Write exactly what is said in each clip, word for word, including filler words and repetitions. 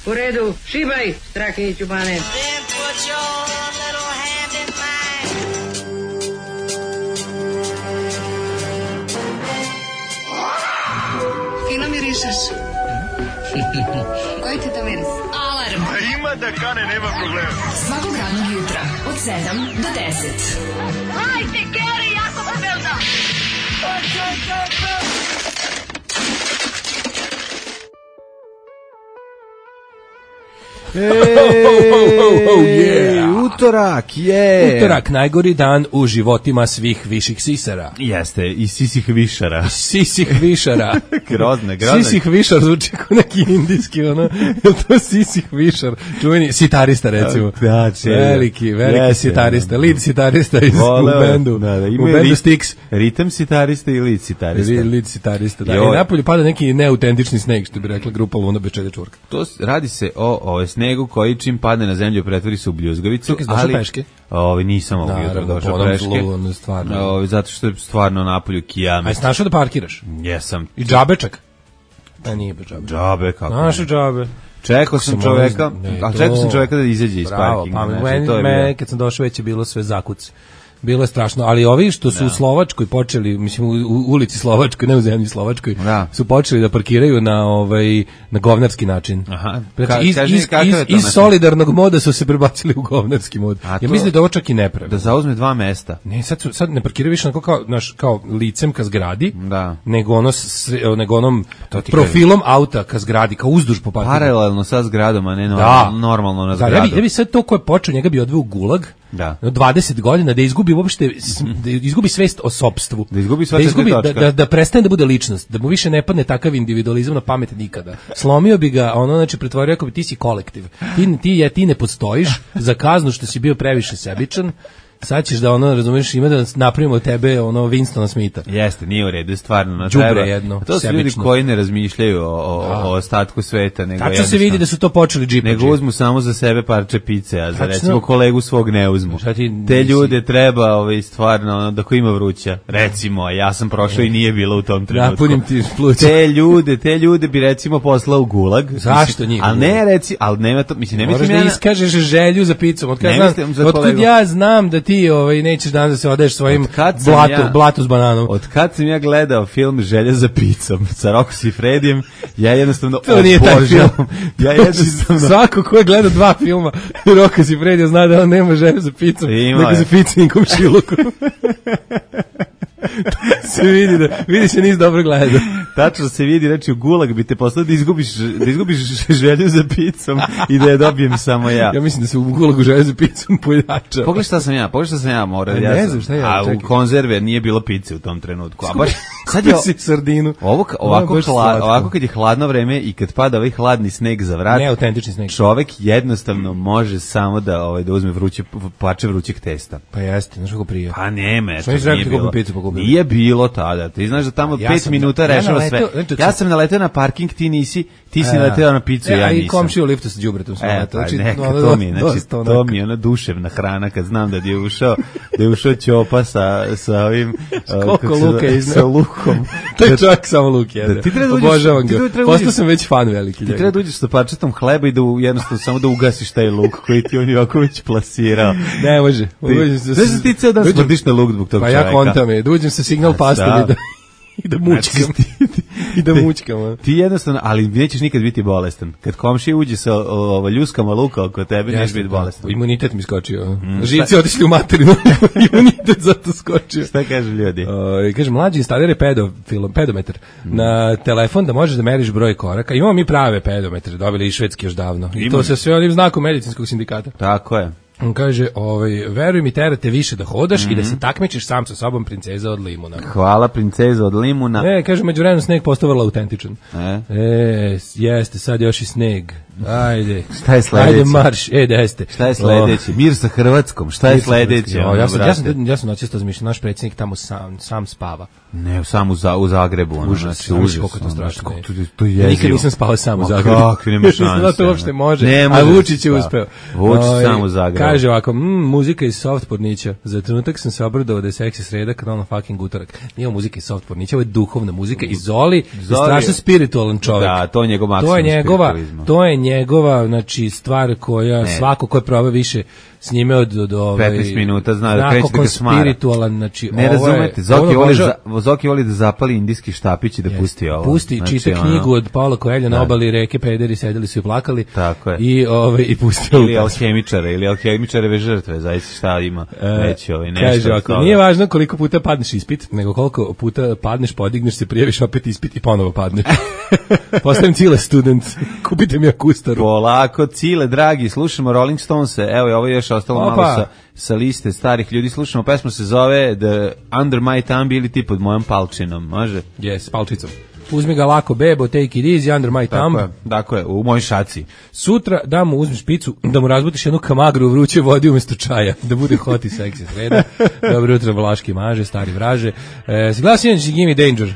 U redu, šibaj, Strahinjiću Bane. Fino mirišeš. Koji ti to miris? Alarm. A ima da kane, nema problema. Svakog radnog jutra, od sedam do deset. Hajde, Geri, jako se velda. Ej, oh, yeah. Utorak je. Utorak, najgori dan u životima svih viših sisara. Jeste, i sisih višara. Sisih višara. grozne, grozne. Sisih višar zvuči kao neki indijski, ono. Je to sisih višar? Čuveni sitarista, recimo. Da, če, veliki, veliki jeste, sitarista. Lead sitarista iz Voleo, u bendu. Da, da, u bendu rit, Styx. Ritam sitarista i lead sitarista. Lead sitarista, da. Jo. I napolju pada neki neautentični sneg, što bi rekla grupa Luna bez čede čurka. To radi se o, o snegu koji čim padne na zemlju pretvori se u bljuzgavicu. Čekaj, ali peške? Ovi nisam ovog jutra došao peške. Zlu, stvarno. Ovi, zato što je stvarno napolju kijamet. A jesi našao da parkiraš? Jesam. I džabečak? A nije bez džabe. Džabe, kako našao džabe. Čekao sam čoveka, a čekao sam čoveka da izađe iz parkinga. Bravo, pa znači, meni, meni kad sam došao već je bilo sve zakuc. Bilo je strašno, ali ovi što su da. u Slovačkoj počeli, mislim u, u ulici Slovačkoj, ne u zemlji Slovačkoj, da. su počeli da parkiraju na ovaj na govnarski način. Aha. Znači, iz, iz, iz, iz solidarnog moda su se prebacili u govnarski mod. Ja to, mislim da ovo čak i ne pravi. Da zauzme dva mesta. Ne, sad su, sad ne parkiraju više onako kao naš kao licem ka zgradi, da. nego ono nego onom profilom kažem. Auta ka zgradi, kao uzduž po parkingu. Paralelno sa zgradom, a ne normalno, da. normalno na zgradu. Da, ja bi, ja bi sad to ko je počeo, njega bi odveo u gulag. Da. dvadeset godina da izgubi uopšte da izgubi svest o sopstvu, da izgubi da, izgubi, da, da, da prestane da bude ličnost, da mu više ne padne takav individualizam na pamet nikada. Slomio bi ga, ono znači pretvorio ako bi ti si kolektiv. Ti ti je ti ne postojiš za kaznu što si bio previše sebičan. Sad ćeš da ono, razumiješ, ima da napravimo od tebe ono Winstona Smitha. Jeste, nije u redu, stvarno. Na Đubre treba. jedno, to su sebično. Ljudi koji ne razmišljaju o, o, o ostatku sveta. Nego tačno se vidi da su to počeli džipađi. Nego uzmu samo za sebe parče pice, a za tačno, recimo kolegu svog ne uzmu. Ti, te ljude treba ovaj, stvarno, ono, da ko ima vruća. Recimo, a ja sam prošao i nije bilo u tom trenutku. Napunim ti pluća. Te ljude, te ljude bi recimo poslao u gulag. Zašto njih? Ali ne reci, ali nema to, mislim, ne mislim ja. Moraš da iskažeš želju za picom. Od otkud ja znam da ti ovaj, nećeš danas da se odeš svojim blatu, ja, blatu s bananom. Od kad sam ja gledao film Želja za picom sa Rocco Siffredijem, ja jednostavno to nije taj film. Ja jednostavno... Svako ko je gledao dva filma Rocco Siffredija zna da on nema želju za picom, nego za picnim komšilukom. se vidi da vidi se nis dobro gleda. Tačno se vidi, znači u gulag bi te poslao da izgubiš da izgubiš želju za picom i da je dobijem samo ja. Ja mislim da se u gulagu želju za picom pojača. Pogledaj šta sam ja, pogledaj šta sam ja morao. Ja ne znam šta ja. A čekaj. U konzerve nije bilo pice u tom trenutku. A baš sad je sardinu. Ovo ovako hlad, ovako kad je hladno vreme i kad pada ovaj hladni sneg za vrat. Ne autentični sneg. Čovek jednostavno može samo da ovaj da uzme vruće parče vrućeg testa. Pa jeste, znaš kako prije. Pa nema, to nije bilo. Picu, nije bilo tada. Ti znaš da tamo ja pet minuta da, rešava ja sve. Ja sam naleteo na parking, ti nisi, ti si e, naleteo na picu, e, ja nisam. I komšiju u liftu sa đubretom sam naleteo. Znači, to mi je, znači, to mi je ona duševna hrana kad znam da je ušao, da je ušao Ćopa sa, sa ovim... Koliko luka izneo. Sa lukom. To je čak samo luk jede. Obožavam ga. Postao sam već fan veliki. Ti treba da uđeš sa parčetom hleba i da jednostavno samo da ugasiš taj luk koji ti on ovako već plasirao. Ne može. Znaš da ti ceo dan smrdiš na luk zbog tog čoveka? Pa ja kontam je. Da uđem sa signal pastom i da... I da mučkam. I da mučkam. Ti jednostavno, ali nećeš nikad biti bolestan. Kad komšija uđe sa ova ljuskama luka oko tebe, nećeš biti bolestan. Imunitet mi skočio. Mm, živci otišli u materinu. Imunitet zato skočio. Šta kažu ljudi? O, kaže, mlađi instaliraj pedofilom, pedometar mm. na telefon da možeš da meriš broj koraka. Imamo mi prave pedometre, dobili i švedski još davno. I to sa sve onim znakom medicinskog sindikata. Tako je. On kaže, ovaj, veruj mi, terate više da hodaš mm-hmm. i da se takmičiš sam sa sobom, princeza od limuna. Hvala, princeza od limuna. E, kaže, međuvremenu sneg postao vrlo autentičan. E? E, jeste, sad još i sneg. Ajde. Šta je sledeće? Ajde, marš. E, da jeste. Šta je sledeće? Oh. Mir sa Hrvatskom. Šta je sledeće? Oh, ja sam, ja sam, ja sam noćisto zmišljao, naš predsjednik tamo sam, sam spava. Ne, samo u, za, u Zagrebu. Ono, užas, znači, užas, koliko to strašno. To, to je nikad nisam spao sam u Zagrebu. Kako, nema šanse. Zato to uopšte može, ne a Vučić je uspeo. Vučić sam u Zagrebu. Kaže ovako, mm, muzika iz soft pornića. Za trenutak sam se obradovao da je seksi sreda, kanal na fucking utorak. Nije muzika iz soft pornića, ovo je duhovna muzika. I Zoli je strašno spiritualan čovjek. Da, to je njegov maksimum to je njegova, to je njegova, znači, stvar koja ne. svako ko je probao više s njime od, od ovaj, petnaest minuta zna da kreće da ga smara. Spiritualan, znači, ne razumete, Zoki voli, za, Zoki voli da zapali indijski štapić i da yes. pusti ovo. Pusti, znači, čita ono, knjigu od Paula Coelha na obali reke, pederi sedeli su i plakali. Tako je. I, ovaj, i pusti ili alhemičare, ili alhemičareve žrtve, zaista šta ima reći ovaj, nešto. Kaže, ako nije važno koliko puta padneš ispit, nego koliko puta padneš, podigneš se, prijaviš opet ispit i ponovo padneš. Postavim Cile student, kupite mi akustaru. Polako, Cile, dragi, slušamo Rolling Stones, evo je ovo još ostalo Opa. malo sa, sa liste starih ljudi, slušamo, pesma se zove The Under My Thumb ili ti pod mojom palčinom, može? Yes, palčicom. Uzmi ga lako, bebo, take it easy, under my thumb. Tako je, tako je, u mojoj šaci. Sutra da mu uzmeš picu, da mu razbutiš jednu kamagru u vruće vodi umjesto čaja, da bude hot i seksi sreda. Dobro jutro, Vlaški maže, stari vraže. E, si glasio inače Gimme Danger?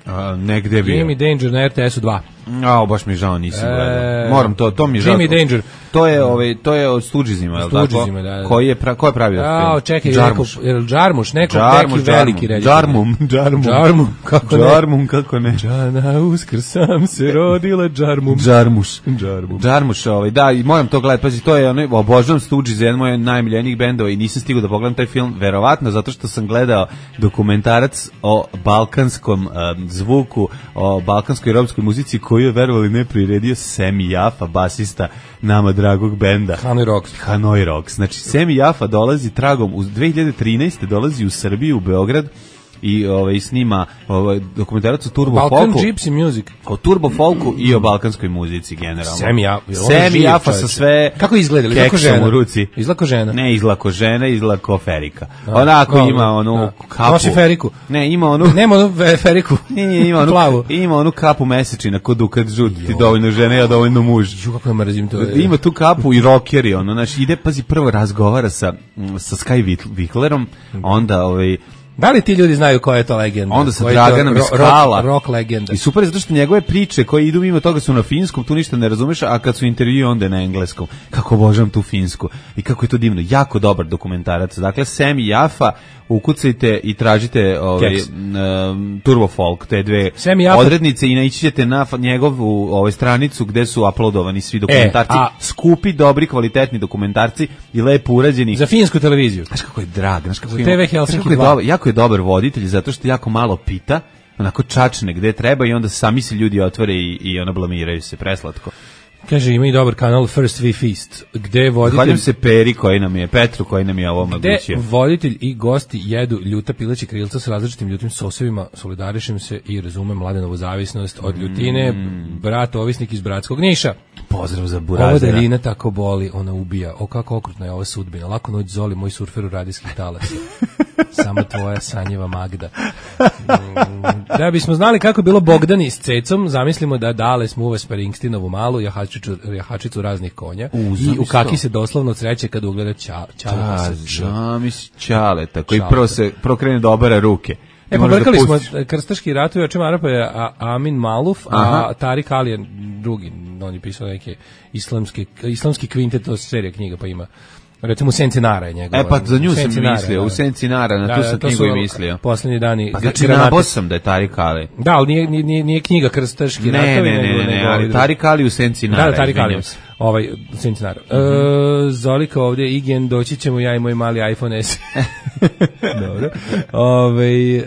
A, negde bio. Gimme Danger na R T S-u dva. A, baš mi žao, nisam gledao. E, Moram to, to mi je žao. Gimme Danger. To je, ovaj, to je od Stoogesima, je li tako? Stoogesima, da, da. Koji je, pra, ko je pravio film? A, čekaj, Džarmuš. Neko, Džarmuš, neko Džarmuš, neki veliki reditelj. Džarmum, Džarmum. Džarmum, kako ne? Džarmum, kako ne? Džana uskr sam se rodila Džarmum. Džarmuš. Džarmum. Džarmuš, ovaj, da, i moram to gledati, pazi, to je, ono, obožavam Stooges, jedan moj najmiljenijih bendova i nisam stigao da pogledam taj film, verovatno, zato što sam gledao dokumentarac o balkanskom um, zvuku, o balkanskoj i romskoj muzici koju je, verovali, ne priredio Semi Jafa, basista nama dragog benda Hanoi Rocks. Hanoi Rocks. Znači, Semi Jafa dolazi tragom, u dve hiljade trinaeste dolazi u Srbiju, u Beograd, i ovaj snima ovaj dokumentarac o Turbo Folku. Balkan Gypsy Music. O Turbo Folku i o balkanskoj muzici generalno. Semi Jafa. Semi Jafa sa sve. Kako izgleda? Izlako žena. U ruci. Izlako žena. Ne, izlako žena, izlako Ferika. Onako no, ima onu no. kapu. Nosi Feriku. Ne, ima onu. Nema onu Feriku. Ne, ima onu plavu. Ima onu kapu mesečina kod Dukat žut. Ti dovoljno žena, ja dovoljno muž. Ju kako mrzim to. Ima tu kapu i rockeri, ono, znači ide, pazi, prvo razgovara sa sa Sky Viklerom, onda ovaj da li ti ljudi znaju koja je to legenda? Onda sa Draganom iz Skala. Rock, rock legenda. I super je zato što njegove priče koje idu mimo toga su na finskom, tu ništa ne razumeš, a kad su intervjui onda je na engleskom. Kako obožavam tu finsku. I kako je to divno. Jako dobar dokumentarac. Dakle, Semi Jafa, ukucajte i tražite ovaj, um, Turbo Folk, te dve odrednice i naići ćete na njegovu ovaj, stranicu gde su uploadovani svi dokumentarci. E, a, skupi, dobri, kvalitetni dokumentarci i lepo urađeni. Za finsku televiziju. Znaš kako je drag. Znaš kako, T V Helsinki je dobar, jako je dobar voditelj zato što jako malo pita, onako čačne gde treba i onda sami se ljudi otvore i, i ono blamiraju se, preslatko. Kaže, ima i dobar kanal First We Feast, gde voditelj... Hvaljam se Peri koji nam je, Petru koji nam je ovo omogućio. Gde voditelj i gosti jedu ljuta pileći krilca sa različitim ljutim sosevima, solidarišem se i razumem Mladenovu zavisnost od ljutine, mm. brat ovisnik iz Bratskog Niša. Pozdrav za Burazera. Ova daljina tako boli, ona ubija. O, kako okrutna je ova sudbina. Lako noć Zoli, moj surfer u radijskih talasa. Samo tvoja sanjeva Magda. Da bismo znali kako je bilo Bogdani s Cecom, zamislimo da Dale smuva Springsteenovu malu jahačicu, jahačicu raznih konja u, i u kaki se doslovno od sreće kad ugleda ča, Čaleta. Zamis Čaleta, koji prvo se prokrene da obara ruke. E, pobrkali smo krstaški ratovi, o čemu Arapa je Amin Maluf, a Aha. Tarik Ali je drugi, on je pisao neke islamske, islamski kvintet, to je serija knjiga, pa ima recimo u Senci Nara je njegova. E pa za nju sam mislio, u Senci Nara, na da, tu da, sam knjigu i mislio. Poslednji dani. Pa znači nabao sam da je Tarik Ali. Da, ali nije, nije, nije knjiga krstaški ne, ratovi. Ne, ne, ne, ne, ali Tarik Ali u Senci Nara. Da, da, Tarik Ali. Ovaj, u Senci Nara. Mm -hmm. e, Zolika ovdje, Igen, doći ćemo ja i moj mali iPhone S. Dobro. Ove,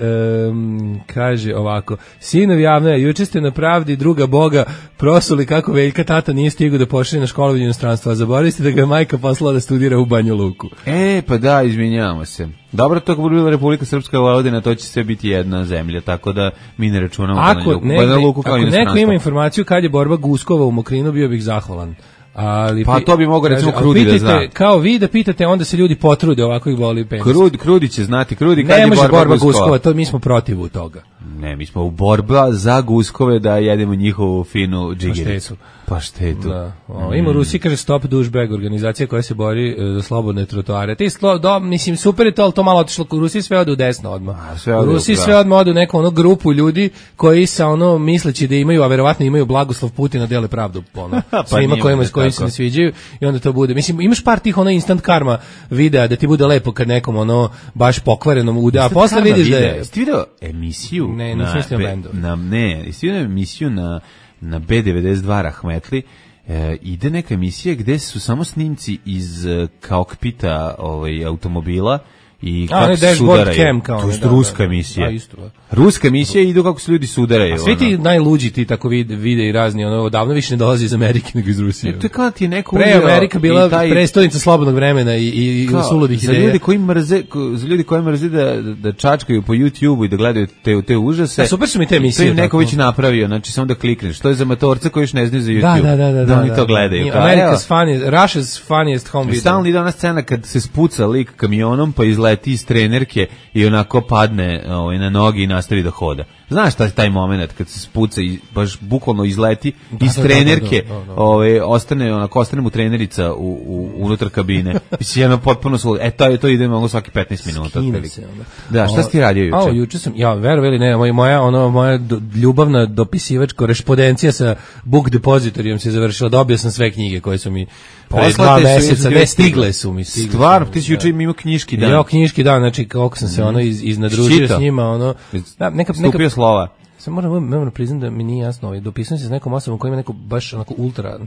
um, kaže ovako, sinovi javno je, juče ste na Pravdi druga Boga prosuli kako Veljka tata nije stigao da pošalje na školovanje inostranstva, a zaboravili ste da ga je majka poslala da studira u Banju Luku. E, pa da, izvinjavamo se. Dobro, to kako bi bila Republika Srpska Vojvodina, to će sve biti jedna zemlja, tako da mi ne računamo ako na Banju Luku kao inostranstvo. Ako neko ima informaciju kad je borba Guskova u Mokrinu, bio bih zahvalan. Ali, pa to bi mogao recimo Krudi da zna. Kao vi da pitate, onda se ljudi potrude, ovako ih voli penzije. Krudi, Krudi će znati, Krudi kad je borba, borba Guskova. Guskova, to mi smo protiv toga. Ne, mi smo u borba za guskove da jedemo njihovu finu džigericu. Paštetu. Da. O, ima u Rusiji, kaže Stop Douchebag, organizacija koja se bori e, za slobodne trotoare. Te slo, do, mislim, super je to, ali to malo otišlo. U Rusiji sve ode u desno odmah. U Rusiji sve odmah ode u neku ono grupu ljudi koji sa ono misleći da imaju, a verovatno imaju blagoslov Putina, dele pravdu ono, pa svima kojima koji se ne sviđaju i onda to bude. Mislim, imaš par tih ono instant karma videa da ti bude lepo kad nekom ono baš pokvarenom ude, a posle vidiš da je... Jesi ti video emisiju? Ne, nisam mislio bendu. Na, ne, jesi ti video emisiju na na be devedeset dva Rahmetli, e, ide neka emisija gde su samo snimci iz e, kokpita ovaj, automobila i a, kako se sudaraju. Kao, to je da, ruska da, emisija. Da, isto, da. Ruska emisija idu kako se ljudi sudaraju. A svi ti ono. Najluđi ti tako vide, vide i razni, ono, davno više ne dolazi iz Amerike nego iz Rusije. E, to je kao ti je neko pre Amerika bila taj... prestonica slobodnog vremena i, i, i suludih ideja. Za ljudi koji mrze, za ljudi koji mrze da, da čačkaju po YouTubeu i da gledaju te, te užase. A super su mi te emisije. To je neko već napravio, znači samo da klikneš. To je za matorce koji još ne znaju za YouTube. Da, da, da. Da, da oni da, to da, gledaju. Da. America's funniest, Russia's funniest home video. Stalno ide ona scena kad se spuca lik kamionom pa izleti iz trenerke i onako padne ovaj, na noge i nastavi da hoda. Znaš taj taj momenat kad se spuca i baš bukvalno izleti da, iz da, trenerke, da, da, da, da. Ovaj ostane onako ostane mu trenerica u, u unutar kabine. Mislim jedno potpuno su e to to ide mogu svaki petnaest minuta otprilike. Da, šta si ti radio juče? A juče sam ja verovali ne, moja moja ono moja do, ljubavna dopisivačka korespondencija sa Book Depositoryjem se završila. Dobio sam sve knjige koje su mi pre dva meseca ne stigle su mi stigle. Stvarno, ti si juče imao knjiški dan. Ja knjiški dan, znači kako sam se ono iz iznadružio s njima, ono da, neka neka slova. Sam moram moram priznati da mi nije jasno, ovaj dopisao se s nekom osobom koja ima neko baš onako ultra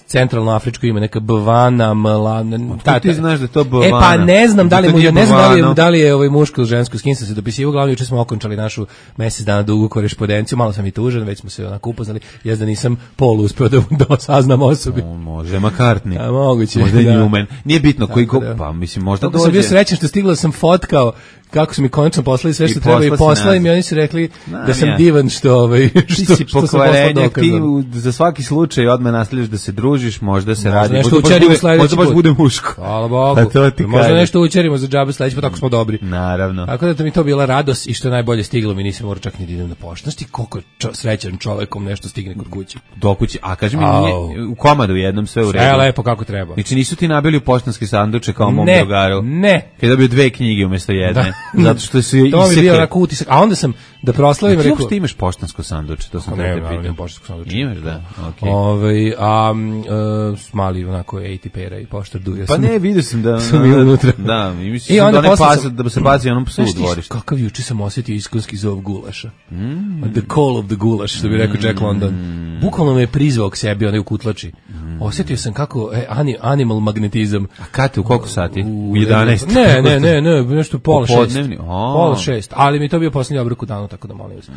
centralno afričko ime, neka Bvana, Mlana. Ta, ti znaš da je to Bvana. E pa ne znam da li mu, ne znam da li je, da li je ovaj muško ili žensko, s kim sam se dopisivao, glavno juče smo okončali našu mesec dana dugu korespondenciju, malo sam i tužan, već smo se onako upoznali, ja da nisam pol uspeo da, da saznam osobi. O, može McCartney. A moguće. Možda je Newman. Nije bitno koji ko, pa mislim možda dođe. Sam bio srećan što stigla sam fotkao kako su mi konačno poslali sve što treba i poslali mi, oni su rekli Znam da sam ja. divan što ovaj što si pokvarenjak, ti za svaki slučaj odmah nastavljaš da se družiš, možda se možda radi, nešto učerimo sledeći možda baš bude muško. Hvala Bogu. Možda nešto učerimo za džabe sledeći put, tako smo dobri. Naravno. Tako da to mi to bila radost i što je najbolje stiglo mi, nisam morao čak ni da idem na poštu. Znaš ti koliko čo, srećan čovekom nešto stigne kod kuće. Do kuće, a kaži mi nije u komadu jednom sve u redu. Sve lepo kako treba. Znači nisu ti nabili u poštanski sanduče kao mom ne, drugaru. Ne. Kad dobio dve knjige umjesto jedne. Zato što su je to mi bio onako utisak, a onda sam da proslavim rekao. Rekao, ti imaš poštansko sanduče, to sam ne, te pitao. Ne, poštansko sanduče. Imaš, da. Okej. Okay. Ovaj a uh, mali onako A T P-era i poštar duja. Pa ne, vidio sam da sam bio unutra. Da, i mislim da ne pas da se baci onom psu u dvorište. Kakav juče sam osetio iskonski zov gulaša. Mm. The call of the gulaš, što bi rekao Jack London. Mm. Bukvalno me je prizvao k sebi, onaj u kutlači. Mm. Osetio sam kako e, animal magnetizam. A kad u koliko sati? U jedanaest. Ne, ne, ne, ne, nešto pola šest. Pola šest, ali mi to bio posljednji obrok u danu, tako da molim vas.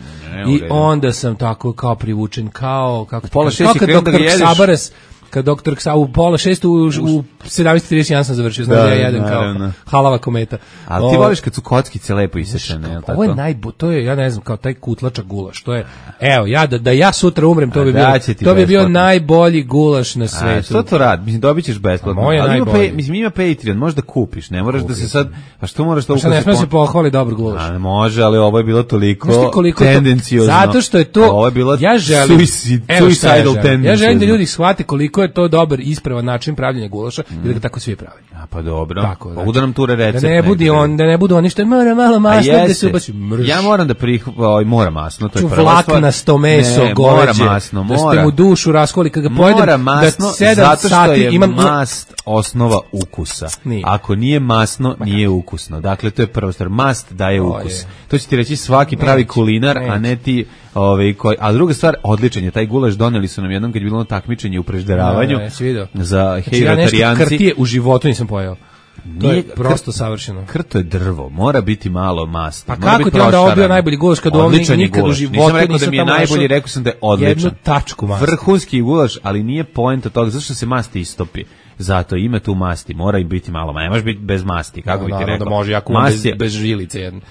I onda sam tako kao privučen, kao kako pola šest i krenuo da ga jedeš. Sabares, kad doktor Ksa u pola šest u, u sedamnaest trideset jedan sam završio, znači da ja jedem kao halava kometa. Ali ti voliš kad su kockice lepo isečene, je li tako? Ovo je najbo, to je, ja ne znam, kao taj kutlačak gulaš, to je, evo, ja da, da ja sutra umrem, to bi bio, to bi bio najbolji gulaš na svetu. A što to radi? Mislim, dobit ćeš besplatno. Ali ima, pay, mislim, ima Patreon, možeš da kupiš, ne moraš Kupi. da se sad, a što moraš da ukazi? Ne smije se pohvali dobar gulaš. A može, ali ovo je bilo toliko tendenciozno. Zato što je to, ovo je bilo ja želim, suicidal tendency. Ja želim da ljudi shvate koliko je to dobar ispravan način pravljenja gulaša mm. i da ga tako svi prave. A pa dobro. Tako, znači, da nam ture recept. Da ne budi on, da ne budu oni što mora malo masno da se ubaci mrš. Ja moram da prihvatim, mora masno, to je prva stvar. Vlaknasto meso, ne, goveđe. Mora masno, mora. Da ste mu dušu raskoli kad ga pojedem. Mora masno, da zato što je imam mast osnova ukusa. Nije. Ako nije masno, nije ukusno. Dakle, to je prva stvar. Mast daje o, ukus. Je. To će ti reći svaki pravi neći, kulinar, neći. a ne ti ovaj koji. A druga stvar, odličan je taj gulaš, doneli su nam jednom kad je bilo takmičenje u prežderavanju. Za hej vegetarijanci. Ja nešto krtije u životu nisam pojeo. To je prosto savršeno. Krto je drvo, mora biti malo masti. Pa kako ti onda ovo bio najbolji gulaš kad ovdje nikad u životu nisam rekao da mi je najbolji, rekao sam da je odličan. Jednu tačku masti. Vrhunski gulaš, ali nije poenta toga, zašto se masti istopi. Zato ima tu masti, mora i biti malo, ne može biti bez masti, kako no, bi ti rekao. Da može, jako bez, bez žilice jedne.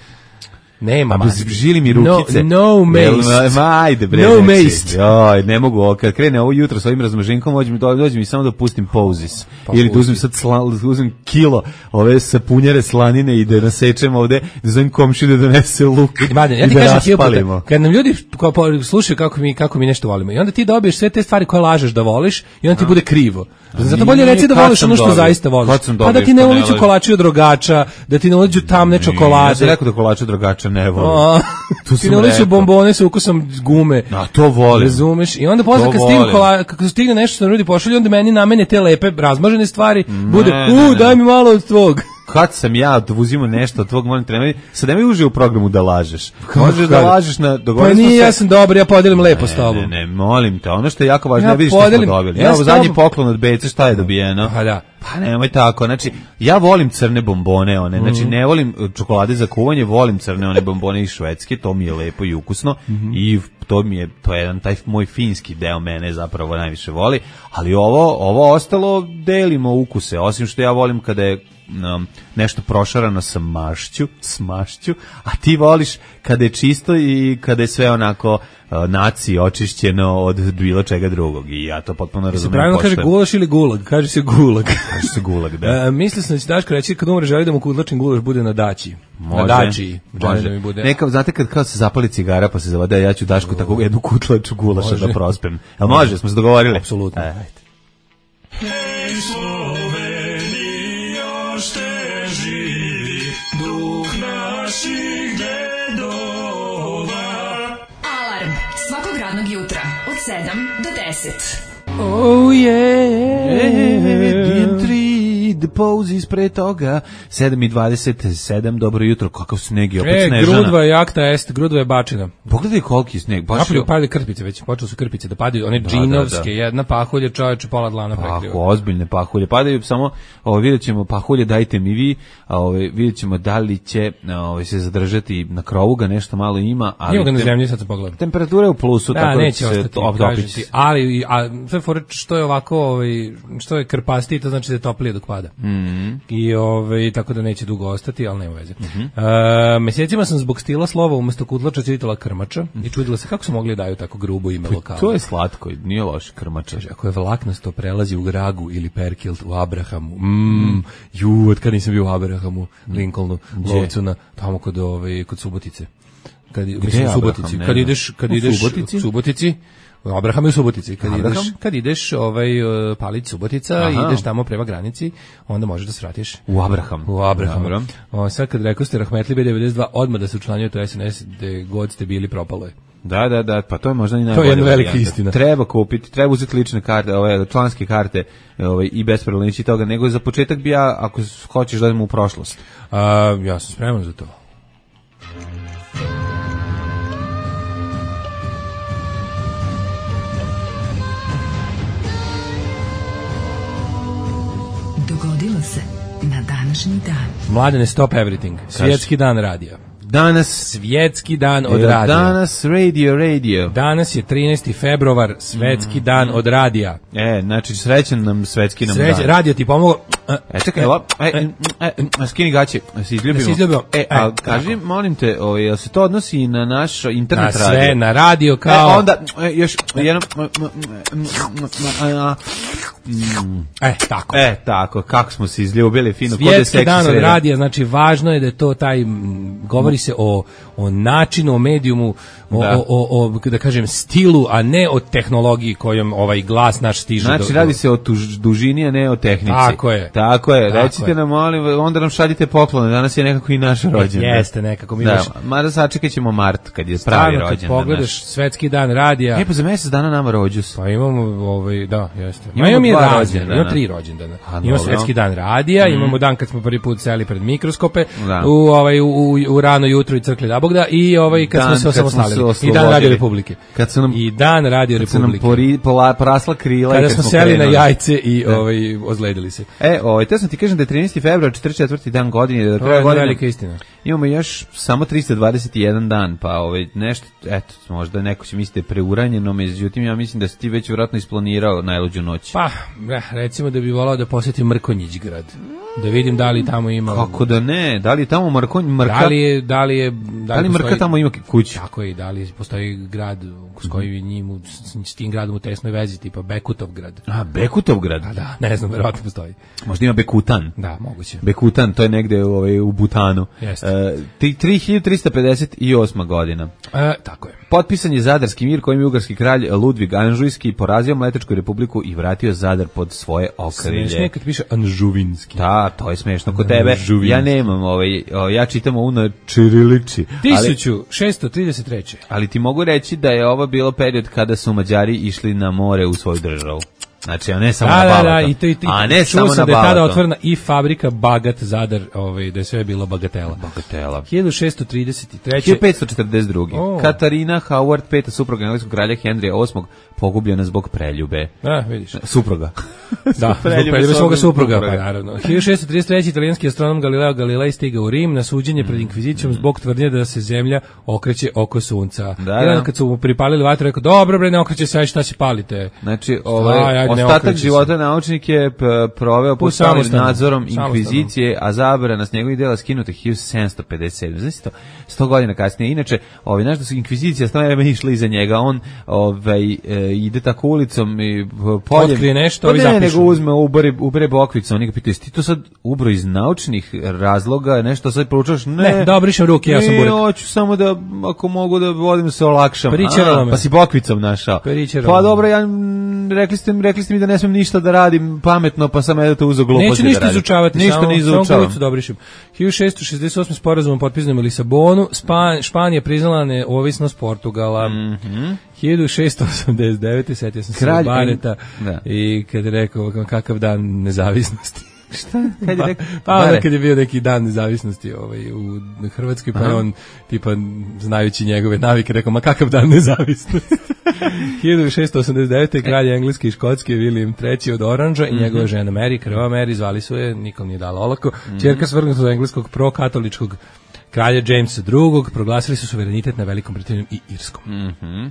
Nema A maske. žili mi rukice. No, no mace. Jel, ma, ajde bre. No znači, mace. Joj, ne mogu ovo, kad krene ovo jutro sa ovim razmaženkom, dođe mi, dođe mi samo da pustim Poses. Pa Ili da pusti. uzmem sad sla, uzmem kilo ove sapunjare slanine i da nasečem ovde, da zovem komšiju da donese luk Mladen, ja i ti da kažem ti raspalimo. puta, kad nam ljudi kao, po- slušaju kako mi, kako mi nešto volimo i onda ti dobiješ sve te stvari koje lažeš da voliš i onda ti bude krivo. Zato bolje nije, reci da kad voliš sam ono što dobio? zaista voliš. Kad sam Pa da dobio ti ne što ne uliđu lažem? kolači od rogača, da ti ne uliđu tamne Ja sam čokolade. rekao da kolača drogača ne volim. A, Tu ti sam ne uliđu rekao. bombone sa ukusom gume. A to volim. Razumeš? I onda posle To kad stigne volim. kola, kako stigne nešto što nam ljudi pošalju, onda meni namene te lepe razmažene stvari, bude, ne, u, ne. daj mi malo od tvog. Kad sam ja uzimao nešto od tvog molim trenera, sad nemoj uže u programu da lažeš. Možeš da kad? lažeš na Pa dogovorili smo nije, se- ja sam dobar, ja podelim lepo s tobom. Ne, ne, molim te, ono što je jako važno, Ja ja vidiš što smo podelim- dobili. ja Ja, s ovo zadnji tobom- poklon od Bece, šta je dobijeno? Pa da. Pa nemoj tako, znači, ja volim crne bombone, one, znači Mhm. ne volim čokolade za kuvanje, volim crne one bombone iz Švedske, to mi je lepo i ukusno Mhm. i to mi je, to je jedan taj moj finski deo mene zapravo najviše voli, ali ovo, ovo ostalo delimo ukuse, osim što ja volim kada je um, nešto prošarano sa mašću, s mašću, a ti voliš kada je čisto i kada je sve onako uh, naci očišćeno od bilo čega drugog i ja to potpuno Se razumem. pravilno kaže poštujem. gulaš ili gulag? Kaže se gulag. Kaže se gulag, da. E, mislio sam da će Daško reći kad umre želi da mu kudlačin gulaš bude na daći. Može, Na daći. Želi može. da mi bude. Neka, znate kad kao se zapali cigara pa se zavade, ja ću Dašku tako jednu kutlaču gulaša Može. da prospem. Jel može, smo se dogovorili? Apsolutno. E. Ajde. Alarm svakog radnog jutra od sedam do deset. Oh yeah. tri, The Poses pre toga, sedam i dvadeset sedam, dobro jutro, kakav sneg je, opet E, snežana. grudva je akta est, grudva je bačina. Pogledaj koliki sneg, baš Napolju je... padaju krpice već, počeli su krpice da padaju, one Da, džinovske, da, da. jedna pahulja, čoveče, pola dlana Ako, prekriva. ozbiljne pahulje padaju, samo ovo, vidjet ćemo pahulje, dajte mi vi, a ove, vidjet ćemo da li će ove, se zadržati na krovu, ga nešto malo ima, ali Ima ga na tem- zemlji, sad sam pogledam. temperatura je u plusu, Da, tako neće da će se ostati, to kažem optopiti. ti, ali a, sve fore što je ovako, ovaj, što je krpasti, to znači da je toplije dok pada. Mhm. I ovaj, tako da neće dugo ostati, ali nema veze. Mhm. E, mesecima sam zbog stila slova umesto kudlača čitala krmača i čudila se kako su mogli da daju tako grubo ime lokala. To je slatko, nije loš krmača. Kaže, ako je vlaknasto prelazi u Gragu ili Perkilt u Abrahamu. Mm, ju, od kad nisam bio u Abrahamu, Lincolnu, lovcu na tamo kod ove kod Subotice. Kad mislim je u Subotici, Abraham? Ne kad znam. ideš, kad U ideš Subotici? u Subotici, Abraham je u Subotici. Kad Abraham? ideš, kad ideš ovaj uh, Palić Subotica, Aha. ideš tamo prema granici, onda možeš da svratiš U Abraham. u Abraham. Dobro. O, sad kad rekao ste Rahmetli B devedeset dva, odmah da se učlanjujete u S N S, gde god ste bili, propalo je. Da, da, da, pa to je možda i To je najbolja jedna velika varijanta. istina. Treba kupiti, treba uzeti lične karte, ove članske karte, ove i bez problema ići toga, nego za početak bi ja, ako hoćeš da idemo u prošlost. A, ja sam spreman za to. Dogodilo se na današnji dan. Mladene, stop everything. Svjetski dan radija. Danas, Svjetski dan od evo, radija. danas radio, radio. Danas je trinaesti februar, svetski dan od radija. E, znači srećan nam svetski nam Sreće, dan. radio ti pomogao. E, čekaj, evo, e, e, e, skini gaće, se izljubimo. Da se izljubimo. E, a E, kaži, molim te, ovaj, jel se to odnosi i na naš Na internet sve, radio? na radio E, kao... onda, e, još jednom... E, tako. E, tako, kako smo se izljubili, fino, kod je Svjetski seksi dan od sreda. radija, znači važno je da je to taj, m, govori se o, o načinu, o medijumu, o, Da. o, o, o, da kažem, stilu, a ne o tehnologiji kojom ovaj glas naš stiže. Znači, do, radi se o tuž, dužini, a ne o tehnici. Tako je. Tako je, Tako recite je. nam, molim, onda nam šaljite poklone, danas je nekako i naš rođendan. Jeste nekako, mi Da, baš... mada sačekat ćemo mart, kad je pravi Stvarno, kad rođendan. pogledaš svetski dan radija, E, pa za mjesec dana nama rođus. pa imamo, ovaj, da, jeste. Imamo Imamo mi dva rođendana, rođendana. imamo tri rođendana. A, Imamo dobro. svetski dan radija, imamo dan kad smo prvi put seli pred mikroskope, Da. u, ovaj, u, u, u rano jutro i crkli Dabogda i ovaj, kad Dan smo se kad smo se osamostalili. I dan oslobodili. Radio Republike. Kad su nam, I dan Radio kad su nam Republike. pori, pola, porasla krila i Kada kad smo smo seli na krenuli. jajce i ovaj, ozledili se. E, ovaj, te sam ti kažem da je trinaesti februar, četrdeset četvrti dan godine, da do To kraja je godine velika istina. imamo još samo trista dvadeset jedan dan, pa ovaj, nešto, eto, možda neko će misliti da je preuranjeno, međutim, ja mislim da si ti već vjerojatno isplanirao najluđu noć. Pa, recimo da bi volao da posjetim Mrkonjić grad. Da vidim da li tamo ima... Kako da ne? Da li je tamo Mrkonj, Mrka? Da li je... Da li, je, da li, li Mrka postoji, tamo ima kuću? Tako je, da li postoji grad s kojim njim, s, s tim gradom u tesnoj vezi, tipa Bekutov grad. A, Bekutov grad? A da, ne znam, verovatno postoji. Možda ima Bekutan. Da, moguće. Bekutan, to je negde ovaj, u Butanu. Jeste. Uh, tri hiljade trista pedeset osma godina. E, tako je. Potpisan je Zadarski mir kojim je ugarski kralj Ludvig Anžujski porazio Mletačku republiku i vratio Zadar pod svoje okrilje. Smešno je kad piše Anžuvinski. Da, to je smešno kod tebe. Anžuvinski. Ja nemam, ovaj, ja čitam ovu na čirilici. tisuću šessto trideset treće. Ali, ali ti mogu reći da je ovo bilo period kada su Mađari išli na more u svoju državu. Znači, a ne samo da, na Balaton. Da, da, i to, i to, a ne samo na da je tada Balaton. otvorena i fabrika Bagat Zadar, ovaj, da je sve bilo bagatela. Bagatela. hiljadu šessto trideset treće. hiljadu petsto četrdeset druge. Oh. Katarina Howard, peta supruga engleskog kralja Henrija osmog, pogubljena zbog preljube. A, vidiš. Supruga. Da, zbog preljube svoga supruga, pa naravno. hiljadu šessto trideset treće. italijanski astronom Galileo Galilei stigao u Rim na suđenje pred inkvizicijom zbog tvrdnje da se zemlja okreće oko sunca. Da, I onda da. kad su mu pripalili vatru, rekao, dobro bre, ne okreće se, aj šta se palite. Znači, ovaj, Aj, ostatak života naučnik je p- proveo pod stalnim nadzorom inkvizicije, a zabrana s njegovih dela skinuta hiljadu sedamsto pedeset sedme. Znači to, sto godina kasnije. Inače, ovaj, znaš da su inkvizicija stavno vreme išla iza njega, on ovaj, e, ide tako ulicom i poljem. Otkrije nešto, pa ovi ne, zapišu. nego uzme, ubere, ubere bokvicu, oni ga pitaju, ti to sad ubro iz naučnih razloga, nešto sad proučavaš? Ne, Ne, da obrišem ruke, ja sam ne, burek. hoću samo da, ako mogu da vodim se olakšam. Pričeralo A, me. pa si bokvicom našao. Pričeralo Pa me. dobro, ja, m, rekli ste, rekli ste mi da ne smijem ništa da radim pametno, pa sam eto uzeo gluposti Neću da ništa radim. izučavati, ništa samo, ne samo izučavam. kulicu da obrišem. hiljadu šessto šezdeset osme. sporazumom potpisanim u Lisabonu, Span, Španija priznala neovisnost Portugala. Mm-hmm. hiljadu šessto osamdeset devete. setio sam se Kralj- Bareta da. i kad je rekao kakav dan nezavisnosti. Šta? Kad je rekao? Pa onda Bare. kad je bio neki dan nezavisnosti ovaj, u Hrvatskoj, pa je on, tipa, znajući njegove navike, rekao, ma kakav dan nezavisnosti. hiljadu šessto osamdeset devete. kralj Engleske i Škotske William treći od Oranža i njegova žena Mary, krva Mary, zvali su je, nikom nije dala olako, ćerka svrgnuta od engleskog prokatoličkog kralja Jamesa drugog. Proglasili su suverenitet na Velikom Britanijom i Irskom. Mhm.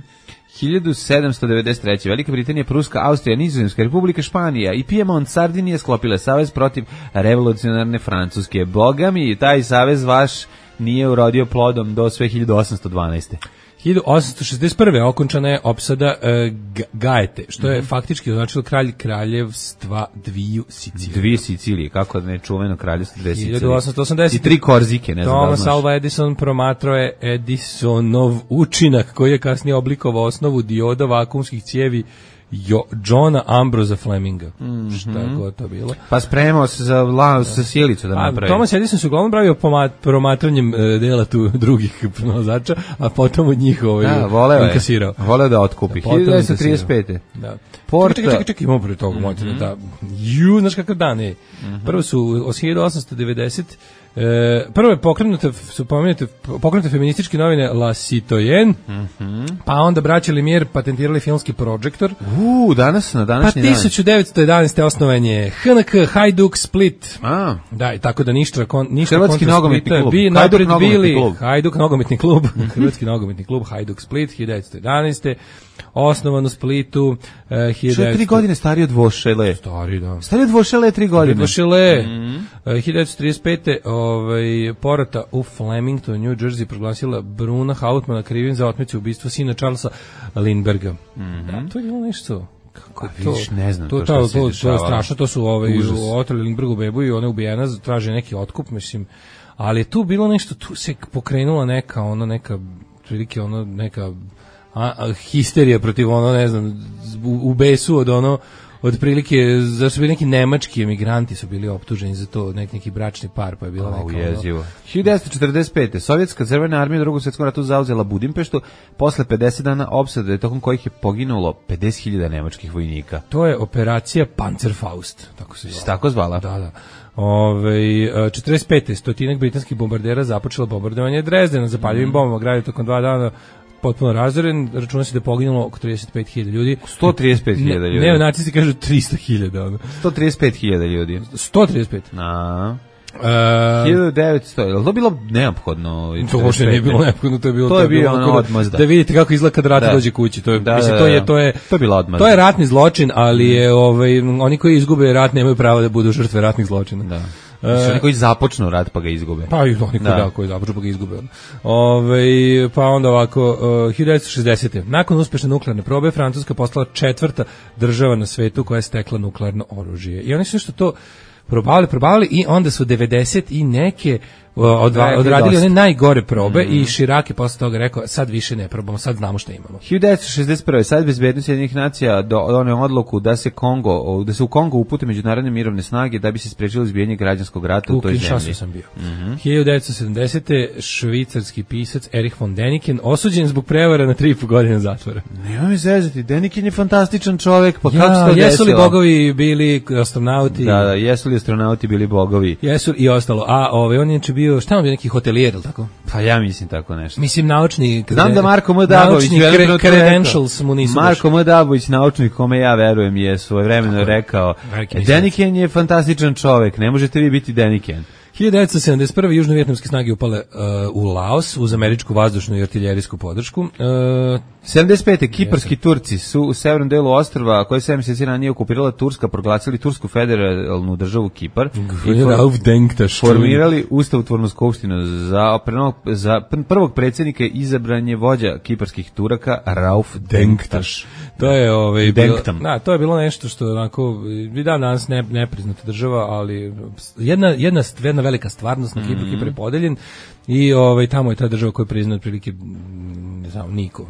hiljadu sedamsto devedeset treće. Velika Britanija, Pruska, Austrija, Nizozemska, Republika Španija i Piemont, Sardinija sklopile savez protiv revolucionarne Francuske. Boga mi, taj savez vaš nije urodio plodom do sve hiljadu osamsto dvanaeste. hiljadu osamsto šezdeset prve. okončana je opsada e, Gaete, što je faktički označilo kralj kraljevstva dviju Sicilija. Dvije Sicilije, kako da ne čuveno kraljevstvo dve Sicilije. hiljadu osamsto osamdeset. I tri Korzike, ne znam da li Thomas znaš. Alva Edison promatrao je Edisonov učinak koji je kasnije oblikovao osnovu dioda vakuumskih cijevi Jo, Johna Ambrosa Fleminga. Mm-hmm. Šta je god to bilo? Pa spremao se za, la, za sjelicu da A, napravi. Thomas Edison se uglavnom bavio pomat, promatranjem e, dela tu drugih pronalazača, a potom od njih ovaj, Da, voleo je. inkasirao. Voleo da otkupi. Da, potom hiljadu devetsto trideset pete. Da. Porta- Čekaj, čekaj, čekaj, imamo pre toga, mm-hmm. da. Ju, znaš kakav dan je. Mm-hmm. Prvo su od hiljadu osamsto devedeset. E, prvo je pokrenute, su pomenute, pokrenute feminističke novine La Citoyen, mm-hmm. pa onda braća Lumière patentirali filmski projektor. U, danas, na Pa današnji dan. tisuću devetsto jedanaeste. osnovan je H N K Hajduk Split. A, Da, i tako da ništa, kon, ništa Hrvatski kontra nogometni Splita. klub. Bi Hajduk napred nogometni bili klub. Hajduk nogometni klub, Hrvatski nogometni klub Hajduk Split, hiljadu devetsto jedanaeste. Osnovan u Splitu, eh, hiljadu što je tri devetsto godine stariji od Vošele. Stari, da. Stariji od Vošele je tri godine. Vošele. Mm. hiljadu devetsto trideset pete. Ovaj, porota u Flemington, New Jersey proglasila Bruna Hautmana krivim za otmicu ubistva sina Charlesa Lindberga. Mhm. Da, to je bilo nešto. Kako je A to? vidiš, ne znam to, to to, šta to, se to, to je dešavalo. strašno, to su ovaj, Užas. otrali Lindbergu bebu i ona je ubijena, traže neki otkup, mislim, ali je tu bilo nešto, tu se pokrenula neka, ono, neka, prilike, ono, neka a, a, histerija protiv, ono, ne znam, u, u besu od, ono, od prilike, zašto su bili neki nemački emigranti su bili optuženi za to, neki, neki bračni par, pa je bila neka, Au, ono, jezivo. hiljadu devetsto četrdeset pete. Sovjetska crvena armija u Drugom svjetskom ratu zauzela Budimpeštu posle pedeset dana opsade, tokom kojih je poginulo pedeset hiljada nemačkih vojnika. to je operacija Panzerfaust, tako se Se zvala. tako zvala? Da, da. Ove, četrdeset pete. stotinak britanskih bombardera započelo bombardovanje Drezdena zapaljivim bombama, grad je tokom dva dana potpuno razoren, računa se da je poginulo oko trideset pet hiljada ljudi. sto trideset pet hiljada ljudi. Ne, nacisti kažu tristo hiljada. Ono. sto trideset pet hiljada ljudi. sto trideset pet. Na. Uh, hiljadu devetsto, je li to bilo neophodno? To uopšte nije bilo neophodno, to je bilo to je bio ono odmazda. Da vidite kako izgleda kad rat da. dođe kući, to je da, mislim da, to je to je to je bila odmazda. To je ratni zločin, ali je ovaj oni koji izgube rat nemaju pravo da budu žrtve ratnih zločina. Da. Znači, oni koji započnu rat pa ga izgube. Pa i oni koji da. da, koji započnu pa ga izgube. Ove, pa onda ovako, uh, hiljadu devetsto šezdesete. Nakon uspešne nuklearne probe, Francuska postala četvrta država na svetu koja je stekla nuklearno oružje. I oni su što to probavili, probavili i onda su devedeset i neke odva, odradili one najgore probe mm. i Širak je posle toga rekao sad više ne probamo, sad znamo šta imamo. hiljadu devetsto šezdeset prve. Sad bezbednost Jedinih nacija doneo odluku da se Kongo, da se u Kongo upute međunarodne mirovne snage da bi se sprečilo izbijanje građanskog rata u, u toj zemlji. Sam bio. Mm-hmm. hiljadu devetsto sedamdesete. švicarski pisac Erich von Däniken osuđen zbog prevara na tri i po godine zatvora. Nema mi zezati, Däniken je fantastičan čovjek, pa ja, kako se to desilo? Jesu li bogovi bili astronauti? Da, da, jesu li astronauti bili bogovi? Jesu i ostalo. A ovaj on je bio bio, šta on bio, neki hotelijer, ili tako? Pa ja mislim tako nešto. Mislim, naučni... Znam da Marko M. Dabović... Naučni credentials mu nisu Marko M. Dabović, naučnik kome ja verujem, je svojevremeno rekao Däniken je fantastičan čovek, ne možete vi biti Däniken. hiljadu devetsto sedamdeset prve. južno-vijetnamske snage upale uh, u Laos uz američku vazdušnu i artiljerijsku podršku. Uh, sedamdeset pete. Kiparski Turci su u severnom delu ostrva, koje sedam mjeseci ranije okupirala Turska, proglasili Tursku federalnu državu Kipar i formirali ustavotvornu skupštinu. Za, za prvog predsjednika izabran je vođa kiparskih Turaka Rauf Denktaš. To je ovaj bilo, na, to je bilo nešto što onako i dan danas ne nepriznata država, ali jedna jedna jedna velika stvarnost na Kipru, mm. Kipar je podeljen i ovaj tamo je ta država koju priznaje otprilike ne znam niko.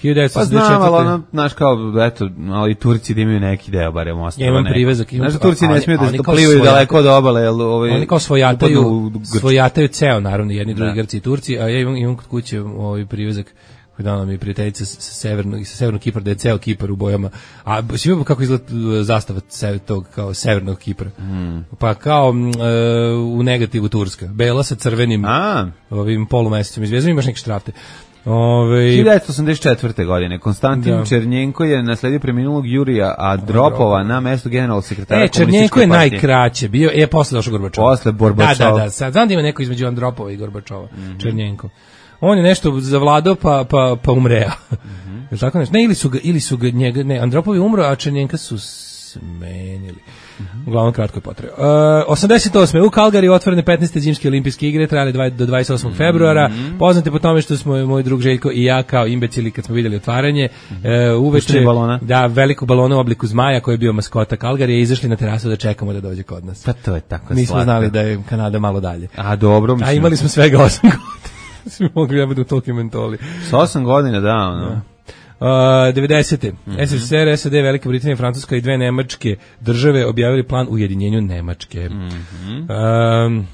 hiljadu devetsto sedamdeset četvrte. Pa znam, ali ono, znaš kao, eto, ali Turci da imaju neki deo, barem ostalo. Ja imam privezak. Imam, znaš, Turci ne smiju da se plivaju daleko od obale. Jel, ovaj, oni kao svojataju, svojataju ceo, naravno, jedni, drugi, Grci i Turci, a ja imam, imam kod kuće ovaj privezak koji dana mi prijateljica sa severnog, sa severnog Kipra, da je ceo Kipar u bojama. A svi kako izgleda zastava tog kao severnog Kipra. Mm. Pa kao e, u negativu Turska. Bela sa crvenim a. ovim polumesecom i zvijezdom, imaš neke štrafte. Ove... hiljadu devetsto osamdeset četvrte. godine Konstantin da. Černjenko je nasledio preminulog Jurija Andropova na mesto generalnog sekretara e, Černjenko je partije. Najkraće bio, je posle došao Gorbačov. Posle Gorbačov. Da, da, da, sad znam da ima neko između Andropova i Gorbačova, mm-hmm. Černjenko. On je nešto zavladao pa pa pa umreo. Mm-hmm. Je tako nešto? Ne, ili su ga ili su ga njega, ne, Andropov je umro, a Černjenka su smenili. Mm-hmm. Uglavnom kratko je potrebe. Uh, osamdeset osme. u Kalgariju otvorene petnaeste zimske olimpijske igre, trajale do dvadeset osmog Mm-hmm. februara. Poznate po tome što smo moj drug Željko i ja kao imbecili kad smo vidjeli otvaranje, mm-hmm. uh, uveče da veliko balona u obliku zmaja koji je bio maskota Kalgarije, izašli na terasu da čekamo da dođe kod nas. Pa to je tako. Mi smo znali da je Kanada malo dalje. A dobro, mislim. A imali smo svega osam godina. Svi mogli da budu toliki mentoli. S osam godina, da, ono. Da. Uh, devedesete. Mm-hmm. S S S R, S A D, Velika Britanija, Francuska i dve nemačke države objavili plan ujedinjenju Nemačke. Mm-hmm. Um,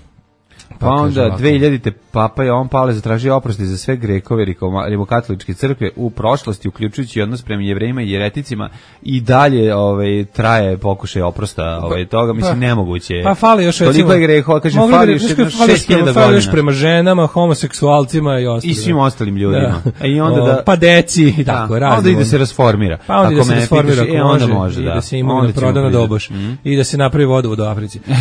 pa, pa onda dve hiljadite. Papa Jovan Pavle zatražio oprosti za sve Grekove rimokatoličke crkve u prošlosti, uključujući odnos prema Jevrejima i jereticima, i dalje ovaj traje pokušaj oprosta ovaj toga, mislim pa, nemoguće. Pa fali još toliko je grehova, kaže fali još šest hiljada godina. Još prema ženama, homoseksualcima i ostalim. I svim ostalim ljudima. Da. I onda da pa deci i tako, razno. Onda ide se rasformira. Pa onda ide se rasformira, i onda može, i da. da se imovina proda na doboš mm. i da se napravi vodovod u Africi. uh,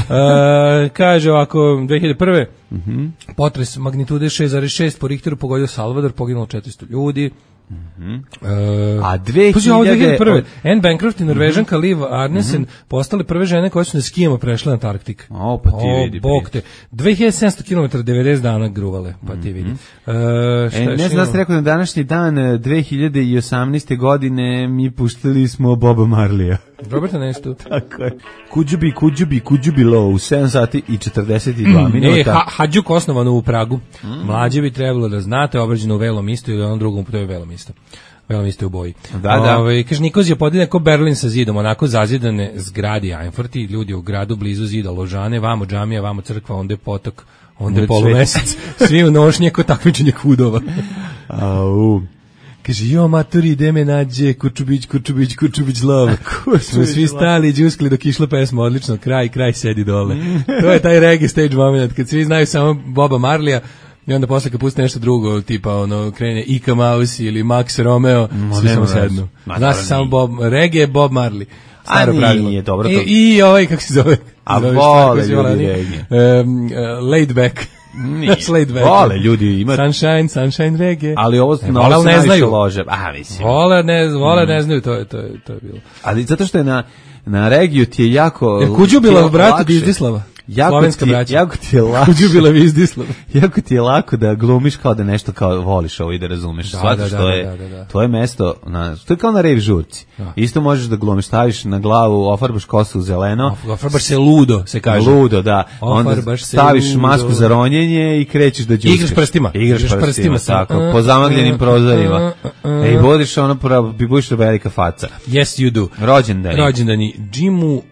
kaže ovako, dve hiljade prve. Mhm. Potres magnitude šest zarez šest po Richteru pogodio Salvador, poginulo četiristo ljudi. Mm-hmm. Uh, a dve hiljade prve. Anne Bancroft i Norvežanka mm-hmm. Liv Arnesen mm-hmm. postale prve žene koje su na skijama prešle Antarktik. O, pa ti o, vidi. Bog te. dve hiljade sedamsto kilometara, devedeset dana gruvale, pa ti vidi. Uh, e, ne znam da ste rekao na današnji dan dve hiljade osamnaeste. godine mi puštali smo Boba Marleya. Roberta Nestu. Tako je. Kuđubi, kuđubi, kuđubi low, sedam sati i četrdeset dva mm, minuta. Ne, ha, Hadžuk osnovano u Pragu. Mm. Mlađe bi trebalo da znate, obrađeno u Velom isto ili onom drugom, to je Velom isto. Velom isto u boji. Da, da. Ove, kaže, Nikozija podijeljen kao Berlin sa zidom, onako zazidane zgradi Einforti, ljudi u gradu blizu zida Ložane, vamo džamija, vamo crkva, onda je potok, onda je polumesec, svi u nošnje ko takmičenje hudova. Au. Kaže, jo, maturi, ide me nađe, Kurčubić, Kurčubić, Kurčubić love. Smo svi stali i džuskali dok išla pesma, odlično, kraj, kraj, sedi dole. To je taj reggae stage moment, kad svi znaju samo Boba Marleya, I onda posle kad pusti nešto drugo, tipa ono, krene Ika Mouse ili Max Romeo, No, svi samo nema veze. sednu. Ma, Zna se dobro, samo nije. Bob, reggae Bob Marley. Staro A nije, pravilo. nije, dobro to. I, I ovaj, kako se zove? A Zove, vole kako se zove, ljudi nije? reggae. Um, uh, laid back. Nije. Laid back. Vole ljudi, ima... Sunshine, sunshine reggae. Ali ovo, E, na vole, ovo ali se ne najviše znaju. lože. A, mislim. Vole, ne, vole, ne znaju, to je, to je, to je bilo. Ali zato što je na, na regiju ti je jako... Jer Kuđubila ti je bratu lakše. Bizdislava. Jako Slovenska ti, braća. jako ti je lakše. Kuđubila Bizdislava. Jako ti je lako da glumiš kao da nešto kao voliš ovo i da razumeš. Da, Shvataš da, da, što je da, da, da. tvoje mesto, na, to je kao na rave žurci. Da. Isto možeš da glumiš, staviš na glavu, ofarbaš kosu u zeleno. Ofarbaš se ludo, se kaže. Ludo, da. Onda Ofarbaš se staviš ludo. masku za ronjenje i krećeš da đuskaš. Igraš prstima. Igraš Igraš prstima, prstima, tako, samo. po zamagljenim prozorima. Ej, vodiš ono, pra- bi budiš velika faca. Yes, you do. Rođendani. Rođendani. Jimu,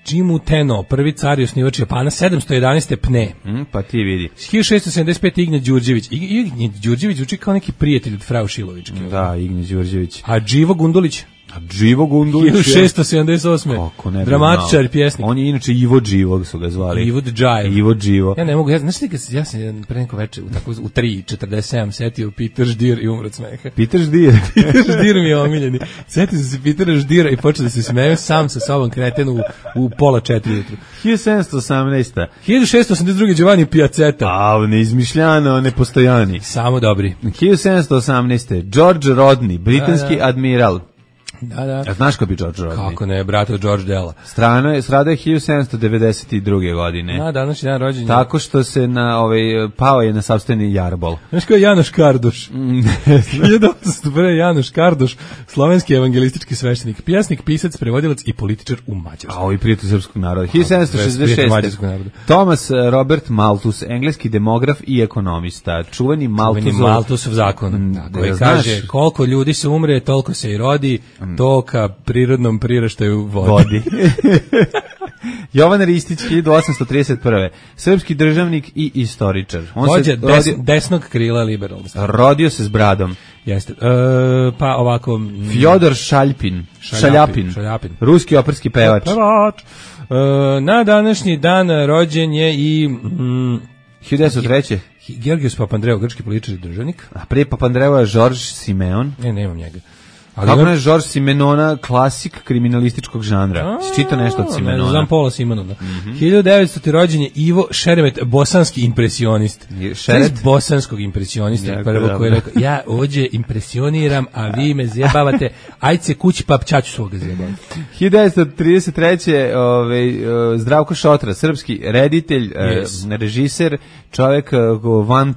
Jimu Teno, prvi car i osnivač Japana, sedamsto jedanaeste pne. Mm, pa ti vidi. hiljadu šessto sedamdeset pete Ignje Đurđević. I- Ignje Đurđević zvuči kao neki prijatelj od Frau Šilovićke. Da, Ignje Đurđević. A Đivo Gundulić, A Živo Gundulić je- hiljadu šessto sedamdeset osme Kako ne bi dramatičar znao. i pjesnik. On je inače Ivo Živog su ga zvali. Ivo Džajev. Ivo Đivo. Ja ne mogu, ja, znaš ti, kad, ja sam jedan pre neko večer, u, tako, u tri četrdeset sedam setio Peter Ždir i umro od smeha. Peter Ždir. Peter Ždir mi je omiljeni. Setio sam se Petera Ždira i počeo da se smeju sam sa sobom kreten u, u pola četiri jutru. hiljadu sedamsto osamnaeste. hiljadu šessto osamdeset druge Giovanni Piazzetta. A, neizmišljano, nepostojani. Samo dobri. hiljadu sedamsto osamnaeste. George Rodney, britanski Da, da. admiral. Da, da. A znaš ko bi George Rodney? Kako ne, brate od George Della. Strano je, stradao je hiljadu sedamsto devedeset druge godine. Na današnji dan rođenja. Tako što se na ovaj pao je na sopstveni jarbol. Znaš ko je Janoš Kardoš? hiljadu osamsto prve Janoš Kardoš, slovenski evangelistički sveštenik, pjesnik, pisac, prevodilac i političar u Mađarskoj. A ovi prijatelj srpskog naroda. hiljadu sedamsto šezdeset prijatelj šeste. mađarskog naroda. Thomas Robert Malthus, engleski demograf i ekonomista. Čuveni Malthusov, Malthusov. Malthusov zakon, Mm, koji da, kaže znaš- koliko ljudi se umre, toliko se i rodi, to ka prirodnom priraštaju vodi. Vodi. Jovan Ristić, hiljadu osamsto trideset prve. Srpski državnik i istoričar. On Vođa se des, rodio, desnog krila liberalnog. rodio se s bradom. Jeste. E, pa ovako... mm, Fjodor Šaljpin. Šaljapin, Šaljapin. Šaljapin. Ruski operski pevač. Pevač. E, na današnji dan rođen je i mm, hiljadu devetsto treće. Georgios Papandreou, grčki političar i državnik. A prije Papandreou je Žorž Simeon. Ne, nemam njega. Ali Kako imam- ne Žorž Simenona, klasik kriminalističkog žanra. Si čitao nešto od Ne, Simenona? znam Pola Simonona. hiljadu devetsto. rođen je Ivo Šeremet, bosanski impresionist. Je- Šeret Šeret? bosanskog impresionista, Jako prvo koji je dobro. rekao, ja ovdje impresioniram, a vi me zjebavate, ajde se kući pa ćaću svoga zjebavati. hiljadu devetsto trideset treće. Ovaj, eh, Zdravko Šotra, srpski reditelj, eh, Yes. režiser, čovjek eh, van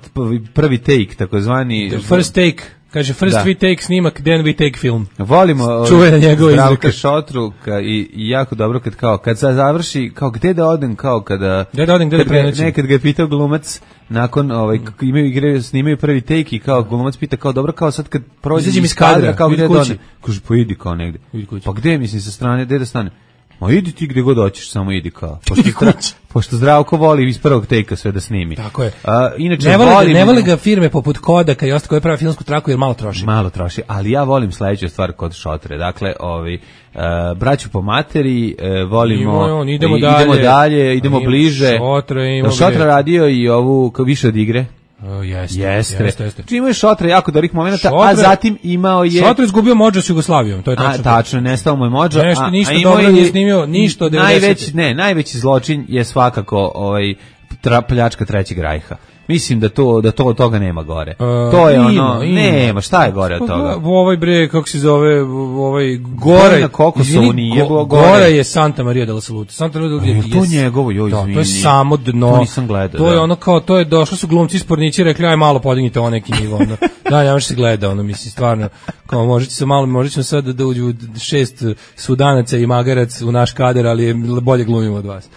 prvi take, takozvani... First take, kaže first Da. we take snimak, then we take film. Volimo ovaj, Čuvena njegova Zdravka izreka. Šotru ka, i, i jako dobro kad kao kad se završi kao gde da odem kao kada Gde da odem, gde da kad ga- prenoćim. nekad ga je pitao glumac nakon ovaj kako imaju igre snimaju prvi take i kao glumac pita kao dobro kao sad kad prođe Izađem iz kadra, kao idi gde da kući. odem kaže pa idi kao negde Idi kući. pa gde mislim sa strane gde da stane ma idi ti gde god hoćeš samo idi kao pošto, Idi Zdra- kući. pošto Zdravko voli iz prvog take sve da snimi Tako je. A, inače Ne vole, ga, volim ne vole ga firme poput Kodaka i ostalo koje prave filmsku traku jer malo troši. malo troši, ali ja volim sledeću stvar kod Šotre. Dakle, ovi uh, braću po materi, uh, volimo Ima on, idemo i- dalje. idemo dalje, idemo Ima bliže. Šotra, ima Jel Šotra gde. radio i ovu kao više od igre. O, jeste, Jeste. jeste, jeste. Znači imao je Šotra jako dobrih momenata, a Šotra- zatim imao je Šotra je izgubio Modža s Jugoslavijom, to je a, tačno. tačno, nestao mu je Modža. Nešto, a, ništa a imao dobro je- nije snimio, ništa od devedesete. Najveći, ne, najveći zločin je svakako ovaj tra, pljačka trećeg rajha. Mislim da to da to od toga nema gore. to je ima, ono, ima. nema, šta je gore od Pa, toga? go- Ovaj bre, kako se zove, ovaj Gore Gora, na Kokosovu nije, go- gore. Gora je Santa Maria del Salute. Santa Maria del A je Salute. to njegovo, joj, Da, to je izvini. samo dno. To nisam gledao, To je da. ono kao, to je došli su glumci spornici i rekli, aj malo podignite ovo neki nivo. Ono. Da, ja se gleda, ono, mislim, stvarno, kao možete se malo, možete ćemo sad da uđu šest sudanaca i magarac u naš kader, ali je bolje glumimo od vas.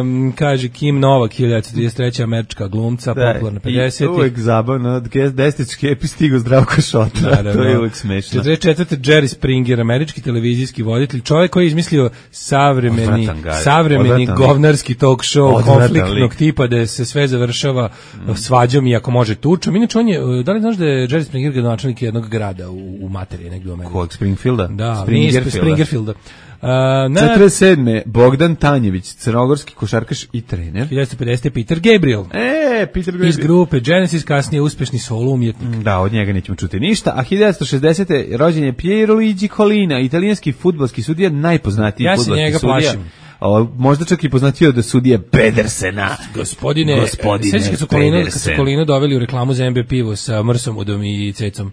Um, kaže Kim Novak, hiljadu devetsto trideset treće. američka glumca, popularna I pedesetih. uvek zabavno, od desetičke epi stigo Zdravko Šotra, Naravno. to je uvek smešno. četrdeset četvrte. Jerry Springer, američki televizijski voditelj, čovjek koji je izmislio savremeni, Odvratan ga je, savremeni odvratan lik. govnarski talk show Odvratan konfliktnog lik. tipa da se sve završava svađom i ako može tučom. Inače on je, da li znaš da je Jerry Springer gradonačelnik jednog grada u, u materiji negdje u Americi? Kog Springfielda? Da, Springerfielda. Springerfielda. na četrdeset sedme Bogdan Tanjević, crnogorski košarkaš i trener. hiljadu pedeset Peter Gabriel. E, Peter Gabriel. Iz grupe Genesis, kasnije uspešni solo umjetnik. Da, od njega nećemo čuti ništa. A hiljadu šezdesete rođen je Piero Luigi Collina, italijanski fudbalski sudija, najpoznatiji ja fudbalski njega sudija. plašim. O, možda čak i poznatio da sudije Pedersena. Gospodine, Gospodine sećaš kad su Kolinu, kad su Pedersen. Kolinu doveli u reklamu za M B pivo sa Mrsomudom i Cecom.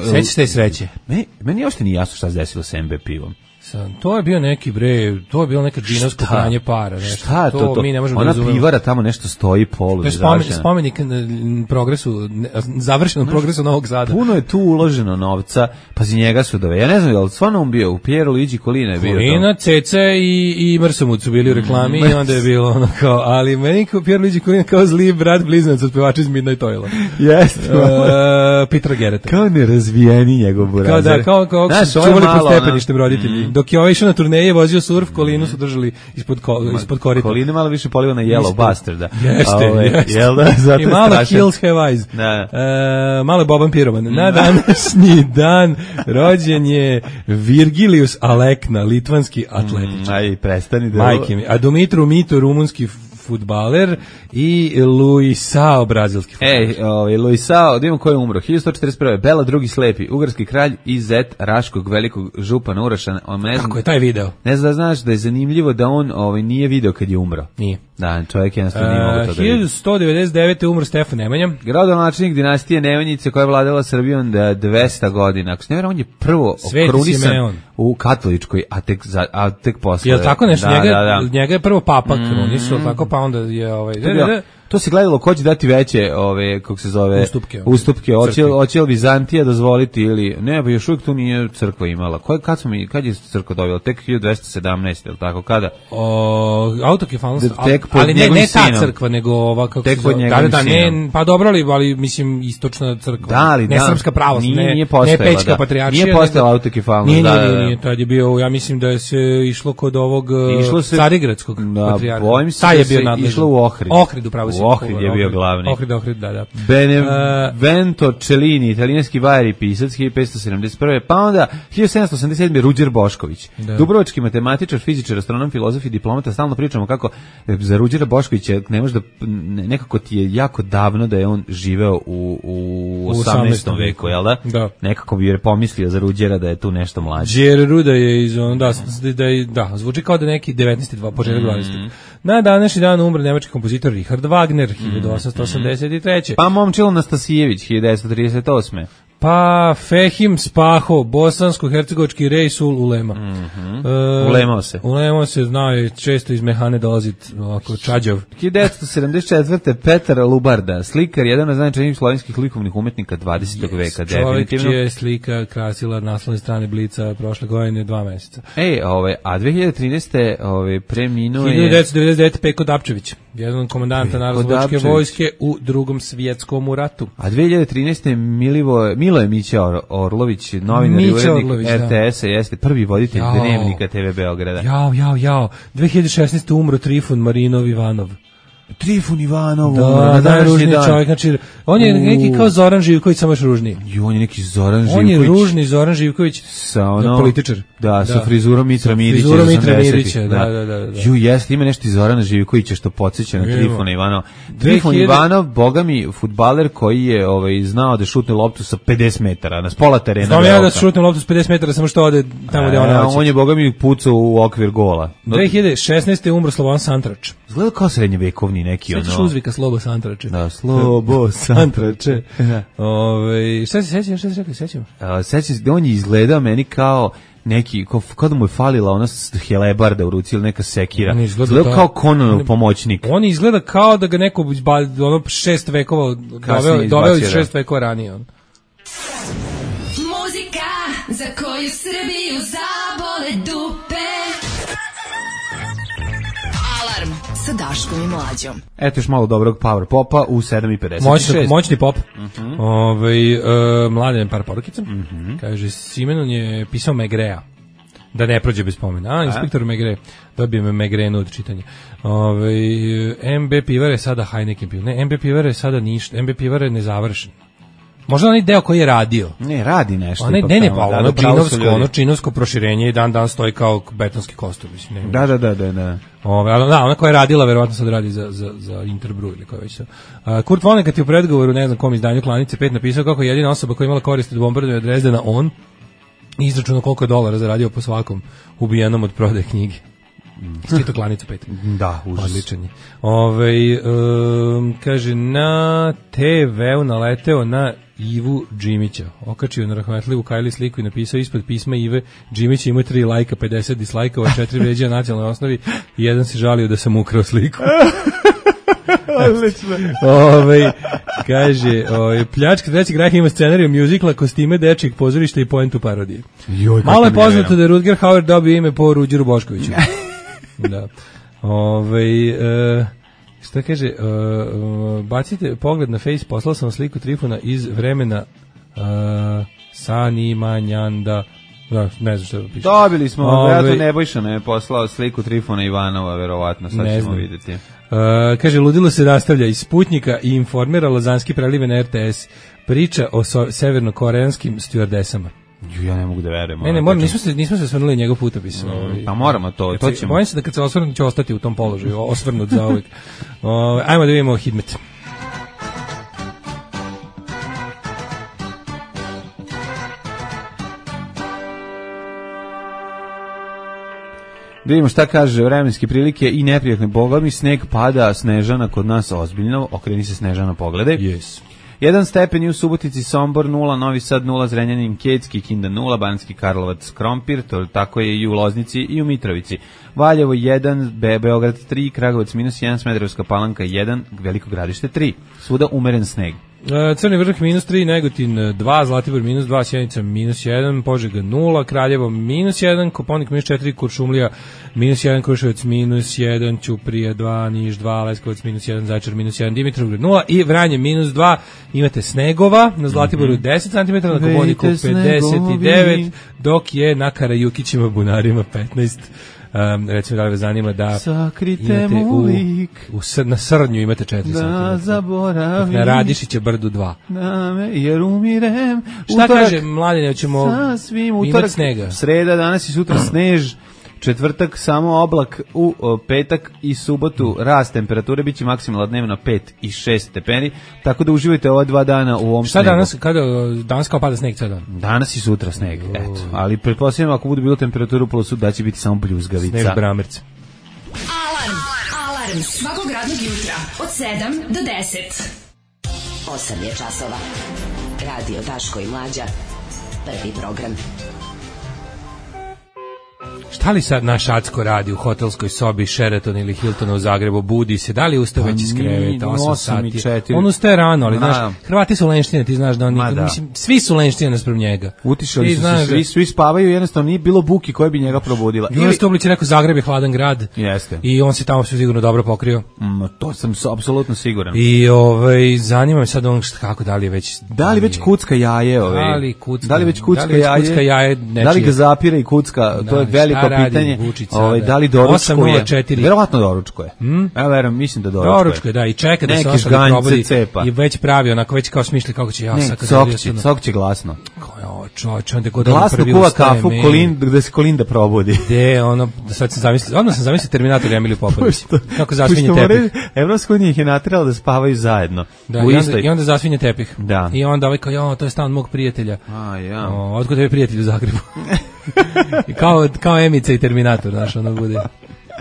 Sećaš te sreće? Me, meni uopšte nije jasno šta se desilo sa M B pivom. Sam, to je bio neki bre, to je bilo neka džinovsko pranje para, nešto. Šta je to, to? Mi ne možemo Ona da razumemo. pivara tamo nešto stoji polu. To je spomen, spomenik n- progresu, ne, završenom progresu Novog Sada. Puno je tu uloženo novca, pa za njega su dove. Ja ne znam, je li stvarno on bio, u Piero Luigi Collina je bio Kolina, Ceca i, i Mrsomud su bili u reklami i onda je bilo ono kao, ali meni kao Piero Luigi Collina kao zli brat blizanac od pevača iz Midnight Oila. Jeste. Uh, Petra Gereta. Kao nerazvijeni njegov burazer. Kao da, kao, kao Znaš, su ovo je čuvali pod malo, stepeništem roditelji. Dok je ovaj išao na turneje, vozio surf, Kolinu su držali ispod, ko, ispod korita. Kolina malo više poliva na Yellow Bastarda. Jeste, Ove, jeste. Jel da? Zato I malo strašan. Hills Have Eyes. Da. E, malo je Boban Piroman. Na današnji dan rođen je Virgilius Alekna, litvanski atletičar. Mm, aj, prestani da... Majke mi. A Dumitru Mito, rumunski fudbaler i Luisao, brazilski fudbaler. Ej, ovaj, Luisao, da imamo ko je umro. hiljadu sto četrdeset prve Bela drugi slepi, ugarski kralj i zet Raškog velikog župana Uraša. On ne znam, Kako je taj video? ne znam da znaš da je zanimljivo da on ovaj, nije video kad je umro. Nije. Da, čovjek jednostavno nije mogo to da vidi. hiljadu sto devedeset devete umro Stefan Nemanja. Gradonačelnik dinastije Nemanjice koja je vladala Srbijom da dvesta godina. Ako se ne vjerujem, on je prvo Sveti okrunisan Simeon. u katoličkoj, a tek, za, a tek posle. Jel tako nešto? Da, njega, da, da. njega je prvo papa krunisao, tako pa onda je ovaj... To, bi- to se gledalo ko će dati veće, ove, kako se zove, Ustupke. ustupke. Hoće, Crkvi. hoće li Vizantija dozvoliti ili ne, pa još uvijek tu nije crkva imala. Ko, kad, smo mi, kad je crkva dobila? Tek hiljadu dvesta sedamnaeste, ili tako, kada? O, autokefalnost, Da, tek pod ali ne, njegovim ne ta sinom. crkva, nego ova, kako Tek se pod zove, njegovim da, da, sinom. ne, pa dobro li, ali mislim istočna crkva, Da, ali ne da. srpska pravoslavna, Nije- ne, nije ne postojala, pećka da. patrijaršija. Nije postojala nego- autokefalnost, Nije, da, nije, da, nije, da. nije, tad je bio, ja mislim da je se išlo kod ovog Išlo se- Carigradskog da, patrijarha. bojim se Taj da je bio se nadležan. išlo u Ohrid. Ohrid, upravo si. U Ohrid je bio glavni. Ohrid, Ohrid, da, da. Benevento Cellini, italijanski vajar i pisac, hiljadu petsto sedamdeset prve Pa onda hiljadu sedamsto osamdeset sedme Ruđer Bošković. Da. Dubrovački matematičar, fizičar, astronom, filozof i diplomata. Stalno pričamo kako za Ruđera Boškovića ne može da, ne- nekako ti je jako davno da je on živeo u, u osamnaestom veku, jel da? Da. Nekako bi je pomislio za Ruđera da je tu nešto mlađe. Đer Ruda je iz on, da, da, je- da, zvuči kao da neki devetnaesti dva početak dvadeseti Na današnji dan umre nemački kompozitor Richard Wagner, hiljadu osamsto osamdeset treće Pa Momčilo Nastasijević, hiljadu devetsto trideset osme Pa Fehim Spaho, bosansko-hercegovački Rejsul Ulema. Mhm. E, Ulemao se. Ulemao se, znao je, često iz Mehane dolazit, ovako, čađav. hiljadu devetsto sedamdeset četvrte Petar Lubarda, slikar, jedan od najznačajnijih slovenskih likovnih umetnika dvadesetog veka, Čovjek definitivno. čija je slika krasila naslovne strane Blica prošle godine dva meseca. Ej, ove, a dve hiljade trinaeste ove, preminuo hiljadu je... devetsto devedeset devete Peko Dapčević, jedan od komandanta Peko Narodnooslobodilačke Dapčević. vojske u Drugom svjetskom ratu. A dve hiljade trinaeste Milivo, Miloje Mića Or, Orlović, novinar i Mića urednik Orlović, R T S-a, jeste prvi voditelj Jao. dnevnika T V Beograda. Jao, jao, jao. dve hiljade šesnaeste umro Trifun Marinov Ivanov. Trifun Ivanov, Da, umro na današnji najružniji dan. čovjek, znači, on je U. neki kao Zoran Živković, samo još ružniji. I on je neki Zoran Živković. On je ružni Zoran Živković, sa ono, političar. Da, sa Da. frizurom Mitra Sa Mirića. frizurom iz Mitra osamdesetih, Mirića, da, da, da, da. Ju, jeste, ima nešto iz Zorana Živkovića što podsjeća na Ima. Trifuna Ivanova. Trifun dve hiljade Ivanov, bogami, fudbaler koji je ovaj, znao da šutne loptu sa pedeset metara, na pola terena. Znam ja Beograda. da šutnem loptu s pedeset metara, samo što ode tamo gde E, ona hoće. on je, bogami, pucao u okvir gola. dve hiljade šesnaeste umro Slobodan Santrač. Izgleda kao srednjevekovni neki, Sećaš ono... uzvika Slobo Santrače? Da, slobo Santrače. Ove, šta se sećam, šta se rekli, sećam? A, sećam se da on je izgledao meni kao neki, kao, kao da mu je falila ona s- helebarda u ruci ili neka sekira. On je izgledao Izgledao da- kao Conanov pomoćnik. On izgleda kao da ga neko izba- ono šest vekova doveo, Kasnije doveo iz izbacio, da. šest vekova ranije. On. Muzika za koju Srbiju zabole dupe. Alarm sa Daškom i Mlađom. Eto još malo dobrog power popa u sedam i pedeset šest. Moćni, moćni pop. Mhm. Ovaj e, mladen par porukica. Kaže, Simenon je pisao Megrea. Da ne prođe bez pomena. A, inspektor Megre. Dobije me Megrenu od čitanja. Ovaj M B Pivare je sada Heineken pivo. Ne, M B Pivare je sada ništa. M B Pivare je nezavršen. Možda onaj deo koji je radio. Ne, radi nešto. Onaj, ipak ne, ne, tamo, pa da, ono da, pravo su činovsko, ljudi. ono činovsko proširenje i dan dan stoji kao betonski kostur. Mislim, ne, Da, da, da, da, da. Ove, ali da, ona koja je radila, verovatno sad radi za, za, za Interbrew ili koja već to. Uh, Kurt Vonnegut je u predgovoru, ne znam kom izdanju Klanice pet napisao kako je jedina osoba koja je imala koristi od bombardovanja Drezdena on, izračunao koliko je dolara zaradio po svakom ubijenom od prodaje knjige. Čito Klanicu pet. Da, užas. Odličan je. Ove, um, kaže, na te veu naleteo na Ivu Džimića. Okačio na rahmetljivu Kajli sliku i napisao ispod pisma Ive Džimić ima tri lajka, pedeset dislajkova, četiri vređa na nacionalnoj osnovi i jedan se žalio da sam ukrao sliku. Odlično. Ove, kaže, ove, pljačka trećeg rajha ima scenariju muzikla, kostime dečijeg pozorišta i poentu parodije. Joj, Malo je kako ne poznato vjerujem. da je Rutger Hauer dobio ime po Ruđeru Boškoviću. Da. Ove, e, šta kaže, e, e, bacite pogled na face, poslao sam sliku Trifuna iz vremena e, Sanimanjanda. Da, ne znam šta da piše. Dobili smo, Ove- vjerojatno Nebojša nam je poslao sliku Trifona Ivanova, verovatno, sad Ne ćemo znam. vidjeti. E, kaže, ludilo se nastavlja iz Sputnika i informira Lazanski prelive na R T S. Priča o so, severnokoreanskim stewardesama. Ju, ja ne mogu da verujem. Ne, ne, ono, moram, tačno. nismo se, nismo se osvrnuli njegov putopis. ovaj. Pa moramo to, Kad to se- ćemo. Bojim se da kad se osvrnu će ostati u tom položaju, osvrnut za uvijek. O, ajmo da vidimo Hidmet. Da vidimo šta kaže vremenske prilike i neprijatne bogami, sneg pada, Snežana kod nas ozbiljno, okreni se Snežana, pogledaj. Yes. Jedan stepen i u Subotici, Sombor nula, Novi Sad nula, Zrenjanin, Kecki, Kinda nula, Banski Karlovac, Krompir, to tako je i u Loznici i u Mitrovici. Valjevo jedan, Be Beograd tri, Kragovac minus jedan, Smederevska Palanka jedan, Veliko Gradište tri. Svuda umeren sneg. E, Crni vrh minus tri, Negotin dva, Zlatibor minus dva, Sjenica minus jedan, Požega nula, Kraljevo minus jedan, Koponik minus četiri, Kuršumlija minus jedan, Kruševac minus jedan, Ćuprija dva, Niš dva, Leskovac minus jedan, Zaječar minus jedan, Dimitrovgrad nula i Vranje minus dva. Imate snegova, na Zlatiboru deset centimetara, na Koponiku Vejte pedeset devet, snegovi. dok je na Karajukićima bunarima petnaest. Um, recimo da li vas zanima da Sakrite imate mu u, lik, u, sr- na Srnju imate četiri da centimetra. zaboravim, Na Radišića brdu dva. na me, jer umirem. Šta Utorak, kaže Mladine, ćemo sasvim, imati utorak, snega? sreda, danas i sutra snež, četvrtak samo oblak, u o, petak i subotu rast temperature, biće maksimalna dnevna pet i šest stepeni, tako da uživajte ova dva dana u ovom Šta snegu. danas, kada, danas kao pada sneg ceo dan? Danas i sutra sneg, eto. Ali pretpostavljam ako bude bilo temperatura u plusu da će biti samo bljuzgavica. Sneg bramerc. Alarm. Alarm svakog radnog jutra od sedam do deset. osam je časova. Radio Daško i Mlađa. Prvi program. Šta li sad naš Acko radi u hotelskoj sobi Sheraton ili Hiltona u Zagrebu, budi se, da li ustaje već iz nije, kreveta, osam osam i sati? četiri. On ustaje rano, ali Da. znaš, Hrvati su lenštine, ti znaš da oni, Ma da. mislim, svi su lenštine nasprem njega. Utišali Ti su znaš se, da- svi, svi spavaju, jednostavno nije bilo buki koja bi njega probudila. Ili Stoblić je rekao Zagreb je hladan grad. Jeste. I on se tamo sve sigurno dobro pokrio. Mm, to sam s- apsolutno siguran. I ovaj, zanima me sad on šta, kako, da li je već... Da li već kucka jaje ove? Da li kucka- Da li već kucka da li već jaje? kucka jaje nečije? Da li ga zapira i kucka? To Da, je veliko šta radi pitanje. Vučić Ovaj, sada? da li osam nula doručkuje? četiri. Verovatno doručkuje. Hmm? Ja verujem, mislim da doručkuje. Doručko je, da, i čeka da se Neki ostali žganjce probudi cepa. i već pravi, onako već kao smišlja kako će ja Ne, sad kad dođe cokće, sad- cokće glasno. Kao, čovječ, onda kod on Glasno prvi kuva ustaje, kafu, meni. kolin, gde se Kolinda probudi. De, ono, sad sam zamislio, odmah sam zamislio Terminator i Emiliju Popović. Kako zasvinje Pošto tepih. moraju- Evropska unija ih je naterala da spavaju zajedno. Da, u i onda, istoj. i onda zasvinje tepih. Da. I onda ovaj kao, jo, to je stan mog prijatelja. A, ja. O, otkud je prijatelj u Zagrebu? I kao, kao Emica i Terminator, znaš, ono bude.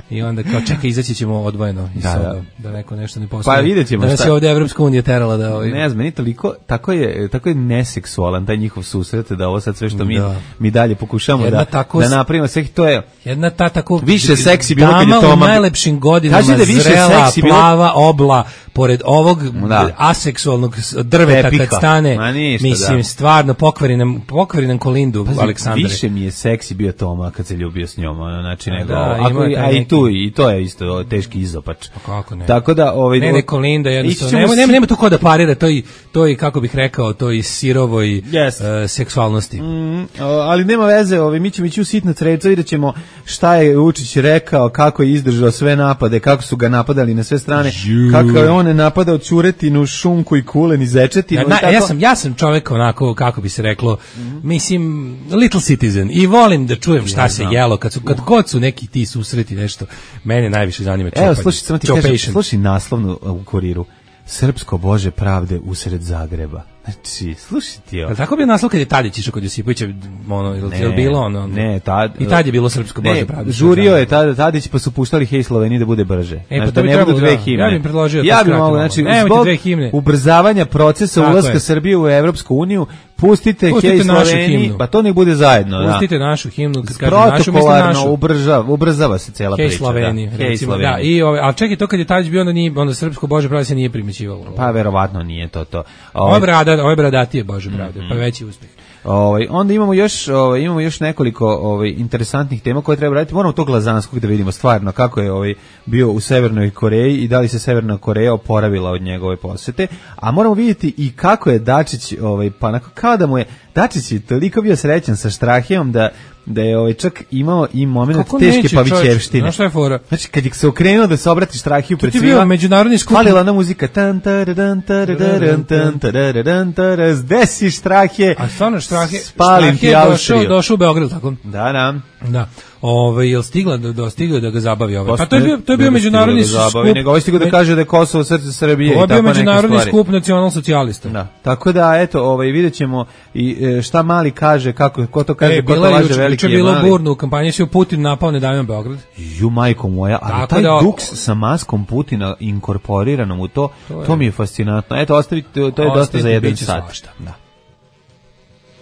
I onda kao, čekaj, izaći ćemo odvojeno iz Da, sobe, da. da neko nešto ne postoji. Pa vidjet ćemo da nas šta- je ovde Evropska unija terala da... Ovaj, Ne znam, meni toliko, tako je, tako je neseksualan taj njihov susret, da ovo sad sve što mi, Da. mi dalje pokušamo Jedna da, tako da s- napravimo, sve to je, Jedna ta tako Više seksi bilo kad je dama Toma- u najlepšim godinama, Kaži da više zrela, seksi bilo- plava, obla, pored ovog Da. aseksualnog s- drveta Tepiha. kad stane, Ma ništa, mislim, da. stvarno pokvari nam, pokvari nam Kolindu, Pazi, Aleksandre. više mi je seksi bio Toma kad se ljubio s njom, ono, znači A nego, da, ako, ima i- taj a i neki- tu, i to je isto teški izopač. Pa kako ne? Tako da, ovaj, Ne, ne, Kolinda ići jednostavno, ćemo nema, si- nema, nema tu ko da parira, to i, to i, kako bih rekao, to i sirovoj Yes. e, seksualnosti. Mm, o, ali nema veze, ovaj, mi ćemo ići u sitna creca, vidjet ćemo šta je Vučić rekao, kako je izdržao sve napade, kako su ga napadali na sve strane, Ju. kako je on on je napadao ćuretinu, šunku i kulen i zečetinu. Ja, i na, tako. ja sam ja sam čovjek onako, kako bi se reklo, mm-hmm. mislim, little citizen i volim da čujem šta ja se jelo, kad su, kad god su neki ti susreti nešto, mene najviše zanima čopanje. Evo, slušaj, samo ti kažem, slušaj naslovnu u Kuriru. Srpsko Bože pravde usred Zagreba. Znači, slušaj ti ovo. Tako bi naslov kad je Tadić išao kod Josipovića, ono, je li bilo ono? Ne, tad, i tad je bilo Srpsko Bože ne, pravde. Žurio je tad, Tadić, pa su puštali Hej Sloveniji da bude brže. E, znači, pa da bi ne budu dve da, himne. Ja bih predložio ja bi mogu, znači, zbog ubrzavanja procesa tako ulaska je. Srbije u Evropsku uniju, pustite, pustite Hej Sloveniji, pa to nek bude zajedno. Pustite da. našu himnu, kad kažem našu, mislim našu. Ubrzava, ubrzava se cela Hej priča. Sloveniji, da. Hej Sloveniji. Da, i ove, a čekaj, to kad je Tadić bio, onda, nije, onda Srpsko Bože pravde se nije primećivalo. Pa verovatno nije to to. Ovo je brada, ovo je bradatije Bože pravde, pa veći uspeh. Ovaj onda imamo još ovaj imamo još nekoliko ovaj interesantnih tema koje treba raditi. Moramo to Glazanskog da vidimo stvarno kako je ovaj bio u Severnoj Koreji i da li se Severna Koreja oporavila od njegove posete, a moramo vidjeti i kako je Dačić ovaj pa nakon kada mu je Dačić je toliko bio srećan sa Štrahijom da da je ovaj čak imao i momenat teške pavićevštine. Znaš šta je fora? Znači kad je se okrenuo da se obrati Štrahiju pred svima. To je bio međunarodni skup. Falila na muzika tan taradan taradan tan taradan taraz. Desi Štrahije. A stvarno Štrahije, spalim ti došao, došao u Beograd, tako? Da, da. Da. Ovaj jel stigla da dostigao da ga zabavi ovaj. Pa to je bio to je bio međunarodni da skup. Nego ovaj stigao da kaže da je Kosovo srce Srbije i tako neke stvari. Ovo je bio međunarodni skup nacionalsocijalista. Da. Tako da eto, ovaj videćemo i šta Mali kaže, kako ko to kaže, e, ko to laže veliki je bilo burno u kampanji, se Putin napao ne davimo Beograd. Ju majko moja, ali taj da, duks sa maskom Putina inkorporiranom u to, to, to mi je fascinantno. Eto, ostavite, to je ostavite, dosta za jedan sat. Da.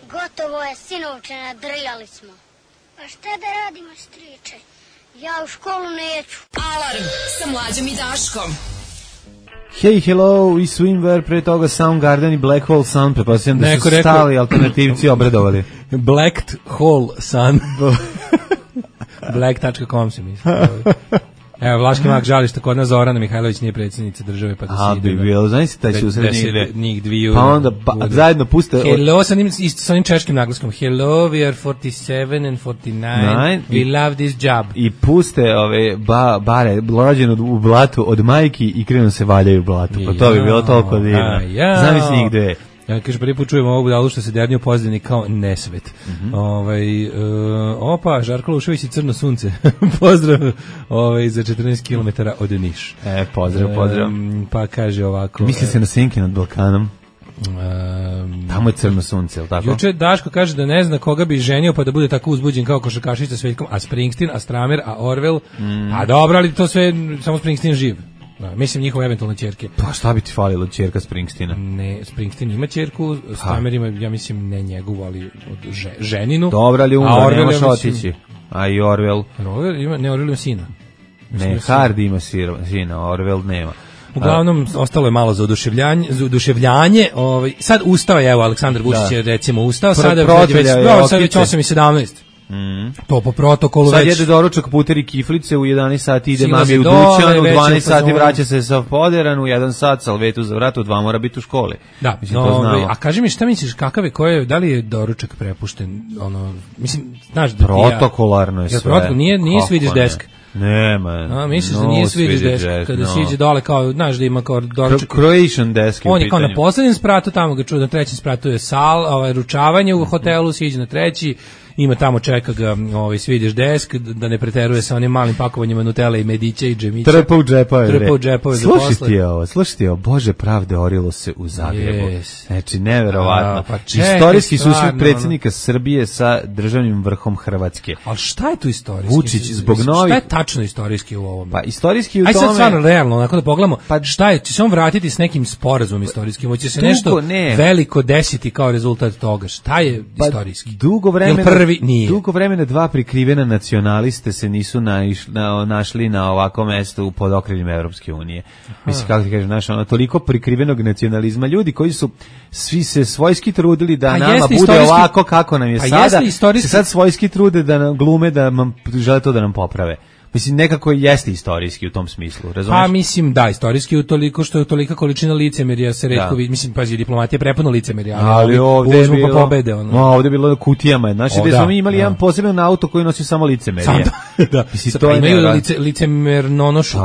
Gotovo je, sinovče, nadrljali smo. Pa šta da radimo, striče? Ja u školu neću. Alarm sa Mlađom i Daškom. Hey, hello, i Swimwear, pre toga Soundgarden i Black Hole Sun, pretpostavljam da su stali alternativci obradovali. Black Hole Sun. black dot com se misli. Evo, Vlaški mak žali što kod nas Zorana Mihajlović nije predsjednica države, pa da se ide. A, bi bilo, znaš si taj susret njih dviju. Pa onda ba, zajedno puste... Hello, sa onim, sa onim češkim naglaskom. Hello, we are forty-seven and forty-nine. We i, love this job. I puste ove ba, bare, rođen u blatu od majki i krenu se valjaju u blatu. Pa to bi bilo toliko divno. Ja. Znam si njih dve. Ja kaže, prvi put čujemo ovu budalu što se dernio pozdravni kao nesvet. Mm-hmm. Ovaj, uh, opa, Žarko Lušević i Crno sunce. Pozdrav ovaj, za četrnaest kilometara od Niš. E, pozdrav, pozdrav. Um, pa kaže ovako... Misli se na Senke nad Balkanom. Um, Tamo je Crno sunce, je li tako? Juče Daško kaže da ne zna koga bi ženio pa da bude tako uzbuđen kao košarkašica s Veljkom, a Springsteen, a Stramer, a Orwell. Mm. A dobro, ali to sve samo Springsteen živ. Da, mislim njihove eventualne ćerke. Pa šta bi ti falilo ćerka Springsteena? Ne, Springsteen ima ćerku, Stramer ima, ja mislim, ne njegovu, ali od že, ženinu. Dobro, ali umro, ne može otići. A i Orwell? Orwell ima, ne, Orwell ima sina. Mislim ne, Hardy ima sina, Orwell nema. Uglavnom, a, ostalo je malo za oduševljanje, za oduševljanje. Ovaj, sad ustao je, evo, Aleksandar Vučić je recimo ustao, sada je već, sad već osam i sedamnaest. Mm. To po protokolu sad već. Sad jede doručak puteri kiflice, u jedanaest sati ide mami u dućan, u dvanaest sati vraća se sa poderan, u jedan sat salvetu za vrat, u dva mora biti u školi. Da, mislim, no, to znamo. A kaži mi šta misliš, kakav je, koje, da li je doručak prepušten, ono, mislim, znaš da protokolarno je sve. Protokol, nije, nije Swedish desk. Nema. A misliš no, da nije Swedish desk, desk kada no. siđe dole kao, znaš da ima kao doručak. Croatian desk. On je kao na poslednjem spratu, tamo ga čuo, na trećem spratu je sal, ovaj, ručavanje u hotelu, siđe na treći. Ima tamo čeka ga ovaj Swedish desk da ne preteruje sa onim malim pakovanjima Nutelle i medića i džemića. Trpa u džepove. Trpa u džepove. Slušajte ovo, slušajte ovo, Bože pravde orilo se u Zagrebu. Yes. Znači neverovatno. A, pa čekaj, istorijski susret predsjednika Srbije sa državnim vrhom Hrvatske. Al šta je tu istorijski? Vučić zbog novih. Šta je tačno istorijski u ovom? Pa istorijski u Aj tome. Aj sad stvarno realno, onako da pogledamo. Pa šta je? Će se on vratiti s nekim sporazumom istorijskim? Hoće se nešto ne. veliko desiti kao rezultat toga? Šta je pa, istorijski? Dugo vremena. Prvi nije. Dugo vremena dva prikrivena nacionaliste se nisu naiš, na, našli na ovako mesto pod okriljem Evropske unije. Mislim, kako ti kažem, znaš, ono, toliko prikrivenog nacionalizma, ljudi koji su svi se svojski trudili da pa nama bude ovako kako nam je pa sada, se sad svojski trude da nam glume, da nam, žele to da nam poprave. Mislim, nekako jeste istorijski u tom smislu, razumiješ? Pa mislim, da, istorijski u toliko što je tolika količina licemerja se retko vidi, mislim, pazi, diplomatija je prepuna licemerja, ali, ali ovdje je bilo, pa pobede, ono. No, ovdje je bilo kutijama, znači, gdje smo mi imali da. jedan poseban auto koji nosi samo licemerje. Sam, da, da. Mislim, to pa imaju lice, licemernonošu,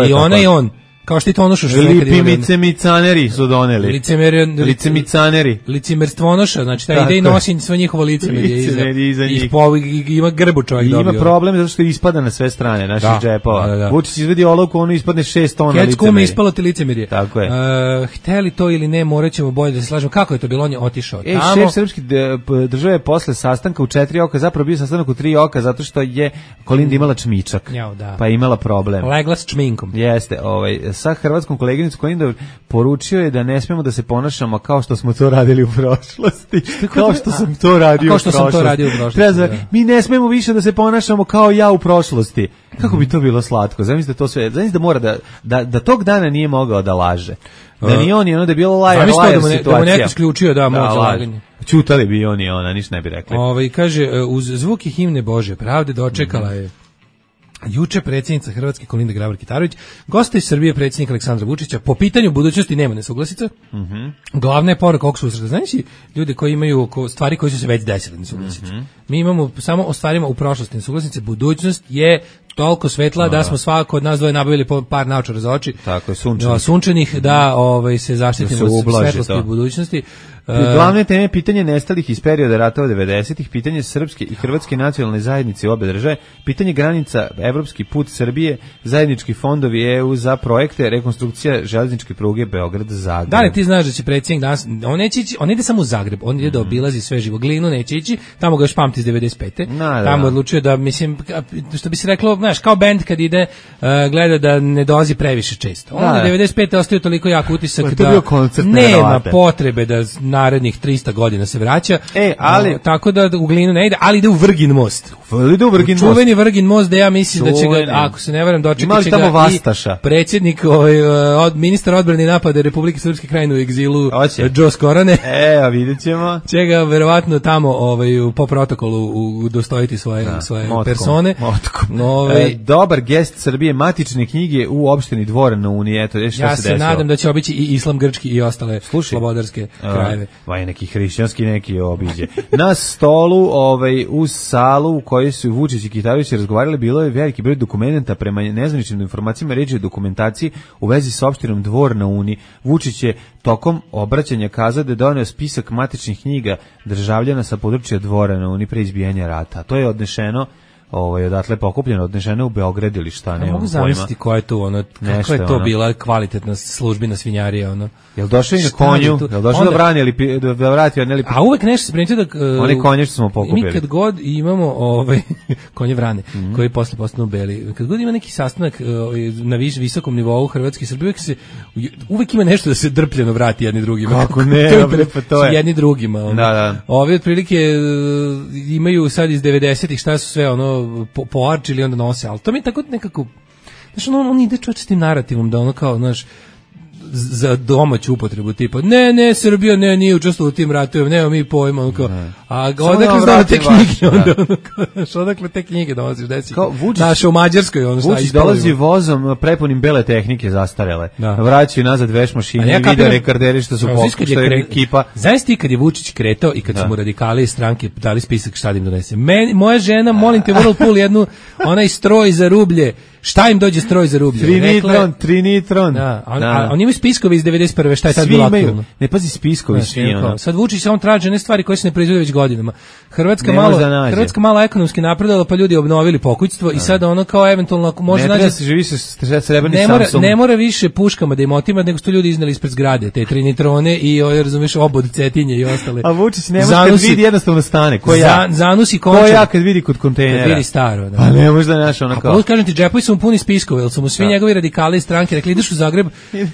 i ona i on. Kao što i Tonoša što nekad Lipi micemicaneri su doneli. Licemer, Licemicaneri. Licemerstvonoša, znači taj ide i nosi sve njihovo licemerje iza, iza njih. I po, ima grbu čovjek dobio. Ima problem zato što ispada na sve strane naših da, džepova. Da, da, da. Vučić izvedi olovku, ono ispadne šest tona licemerje. Kecku mi ispalo ti licemerje. Tako je. Uh, hteli to ili ne, morat ćemo bolje da se slažemo. Kako je to bilo? On je otišao e, tamo. Šef srpske države posle sastanka u četiri oka, zapravo bio sastanak u tri oka zato što je Kolinda imala čmičak. Jao, da. Pa je imala problem. Legla s čminkom. Jeste, ovaj, sa hrvatskom koleginicom Kolinda poručio je da ne smemo da se ponašamo kao što smo to radili u prošlosti. Kao što sam to radio kao što u prošlosti. sam to radio u prošlosti. Treba, da. Mi ne smemo više da se ponašamo kao ja u prošlosti. Kako bi to bilo slatko? Zamislite to sve. Zamislite da mora da, da, da tog dana nije mogao da laže. Da ni on i ono da je bilo lajer, lajer da situacija. Da mu neko isključio da moć za laganje. Ćutali bi on i ona, ništa ne bi rekli. Ovaj kaže, uz zvuki himne Bože pravde dočekala je juče predsjednica Hrvatske Kolinda Grabar-Kitarović, goste iz Srbije predsjednik Aleksandra Vučića. Po pitanju budućnosti nema nesuglasica. Mm-hmm. Glavna je poruka ovog susreta. Znaš ljudi koji imaju stvari koje su se već desile nesuglasice. Mm-hmm. Mi imamo samo o stvarima u prošlosti nesuglasice. Budućnost je toliko svetla no, da smo svako od nas dvoje nabavili par naočara za oči. Tako je, sunčanih. Sunčanih da ovaj, se zaštitimo od svetlosti u budućnosti. Glavne teme pitanje nestalih iz perioda ratova devedesetih, pitanje srpske i hrvatske nacionalne zajednice obe države, pitanje granica, evropski put Srbije, zajednički fondovi E U za projekte, rekonstrukcija železničke pruge Beograd-Zagreb. Da li ti znaš da će predsjednik danas, on neće ići, on ide samo u Zagreb, on ide da obilazi sve živo, Glinu neće ići, tamo ga još pamti iz devedeset pete. Na, da, tamo da. odlučio da, mislim, što bi se reklo, znaš, kao bend kad ide, uh, gleda da ne dolazi previše često. On da, devedeset pete ostaje toliko jak utisak da nema potrebe da narednih trista godina se vraća. E, ali no, tako da u Glinu ne ide, ali ide u Vrgin most. Ide u Vrgin most. Čuveni Vrgin most da ja mislim Čuveni. da će ga, ako se ne varam, dočekati će ga Vastaša. I predsjednik, ovaj, od, ministar odbrane i napade Republike Srpske Krajine u egzilu, Džo Skorane. E, a vidjet ćemo. Će ga verovatno tamo ovaj, po protokolu udostojiti svoje, da, svoje motkom, persone. Motkom. Ovaj, e, dobar gest Srbije, matične knjige u opštini Dvor na Uniji. Eto, šta ja se, se desilo. nadam da će obići i islam grčki i ostale Slušaj, slobodarske krajeve. Vaj neki hrišćanski neki obiđe. Na stolu, ovaj, uz salu u kojoj su Vučić i Kitarović razgovarali, bilo je veliki broj dokumenta prema nezvaničnim informacijama, reč je o dokumentaciji u vezi sa opštinom Dvor na Uni. Vučić je tokom obraćanja kazao da je doneo spisak matičnih knjiga državljana sa područja Dvora na Uni pre izbijanja rata. To je odnešeno, ovaj, odatle pokupljeno, odnešeno u Beograd ili šta, ne mogu zamisliti koja je to, ono, kako je to ono. bila kvalitetna službina svinjarija, ono. Jel došao i na konju, jel došao da brani ili da vrati od nelipi. A uvek nešto se primetio da uh, oni konje što smo pokupili. Mi kad god imamo ovaj konje vrane, mm -hmm. koji posle postanu beli. Kad god ima neki sastanak uh, na viš, visokom nivou Hrvatske i Srbije, uvek se uvek ima nešto da se drpljeno vrati jedni drugima. Kako ne, to, to je jedni drugima. Ono. Da, da. Ovi otprilike uh, imaju sad iz devedesetih šta su sve ono po, poarčili onda nose, al to mi tako nekako znaš, on, on ide čovječ s tim narativom da ono kao, znaš, za domaću upotrebu tipa, ne, ne, Srbija ne, nije učestvovala u tim ratovima, nema mi pojma, ono kao, a odakle znamo te knjige, onda, ono kao, odakle te knjige dolaziš, desi, naša u Mađarskoj, ono šta Vučić dolazi vozom prepunim bele tehnike zastarele, da. Vraćaju nazad veš mašine i video rekorderi što su pokušali, što je ekipa. Znaš ti kad je Vučić kretao i kad da. su mu radikali iz stranke dali spisak šta da im donese, Meni, moja žena, molim te, Whirlpool jednu, onaj stroj za rublje, šta im dođe stroj za rublje? Trinitron, Trinitron. Da, on, da. oni imaju spiskovi iz devedeset prve, šta je tad bilo aktualno? Ne, pazi, spiskovi da, svi. Ono. Sad Vučić on traži ne stvari koje se ne proizvode već godinama. Hrvatska ne malo, Hrvatska malo ekonomski napredovala, pa ljudi obnovili pokućstvo i sad ono kao eventualno ako može naći. Ne se živi sa srebrni ne mora, Samsung. Ne mora više puškama da im otima, nego su ljudi izneli ispred zgrade, te trinitrone i ovaj razumeš obod cetinje i ostale. A Vučić ne može kad vidi jednostavno stane. Ko ja? Zanusi končar. Ko ja kad vidi kod kontejnera? Kad vidi staro, da. A ne može da naš ono kao. A kažem ti, džepovi su mu puni spiskova, jer su mu svi da. njegovi radikali iz stranke rekli, ideš u Zagreb,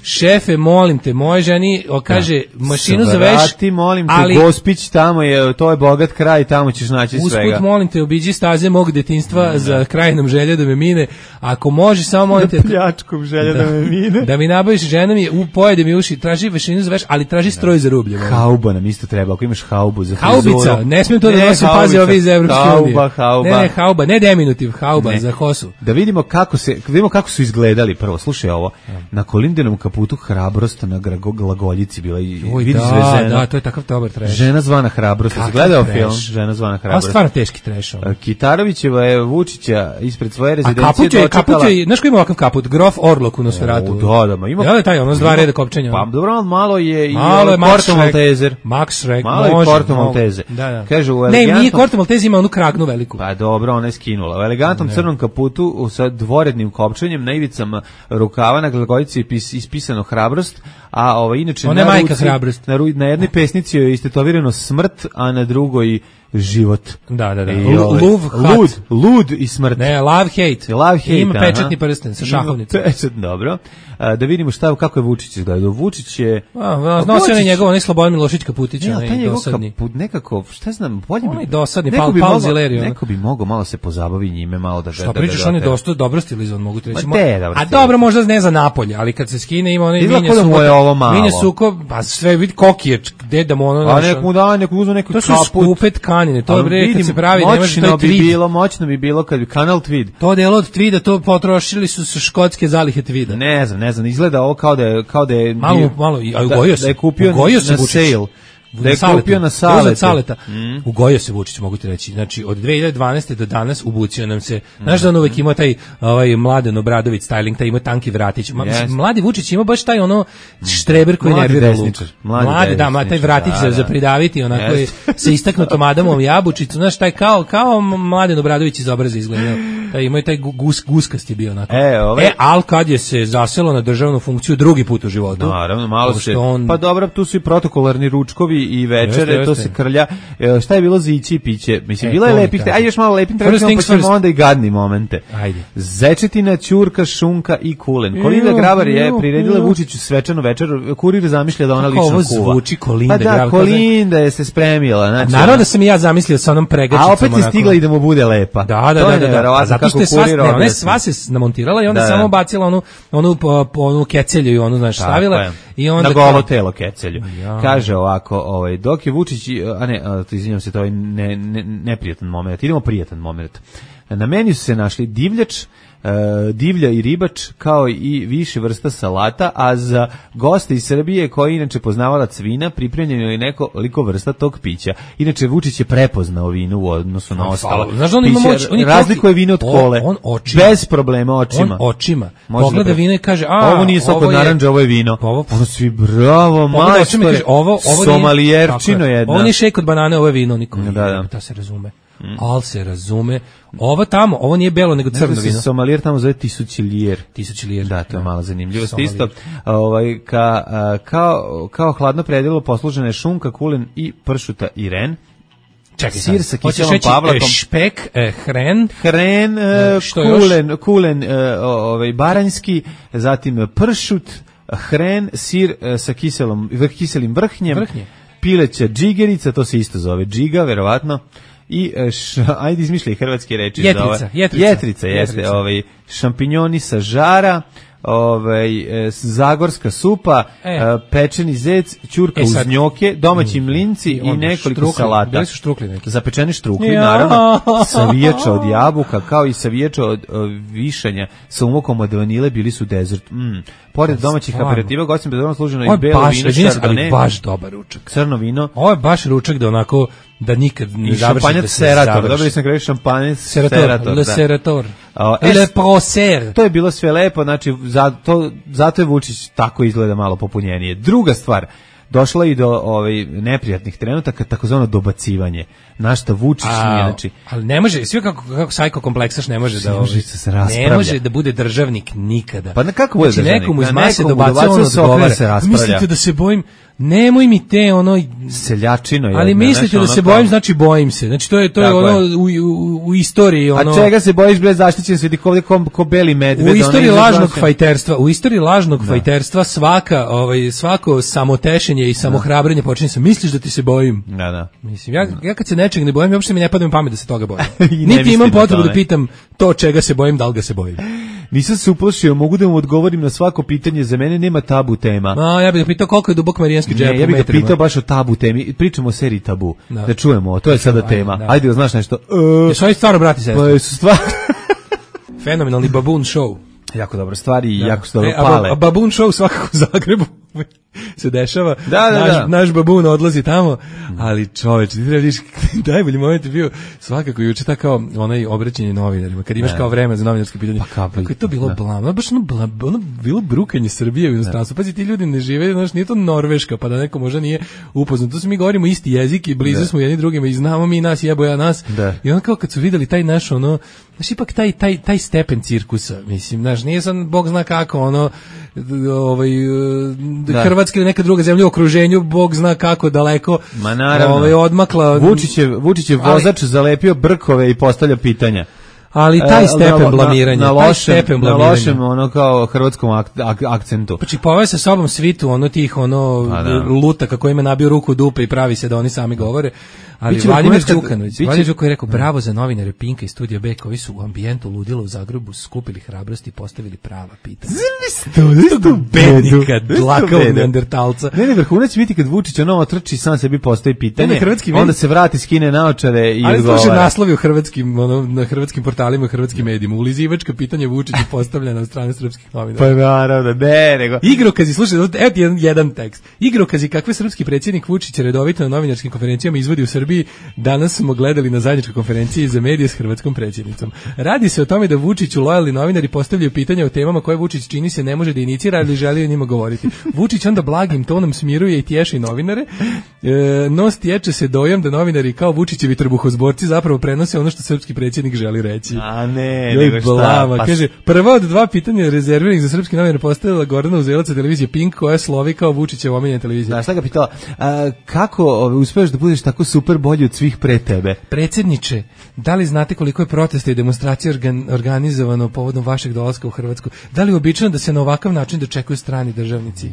šefe, molim te, moje ženi, o, kaže, da. mašinu za veš, Svrati, molim te, ali, Gospić, tamo je, to je bogat kraj, tamo ćeš naći usput, svega. Usput, molim te, obiđi staze mog detinjstva da. za krajnom želje da me mine, ako može, samo molim te, pljačkom želje da, da me mine, da mi nabaviš žena mi, u, pojede mi uši, traži mašinu za veš, ali traži stroj za rublje. Hauba nam isto treba, ako imaš haubu za frizuru. Haubica, ne smijem to da nosim, pazi ovi iz Evropske unije. Hauba, hauba. Ne, ne, hauba, ne deminutiv, hauba ne. za hosu. Da vidimo kako kako se, da vidimo kako su izgledali prvo. Slušaj ovo, na Kolindinom kaputu hrabrost na glagoljici bila i Oj, vidi da, zvezena. da, to je takav dobar trash. Žena zvana hrabrost. Kakav Gledao trash. film Žena zvana A hrabrost. stvarno teški trash. Ono. Kitarovićeva je Vučića ispred svoje A rezidencije kaput je, dočekala. kaput je, znaš ko ima ovakav kaput? Grof Orlok u Nosferatu. O, da, da, ma ima. Ja da taj, ono s dva reda kopčenja. Pa dobro, malo je i Malo je Max Corto Schreck. Malteser. Max Schreck, Malo je može, Corto mogu. Maltese. Da, da. Kaže u Ne, nije elegantnom... Corto Maltese, ima onu kragnu veliku. Pa dobro, ona je skinula. U elegantnom crnom kaputu sa dvorednim kopčenjem na ivicama rukava na glagoljici je pis- ispisano hrabrost, a ovo inače Ona je na majka ruci, hrabrost. na, ru- na jednoj pesnici joj je istetovirano smrt, a na drugoj život. Da, da, da. I, Lu- ovaj, Luv, hat. lud, lud i smrt. Ne, love hate. Love hate, Ima aha. pečatni prsten sa šahovnicom. Ima pečat, dobro. A, da vidimo šta, kako je Vučić izgledao. Vučić je... A, nosi onaj njegov, onaj Slobodan Milošić Kaputić, Ne, ali taj onaj njegov dosadni. kaput nekako, šta znam, bolje Onaj bi... dosadni, neko Paul- bi Paul mogao- Zileri, ono. Neko bi mogao malo se pozabavi njime, malo da... Šta da- da- pričaš, da- on je da- dosta dobro stilizovan, mogu ti reći. Ma te, dobro A stilizovan. dobro, možda ne za napolje, ali kad se skine ima onaj Izgleda minje kao da mu suko. je ovo malo. Minje suko, pa sve vidi kokiječ, gde da mu ono... A znaš, nek mu da, nek mu uzme neki To su kaput. skupe tkanine, to Ali bre, kad vidim, se pravi, nemaš, to moćno je bi tweed. bilo, moćno bi bilo kad bi kanal Tweed. To delo od tvida, to potrošili su sa škotske zalihe tvida. Ne znam, ne znam, izgleda ovo kao da je kao da je Malo, bio- malo, a da, ugojio se. da je kupio Ugojio se na Vučić. sale. Da je Saletu. kupio na Uzeo Saletu. Saleta. Mm. Ugojio se Vučić, mogu ti reći. Znači, od dve hiljade dvanaeste do danas ubucio nam se, znaš da on uvek ima taj ovaj, Mladen Obradović styling, taj ima tanki vratić. Ma, Yes. Mladi Vučić ima baš taj ono štreber koji Mladi nervira luk. desničar, mladi Mladi, da, ma, taj desničar, vratić da, za, da. za pridaviti, onako je Yes. sa istaknutom Adamom jabučicom, znaš, taj kao, kao Mladen Obradović iz obraza izgledao. Taj, ima i taj gu- gus, guskasti bio onako. E, ovaj- e, al kad je se zaselo na državnu funkciju drugi put u životu. Naravno, malo pošto se... on- Pa dobro, tu su i protokolarni ručkovi i večere, Jeste, to jeste. se krlja. E, šta je bilo za ići i piće? Mislim, E, bilo je to mi lepih... kaži. Ajde još malo lepim First trenutima, pa things ćemo first. onda i gadni momente. Ajde. Zečetina, ćurka, šunka i kulen. Kolinda Ju, Grabar je ju, priredila ju. Vučiću svečanu večeru. Kurir zamišlja da ona Kako lično ovo kuva. zvuči Kolinda Pa da, Grabar, Kolinda je se spremila. Znači, Naravno da sam i ja zamislio sa onom pregačicom. a opet je onako. stigla i da mu bude lepa. Da, da, To da, je da, da. neverovatno A zato što kako je sva, kurir ne, ona onda je se- sva se namontirala i onda Da, da. samo bacila onu onu po, po onu kecelju i onu znaš Tako stavila je. i onda na kao- golo telo kecelju. Ja. Kaže ovako, ovaj dok je Vučić, a ne, a, to izvinjavam se, to je ne, ne, neprijatan momenat. Idemo prijatan momenat. Na meniju su se našli divljač, e, divlja i ribač, kao i više vrsta salata, a za goste iz Srbije koji inače poznavalac vina, pripremljeno je nekoliko vrsta tog pića. Inače Vučić je prepoznao vino u odnosu na ostalo. Znaš da on ima Piće moć, on je razlikuje toki- vino od on- kole. on očima. Bez problema očima. On očima. Može Pogleda da pre- vino i kaže, a, ovo nije sok ovo od je- narandža, ovo je vino. Pa ovo- Ono svi, bravo, Pogleda očima i majstore, kaže, ovo, ovo nije- somalijerčino tako je. jedna. Ovo nije šejk od banane, ovo je vino, niko. Da, da. Ta se razume. Al se razume. Ovo tamo, ovo nije belo, nego crno Crno vino. Somalijer tamo zove tisućilijer. Tisući lijer. Da, to je mala zanimljivost. Somalijer. Isto, ovaj, ka, a, kao, kao hladno predjelo poslužena je šunka, kulen i pršuta i ren. Čekaj, Sir sad. sa Hoćeš kiselom reći, pavlakom. e, špek, e, hren, Hren, e, E, što još? kulen, kulen e, o- ovaj, baranjski, zatim pršut, hren, sir e, sa kiselom, kiselim vrhnjem, Vrhnje. pileća džigerica, to se isto zove džiga, verovatno, i e, š, ajde izmišljaj hrvatske reči. Jetrica, za ove. jetrica. Jetrica, jeste, Jetrica. ovaj, šampinjoni sa žara, ovaj, e, zagorska supa, E. e, pečeni zec, ćurka E, uz sad- njoke, domaći mlinci I i, onda nekoliko štrukli. salata. Bili su štrukli neki. Zapečeni štrukli, Ja. naravno, savijača od jabuka, kao i savijača od o, višanja sa umokom od vanile, bili su dezert. Mm. Pored domaćih Stvarno. aperitiva, gostim bezorno služeno Ovo i je belo baš, vino, izvini se, ali šardone, baš dobar ručak. crno vino Ovo je baš ručak da onako, da nikad ne i završi, šampanjac da se Serator. završi. Dobili sam kraju šampanjac Serator, Serator. le da. Serator. A, Le e, Proser. To je bilo sve lepo, znači zato, zato je Vučić tako izgleda malo popunjenije. Druga stvar, došlo je i do ovaj, neprijatnih trenutaka, takozvano dobacivanje. Na šta Vučić nije, znači... ali ne može, sve kako, kako sajko kompleksaš ne može da... Ne može ovaj, se se raspravlja. Ne može da bude državnik nikada. Pa na kako bude znači, državnik? nekomu iz Na mase nekomu dobacuje, dobacuje on se, okrene odgovara. se, raspravlja. Mislite da se bojim? Nemoj mi te, ono... Seljačino je. Ali mislite da se bojim, znači bojim se. Znači to je to je Tako ono je. u, u, u istoriji ono. A čega se bojiš, bre, zaštićen se vidi ovde ko, ko beli medved. U ono istoriji iza lažnog glaše. fajterstva, u istoriji lažnog fajterstva svaka, ovaj svako samotešenje i samohrabrenje počinje sa misliš da ti se bojim. Da, da. Mislim, ja, ja kad se nečeg ne bojim, uopšte mi ne pada na pamet da se toga bojim. I ne Niti mislim imam na potrebu tome. da pitam to čega se bojim, da li ga se bojim. Nisam se uplašio, mogu da mu odgovorim na svako pitanje, za mene nema tabu tema. A, ja bih ga pitao koliko je dubok marijanski džep Ne, ja u bih ga metrima. pitao baš o tabu temi. Pričamo o seriji Tabu. Da. Da, čujemo, to je sada Ajde, tema. da. Ajde, da znaš nešto. E, Jesu oni stvarno brati i sestre? pa su stvar... Fenomenalni Baboon Show. Jako dobra stvar i Da. jako su dobro E, a, pale. a Baboon Show svakako u Zagrebu se dešava. Da, da, naš, da. naš Baboon odlazi tamo, ali čoveč, ti treba vidiš, najbolji moment je bio svakako juče ta kao onaj obraćanje novinarima, kad imaš Ne. kao vreme za novinarske pitanje. Pa kako- kako je to bilo da. blamno, baš ono, bla, ono bilo brukanje Srbije u inostranstvu. Pazi, ti ljudi ne žive, znaš, nije to Norveška, pa da neko možda nije upoznat. Tu se mi govorimo isti jezik i blizu Da. smo jedni drugima i znamo mi nas, jebo ja nas. Da. I onda kao kad su videli taj naš ono, znaš, ipak taj, taj, taj stepen cirkusa, mislim, znaš, nije sam, Bog zna kako, ono, d- ovaj, Da. Hrvatska ili neka druga zemlja u okruženju, Bog zna kako daleko, Ma naravno. ovaj, odmakla. Vučić je, Vučić je Ali- vozač zalepio brkove i postavlja pitanja. Ali taj E, stepen na- blamiranja, na, na taj lošem, stepen na blamiranja. lošem ono kao hrvatskom ak, ak, akcentu. Znači, poveo sa sobom svitu, ono tih, ono, Pa da. lutaka kojima je nabio ruku u dupe i pravi se da oni sami govore. Ali Biće Vladimir vrhunac kad- Đukanović, biće- Vladimir Đukanović je rekao, bravo za novinare Pinka i Studija B, koji su u ambijentu ludila u Zagrebu skupili hrabrost i postavili prava pitanja. Istog bednika, dlakavog neandertalca. Ne, ne, vrhunac će biti kad Vučić ono otrči, sam sebi postavi pitanje, Ne, ne, hrvatski onda mediji- se vrati, skine naočare i Ali slušaj odgovara. naslovi u hrvatskim, ono, na hrvatskim portalima i hrvatskim medijima. Ulizivačka pitanja Vučiću postavljena od strane srpskih novinara. Pa naravno, ne, nego... Igrokazi, slušaj, evo ti jedan, jedan tekst. Igrokazi kakve srpski predsjednik Vučić redovito na novinarskim konferencijama izvodi u Srbiji, danas smo gledali na zajedničkoj konferenciji za medije s hrvatskom predsjednicom. Radi se o tome da Vučiću lojalni novinari postavljaju pitanja o temama koje Vučić čini se ne može da inicira, ali želi o njima govoriti. Vučić onda blagim tonom smiruje i tješi novinare, e, no stječe se dojam da novinari kao Vučićevi trbuhozborci zapravo prenose ono što srpski predsjednik želi reći. A ne, Joj, nego šta? blama, Pa kaže, prva od dva pitanja rezerviranih za srpski novinar postavila Gordana Uzelac sa televizije Pink, koja slovi kao Vučićeva omiljena televizija. Znaš, šta ga pitala, a, kako ove, uspeš da budeš tako super bolji od svih pre tebe? Predsjedniče, da li znate koliko je protesta i demonstracija organ, organizovano povodom vašeg dolaska u Hrvatsku? Da li je uobičajeno da se na ovakav način dočekuju strani državnici?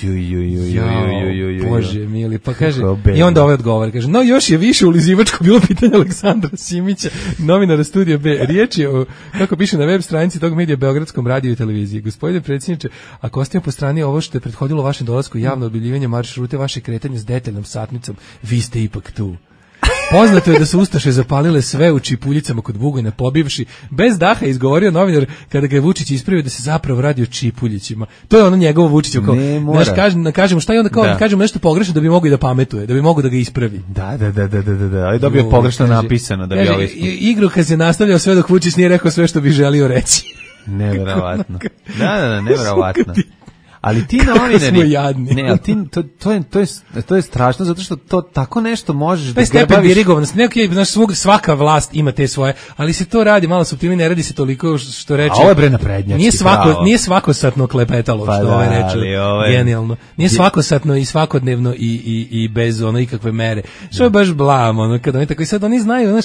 Ju, ju, ju, ju, ju, ju, ju, ju. Bože mili, pa kaže, Kako bedno. i onda ovaj odgovor, kaže, no još je više ulizivačko bilo pitanje Aleksandra Simića, novinara Studija B. Riječ je o, kako piše na web stranici tog medija, Beogradskom radiju i televiziji. Gospodine predsjedniče, ako ostavimo po strani ovo što je prethodilo vašem dolasku, javno objavljivanje maršrute, vaše kretanje s detaljnom satnicom, vi ste ipak tu. Poznato je da su ustaše zapalile sve u čipuljicama kod Bugojna, pobivši bez daha izgovorio novinar kada ga je Vučić ispravio da se zapravo radi o čipuljićima. To je ono njegovo Vučićevo kao, Ne mora. znaš, kažem, kažemo šta je onda kao, Da. kažemo nešto pogrešno da bi mogao i da pametuje, da bi mogao da ga ispravi. Da, da, da, da, da, da, da, ali dobio Jo, pogrešno kaže- napisano da bi kaže, ovaj... i- Igrokaz je nastavljao sve dok Vučić nije rekao sve što bi želio reći. Neverovatno. Da, da, da, neverovatno. Suka ti. Ali ti Kako novinari... smo jadni. Ne, ali ti, to, to, je, to, je, to je strašno, zato što to tako nešto možeš To da je stepen grbaviš... dirigovanosti. Neko je, znaš, svog, svaka vlast ima te svoje, ali se to radi malo suptilnije, ne radi se toliko što reče. A ovo je bre naprednjački, Nije svako, pravo. nije svakosatno klepetalo, Pa što da, ovaj reče. ali ovo je- Genijalno. Nije svakosatno i svakodnevno i, i, i bez ono ikakve mere. Što je baš blam, ono, kada oni tako i sad oni znaju, znaš,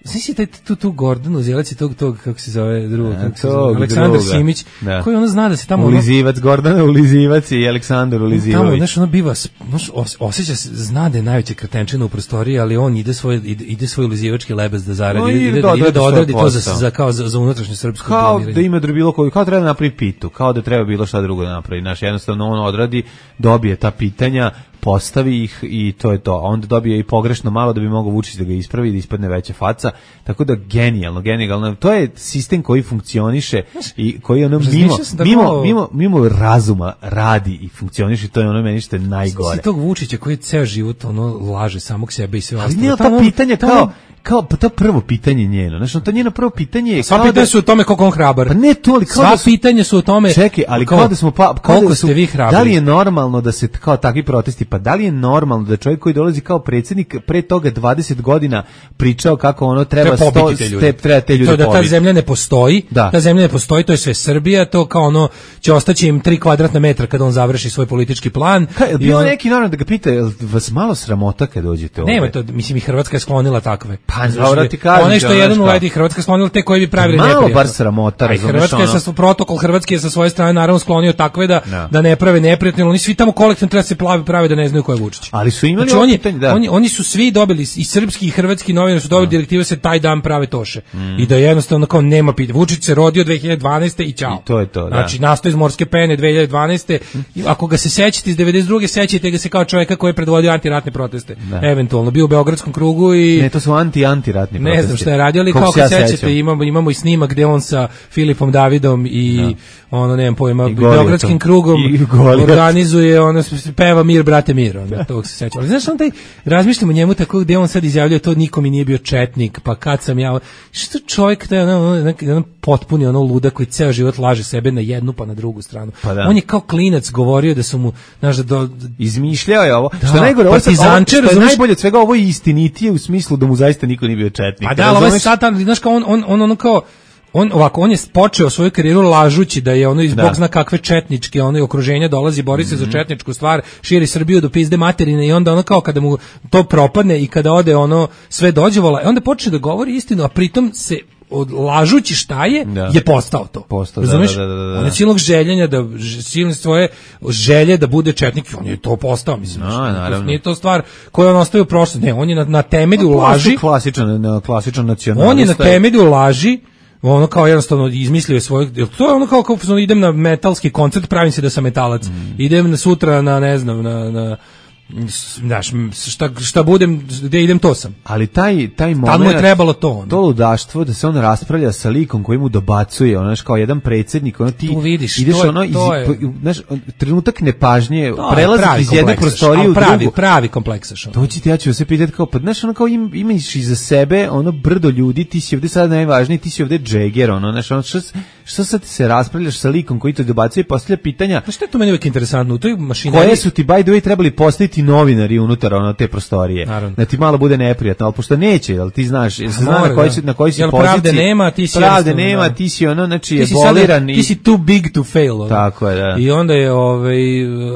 znaš taj tu, tu Gordon Uzelac i tog, tog, kako se zove, drugog, kako se tog zove, Aleksandar druga. Simić, Da. koji ono zna da se tamo... ono- Ulizivac, Gordana Ulizivac i Aleksandar Tamo, Ulizivović. znaš, ono biva, znaš, os, osjeća se, zna da je najveća kretenčina u prostoriji, ali on ide svoj, ide, ide svoj ulizivački lebes da zaradi, No, ide, ide ide, da da, ide odradi da svoj odradi to za, posao. za, kao za, za unutrašnje srpsko Kao blamiranje. da ima bilo koju, kao treba da napravi pitu, kao da treba bilo šta drugo da napravi. Znaš, jednostavno on odradi, dobije ta pitanja, postavi ih i to je to. A onda dobije i pogrešno malo da bi mogao Vučić da ga ispravi, da ispadne veća faca. Tako da genijalno, genijalno. To je sistem koji funkcioniše i koji ono mimo, razmišljao sam tako- mimo, mimo, mimo razuma radi i funkcioniše. To je ono meni što je najgore. Si tog Vučića koji ceo život ono laže samog sebe i sve Ali ostalo. nije Tamo- ta pitanja tamo- kao, kao pa to prvo pitanje njeno. Znaš, to njeno prvo pitanje je Sva kao pitanja da... su o tome koliko on hrabar. Pa ne to, ali kao Sva da su- pitanja su o tome... Čekaj, ali kao, da smo pa kao koliko da su, ste vi hrabri. Da li je normalno da se kao takvi protesti, pa da li je normalno da čovjek koji dolazi kao predsjednik pre toga dvadeset godina pričao kako ono treba Treba sto pobiti te ljude. te, treba te ljude To da ta pobiti. zemlja ne postoji, Da. ta zemlja ne postoji, to je sve Srbija, to kao ono će ostaći im tri kvadratna metra kada on završi svoj politički plan. Ka, je i bilo on- neki naravno da ga pita, jel vas malo sramota kad dođete ovdje? Nema to, mislim i Hrvatska je sklonila takve. Pa, Znaš, dobro ti kažem, onaj što je znaš jedan kao. uleti Hrvatska sklonila te koji bi pravili Malo neprijatno. bar sramota, A i razumeš, Hrvatska je ono. sa protokol Hrvatske je sa svoje strane naravno sklonio takve da Da. da ne prave neprijatno, oni svi tamo kolektivno treba da se plavi prave da ne znaju ko je Vučić. Ali su imali Znači, ovo oni, pitanje, da. oni, oni su svi dobili, i srpski i hrvatski novinari su dobili direktive da se taj dan prave toše. Mm. I da jednostavno kao nema pitanja. Vučić se rodio dve hiljade dvanaeste i ćao. I to je to, da. Znači, nastao iz morske pene dve hiljade dvanaeste I ako ga se sećate iz devedeset druge sećate ga se kao čovjeka koji je predvodio antiratne proteste. Da. Eventualno, bio u Beogradskom krugu i... Ne, to su anti i antiratni protesti. Ne znam šta je radio, ali kao kad sećate, imamo, imamo i snimak gde on sa Filipom Davidom i no. ono, nemam pojma, Beogradskim krugom organizuje, ono, peva Mir, brate, mir, ono, tog se sećam. Ali znaš, on taj, razmišljamo o njemu tako gde on sad izjavljuje, to niko mi nije bio četnik, pa kad sam ja, što čovjek, taj, ono, ono, ono, potpuni ono luda koji ceo život laže sebe na jednu pa na drugu stranu. Pa da. On je kao klinac govorio da su mu, znaš, da do... izmišljao je ovo. Da, što je najgore, ovo, partizanče, ovo, što je najbolje od svega, ovo je istinitije u smislu da mu zaista niko nije bio četnik. Pa da, ali ovo je satan, znaš kao on, on, on, ono kao, on ovako, on je počeo svoju karijeru lažući da je ono iz bog zna kakve četničke ono okruženja dolazi, bori se mm-hmm. za četničku stvar, širi Srbiju do pizde materine i onda ono kao kada mu to propadne i kada ode ono sve dođe vola, onda počne da govori istinu, a pritom se od lažući šta je, da. je postao to. Postao, razumeš? Da, da, da, da. On je silnog željenja, da, silne svoje želje da bude četnik, on je to postao, mislim. No, naravno. Nije to stvar koju on ostavio u prošlosti. Ne, on je na, na temelju no, laži. Klasičan, klasičan nacionalista. On je na temelju laži, ono kao jednostavno izmislio je svoj, to je ono kao, kao idem na metalski koncert, pravim se da sam metalac. Mm. Idem na sutra na, ne znam, na... na znaš, šta, šta budem, gde idem, to sam. Ali taj, taj moment, tad mu je trebalo to. Ono. To ludaštvo, da se on raspravlja sa likom koji mu dobacuje, ono, znaš, kao jedan predsjednik, ono, ti vidiš, ideš, to je, ono, iz, to je, znaš, trenutak nepažnje, prelazi iz jedne prostorije u pravi, drugu. Pravi kompleksaš. To će ti, ja ću se pitati, kao, pa, znaš, ono, kao im, imaš iza sebe, ono, brdo ljudi, ti si ovde sad najvažniji, ti si ovde Jagger, ono, znaš, ono, što, što sad se raspravljaš sa likom koji te dobacuje i postavlja pitanja. Pa što je to meni uvijek interesantno? U toj mašineriji... Koje su ti, by the way, trebali postaviti novinari unutar ono te prostorije. Naravno. Da ti malo bude neprijatno, al pošto neće, jel ti znaš, jel se zna na koji si na koji si jel poziciji. Pravde nema, ti si pravde nema, da. Ti si ono, znači je boliran i ti si too big to fail. Ono. Tako je, da. I onda je ovaj,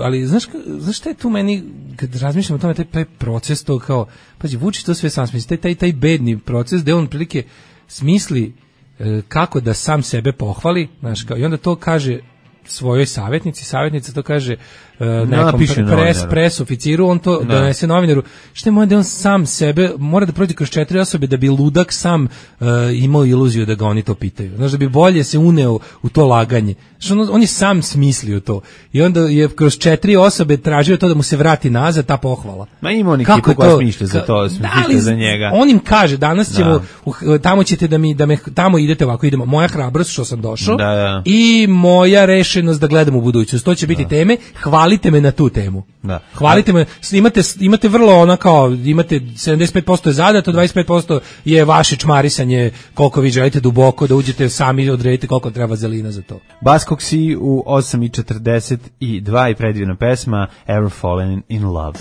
ali znaš znaš šta je tu meni kad razmišljam o tome, taj, taj proces to kao, pađi, Vučić to sve sam smisli, taj taj taj bedni proces gde on prilike smisli e, kako da sam sebe pohvali, znaš, kao, i onda to kaže svojoj savjetnici, savjetnica to kaže uh, nekom pres, pres oficiru, on to no. donese novinaru. Šta je moje da on sam sebe mora da prođe kroz četiri osobe da bi ludak sam uh, imao iluziju da ga oni to pitaju. Znaš, da bi bolje se uneo u to laganje. Znaš, on, on je sam smislio to. I onda je kroz četiri osobe tražio to da mu se vrati nazad ta pohvala. Ma ima on ekipu koja smišlja za to, smišlja za njega. On im kaže, danas ćemo, da. uh, tamo ćete da mi, da me, tamo idete ovako, idemo. Moja hrabrost što sam došao da, da. i moja rešenost da gledam u budućnost. To će biti da. teme. Hvalite me na tu temu. Da. Hvalite me. Imate, imate vrlo ona kao, imate sedamdeset pet posto je zadato, dvadeset pet posto je vaše čmarisanje, koliko vi želite duboko, da uđete sami odredite koliko treba zelina za to. Baskoksi u osam i četrdeset dva i predivna pesma Ever Fallen in Love.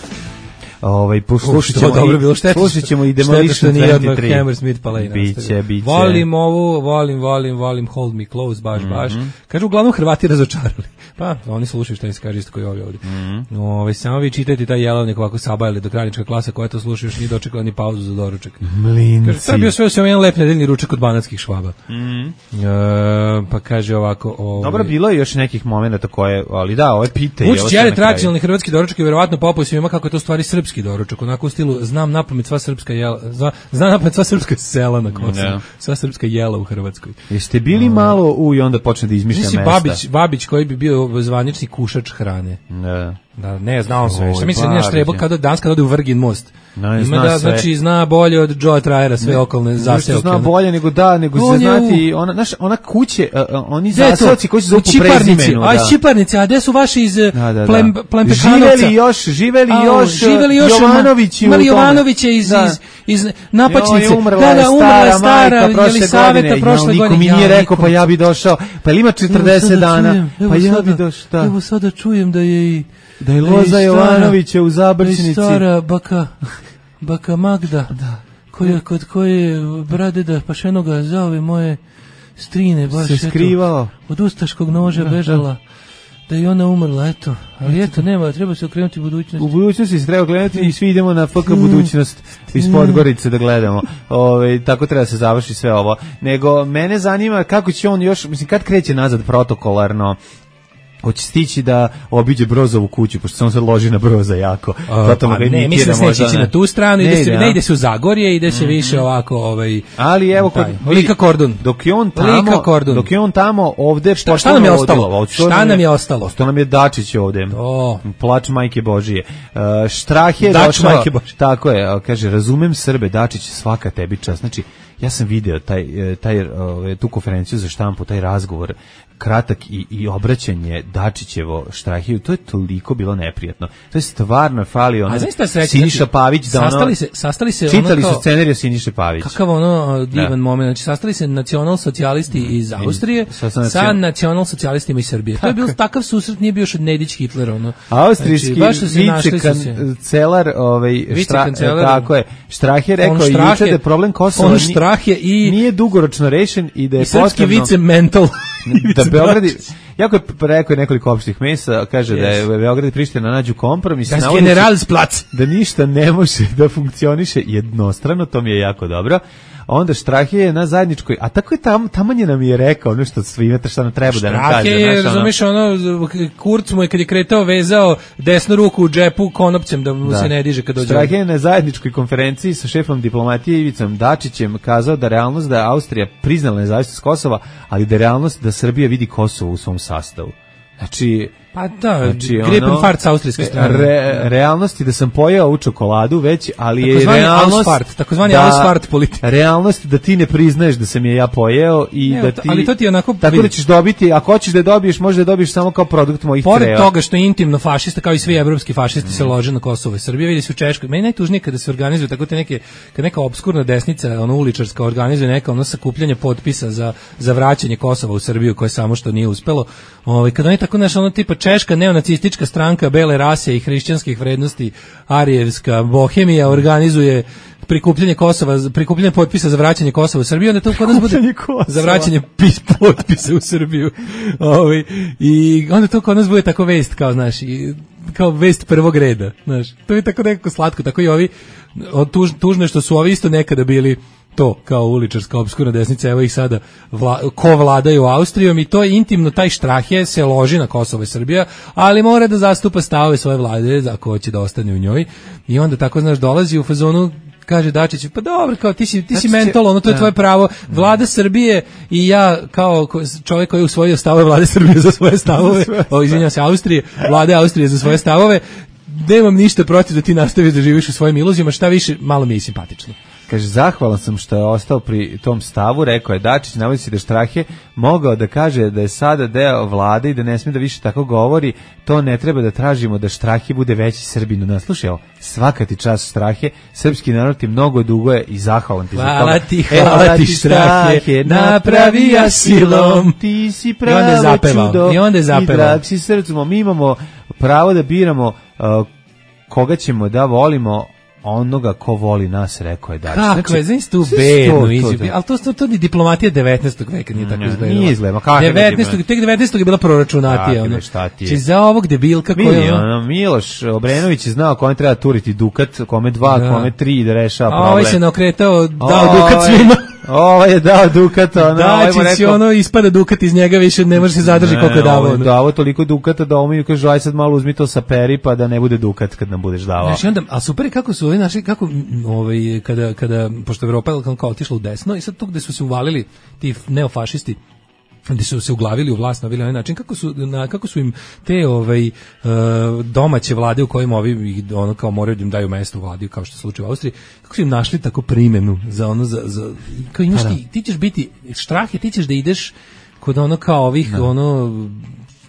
Ovaj poslušat ćemo dobro bilo šteta. Slušat ćemo i Demolition dvadeset tri. Hammersmith Palais. Biće, biće. Volim ovu, volim, volim, volim Hold Me Close, baš, mm-hmm. baš. Kažu uglavnom Hrvati razočarali. Pa, oni slušaju šta im se kaže isto koji ovi ovdje. Mm-hmm. Ove, samo vi čitajte taj jelovnik ovako sabajali do kraljička klasa koja to sluša još nije dočekala ni pauzu za doručak. Mlinci. Kaže, to je bio sve osim jedan lep nedeljni ručak od banatskih Švaba. Mm-hmm. E, pa kaže ovako... Ove, dobro, bilo je još nekih momenata koje, ali da, ove pite. Vučić je tradicionalni hrvatski doručak i verovatno popao svima kako je to stvari srpski doručak. Onako u stilu, znam napamet sva srpska jela, zna, znam napamet sva srpska sela na Kosovu, yeah. sva srpska jela u Hrvatskoj. Jeste bili uh, malo u i onda počne da izmišlja mesta? Babić, Babić koji bi bio zvanični kušač hrane. Yeah. Da, ne, znao sve. Šta misli, nije štrebo kada danas kada ode u Vrgin most. No, ima da, sve. Znači, zna bolje od Joe Trajera sve ne, okolne zaseoke. Zna bolje nego da, nego se znati, ona, znaš, ona kuće, uh, oni zaseoci koji se zovu po prezimenu. A, Čiparnici, a gde su vaši iz da, da, da. Plem, Plempekanovca? Živeli još, živeli a, još, živeli još Jovanovići imali Jovanovića iz, da. iz, iz Napačnice. Jo, umrla da, da, umrla je stara, Jelisaveta prošle godine. Niko mi nije rekao, pa ja bi došao, pa ima četrdeset dana, pa ja bi došao. Evo sada čujem da je i da je Loza Jovanovića u Zabrčnici. Da je stara baka, baka Magda, da. koja, kod koje Bradeda Pašenoga zove moje strine, baš se skrivao. Eto, od ustaškog noža da, bežala, da. da je ona umrla, eto. Ali eto, nema, treba se okrenuti u budućnosti. U budućnosti se treba okrenuti i svi idemo na F K budućnost iz Podgorice da gledamo. Ove, tako treba se završi sve ovo. Nego, mene zanima kako će on još, mislim, kad kreće nazad protokolarno hoće stići da obiđe Brozovu kuću, pošto se on sad loži na Broza jako. Uh, pa ne, mislim da se neće ići na tu stranu, ne ide, se, ne ide se u Zagorje, ide se mm-hmm. više ovako... Ovaj, ali evo, kod, Lika Kordun. Dok je on tamo, dok je on tamo ovde... Šta, šta nam je ostalo? Šta nam je ostalo? Ostao nam je Dačić ovde. Oh. Plač majke Božije. Uh, Štrah je Dač došao... majke Božije. Tako je, kaže, razumem Srbe, Dačić, svaka tebi čast. Znači, ja sam video taj, taj, tu konferenciju za štampu, taj razgovor, kratak i, i obraćanje Dačićevo Štrahiju, to je toliko bilo neprijatno. To je stvarno falio ono Siniša Pavić da ono... Sastali se, sastali se čitali ono kao, su scenariju Siniše Pavić. Kakav ono divan da. moment. Znači, sastali se nacionalsocijalisti mm. iz Austrije sa, sa, sa nacionalsocijalistima iz Srbije. Tako. To je bio takav susret, nije bio još od Nedić Hitler. Ono. Austrijski znači, vicekancelar ovaj, štra, tako je, Štrah je rekao juče da je problem Kosova nije, i, nije dugoročno rešen i da je i potrebno... srpski vice mental da Beograd jako je rekao je nekoliko opštih mesta, kaže yes. da je Beograd i Priština nađu kompromis, das Generalsplatz, da ništa ne može da funkcioniše jednostrano, to mi je jako dobro. Onda Štrah je na zajedničkoj, a tako je tam, tamanje nam je rekao ono što svi imate šta nam treba da nam kaže. Štrah je, razumiješ, ono, Kurz mu je kad je kretao vezao desnu ruku u džepu konopcem da mu da. se ne diže kad dođe. Štrah je na zajedničkoj konferenciji sa šefom diplomatije Ivicom Dačićem kazao da realnost da Austrija priznala nezavisnost Kosova, ali da realnost da Srbija vidi Kosovo u svom sastavu. Znači, pa da, znači, gripen ono, fart sa austrijske strane. Re, realnost je da sam pojeo ovu čokoladu već, ali je takozvani realnost... Ausfart, takozvani da, Ausfart politika. Realnost da ti ne priznaješ da sam je ja pojeo i ne, da ti... Ali to ti je onako... Tako da ćeš dobiti, ako hoćeš da je dobiješ, možda da dobiješ samo kao produkt mojih Pored creva. Pored toga što je intimno fašista, kao i svi evropski fašisti mm. se lože na Kosovo i Srbije, vidi se u Češkoj. Meni najtužnije kada se organizuju tako te neke, kad neka obskurna desnica, ono uličarska, organizuje neka ono sakupljanje potpisa za, za vraćanje Kosova u Srbiju, koje samo što nije uspelo. Ovaj kad oni tako nešto ono tipa Češka neonacistička stranka bele rase i hrišćanskih vrednosti arijevska Bohemija organizuje prikupljanje Kosova, prikupljanje potpisa za vraćanje Kosova u Srbiju, onda to kod nas bude za vraćanje pis potpisa u Srbiju. Ovaj i onda to kod nas bude tako vest kao znaš, i kao vest prvog reda, znaš. To je tako nekako slatko, tako i ovi tuž, tužno što su ovi isto nekada bili to kao uličarska obskurna desnica, evo ih sada vla, ko vladaju Austrijom i to je intimno, taj Štrah je se loži na Kosovo i Srbija, ali mora da zastupa stavove svoje vlade ako hoće da ostane u njoj i onda tako znaš dolazi u fazonu kaže Dačić, pa dobro, kao ti si, ti si mentol, ono to je ja. tvoje pravo. Vlada Srbije i ja kao čovjek koji je usvojio stavove Vlade Srbije za svoje stavove, o, izvinjam se, Austrije, Vlade Austrije za svoje stavove, nemam ništa protiv da ti nastaviš da živiš u svojim iluzijama, šta više, malo mi je simpatično. Kaže, zahvalan sam što je ostao pri tom stavu, rekao je Dačić, navodi se da Štrah je mogao da kaže da je sada deo vlade i da ne smije da više tako govori, to ne treba da tražimo da Štrahe bude veći Srbin od nas. Slušaj, evo, svaka ti čast Štrahe, srpski narod ti mnogo dugo je i zahvalan ti za toga. Hvala ti, hvala ti Štrahe, napravija silom, ti si pravo čudo i onda je zapevao. I drag si srcom, mi imamo pravo da biramo uh, koga ćemo da volimo, onoga ko voli nas, rekao je Dačić. Kako je, znači tu bednu izjavu, ali to, to, to ni diplomatija devetnaestog veka nije tako izgledala. Nije izgledala, kako je devetnaestog tek devetnaestog je bila proračunatija. Ono. Či za ovog debilka koji je... Ono, Miloš Obrenović je znao kome treba turiti dukat, kome dva, da. kome tri da rešava problem. A ovaj se naokretao, dao o, dukat svima. Ovo je dao Dukat, ono, Dačić ovaj rekao, ono ispada Dukat iz njega, više ne može se zadrži ne, koliko je davao. Ovo davo toliko Dukata da ovo mi kaže, aj sad malo uzmi to sa peri pa da ne bude Dukat kad nam budeš davao. Znači onda, a super je kako su ovi naši, kako ovaj, kada, kada, pošto Evropa je kao otišla u desno i sad tu gde su se uvalili ti neofašisti, gde su se uglavili u vlast na ovaj način, kako su, na, kako su im te ovaj, uh, domaće vlade u kojima ovi ono kao moraju da im daju mesto u vladi, kao što je slučaj u Austriji, kako su im našli tako primenu za ono, za, za kao imaš ti, ti ćeš biti Štrahe, ti ćeš da ideš kod ono kao ovih, no. ono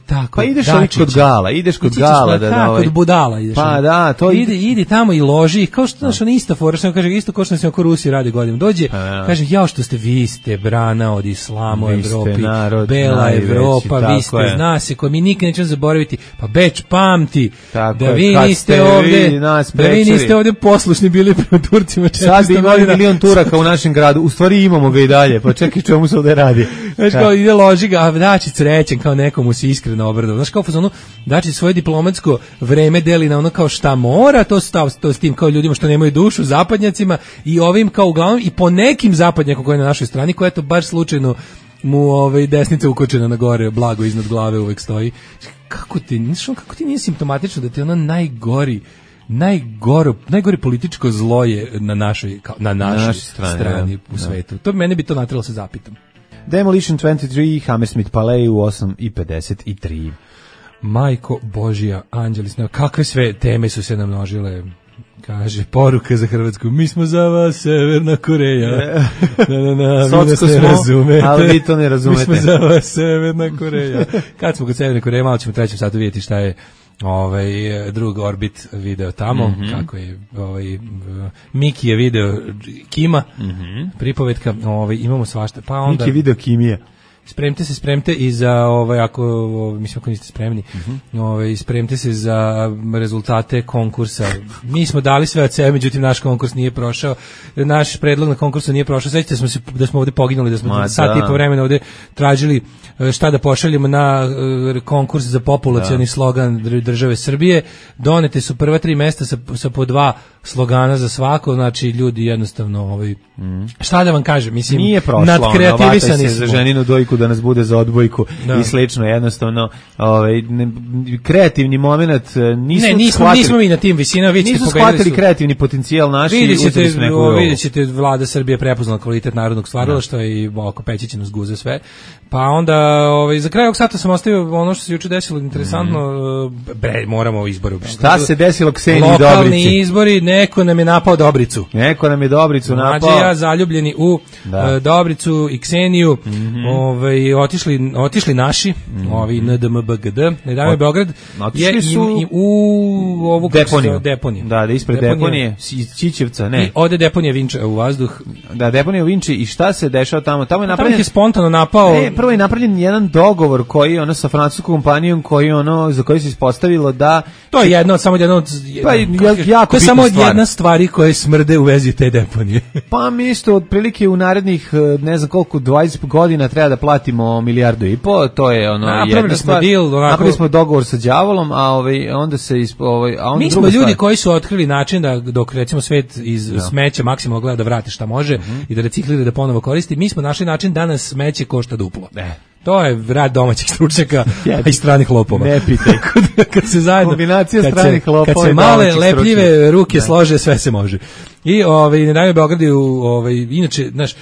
tako, pa ideš ali kod Gala, ideš kod Gala da da ovaj. Kod budala ideš. Pa da, to ide idi tamo i loži, kao što znaš, on isto fora, što kaže isto kao što se oko Rusiji radi godinu. Dođe, ja. kaže jao što ste vi ste brana od islama u Evropi, narod, bela najveći, Evropa, vi ste je. Zna se koji mi nikad nećemo zaboraviti. Pa Beč pamti tako da vi je, niste ovde, vi da vi niste ovde poslušni bili prema Turcima. Sad bi imali milion Turaka u našem gradu. U stvari imamo ga i dalje. Pa čekaj, čemu se ovde radi? Znači kao ide loži ga, a Dačić srećan kao nekomu se iskreno obradovao. Znaš kao fazonu, Dačić svoje diplomatsko vreme deli na ono kao šta mora, to stav to s tim kao ljudima što nemaju dušu, zapadnjacima i ovim kao uglavnom i po nekim zapadnjakom koji je na našoj strani, koja eto baš slučajno mu ovaj desnica ukočena na gore, blago iznad glave uvek stoji. kako ti, znaš, kako ti nije simptomatično da ti ono najgori najgoro, najgore političko zlo je na našoj, na našoj, na našoj strani, strani da, u da. svetu. To mene bi to natralo se zapitam. Demolition dvadeset tri, Hammersmith Palais u osam i pedeset tri. Majko Božija, anđeli sneva, kakve sve teme su se namnožile. Kaže, poruka za Hrvatsku, mi smo za vas Severna Koreja. Na, na, na, vi nas ne razumete. Ali vi to ne razumete. Mi smo za vas Severna Koreja. Kad smo kod Severne Koreje, malo ćemo u trećem satu vidjeti šta je ovaj drug Orbit video tamo, mm-hmm. kako je ovaj Miki je video Kima, mm-hmm. pripovetka, ovaj imamo svašta. Pa onda Miki je video Kimija. Spremite se, spremite i za ovaj ako ovaj, mislim ako niste spremni. Mm-hmm. Ovaj spremite se za rezultate konkursa. Mi smo dali sve od sebe, međutim naš konkurs nije prošao. Naš predlog na konkursu nije prošao. Sećate smo se da smo ovde poginuli, da smo Ma, sat da. i po vremena ovde tražili šta da pošaljemo na uh, konkurs za populacioni da. slogan države Srbije. Donete su prva tri mesta sa, sa po dva slogana za svako, znači ljudi jednostavno ovaj mm. šta da vam kažem, mislim nije prošlo, nadkreativisani za ženinu dojku da nas bude za odbojku da. i slično, jednostavno ovaj ne, kreativni momenat nisu ne, nismo, shvatili, nismo mi na tim visinama, vi nisu shvatili kreativni potencijal naš i vidite, vidite vlada Srbije prepoznala kvalitet narodnog stvaralaštva i oko Pećića nas guze sve. Pa onda ovaj za kraj ovog sata sam ostavio ono što se juče desilo interesantno, mm. bre, moramo izbore. Šta se desilo Kseniji Dobrici? Lokalni izbori, neko nam je napao Dobricu. Neko nam je Dobricu napao. Mlađe ja zaljubljeni u da. uh, Dobricu i Kseniju, mm-hmm. ovaj otišli otišli naši, mm-hmm. ovi N D M B G D, ne daj Beograd je su i, i u ovu deponiju. deponiju. Da, da ispred deponije, Čičevca, ne. I ode deponija Vinča u vazduh. Da, deponija u Vinči i šta se dešava tamo? Tamo je napravljen je spontano napao. E, prvo je napravljen jedan dogovor koji ono sa francuskom kompanijom koji ono za koji se ispostavilo da to je jedno samo jedno pa jako to je samo stvar. jedna stvari koje smrde u vezi te deponije. Pa mi isto otprilike u narednih ne znam koliko dvadeset godina treba da platimo milijardu i po, to je ono A, jedna stvar. Deal, onako... Napravili smo dogovor sa đavolom, a ovaj onda se ispo, ovaj a onda mi smo ljudi stvar. koji su otkrili način da dok recimo svet iz ja. smeća maksimalno gleda da vrati šta može mm-hmm. i da reciklira da ponovo koristi, mi smo našli način da nas smeće košta duplo. Ne. To je rad domaćih stručnjaka i stranih lopova. Ne pitaj. Kad se zajedno kombinacija kad stranih se, lopova kad se male lepljive stručnjaka. ruke ne. slože, sve se može. I ovaj ne daj Beograd je ovaj inače, znaš,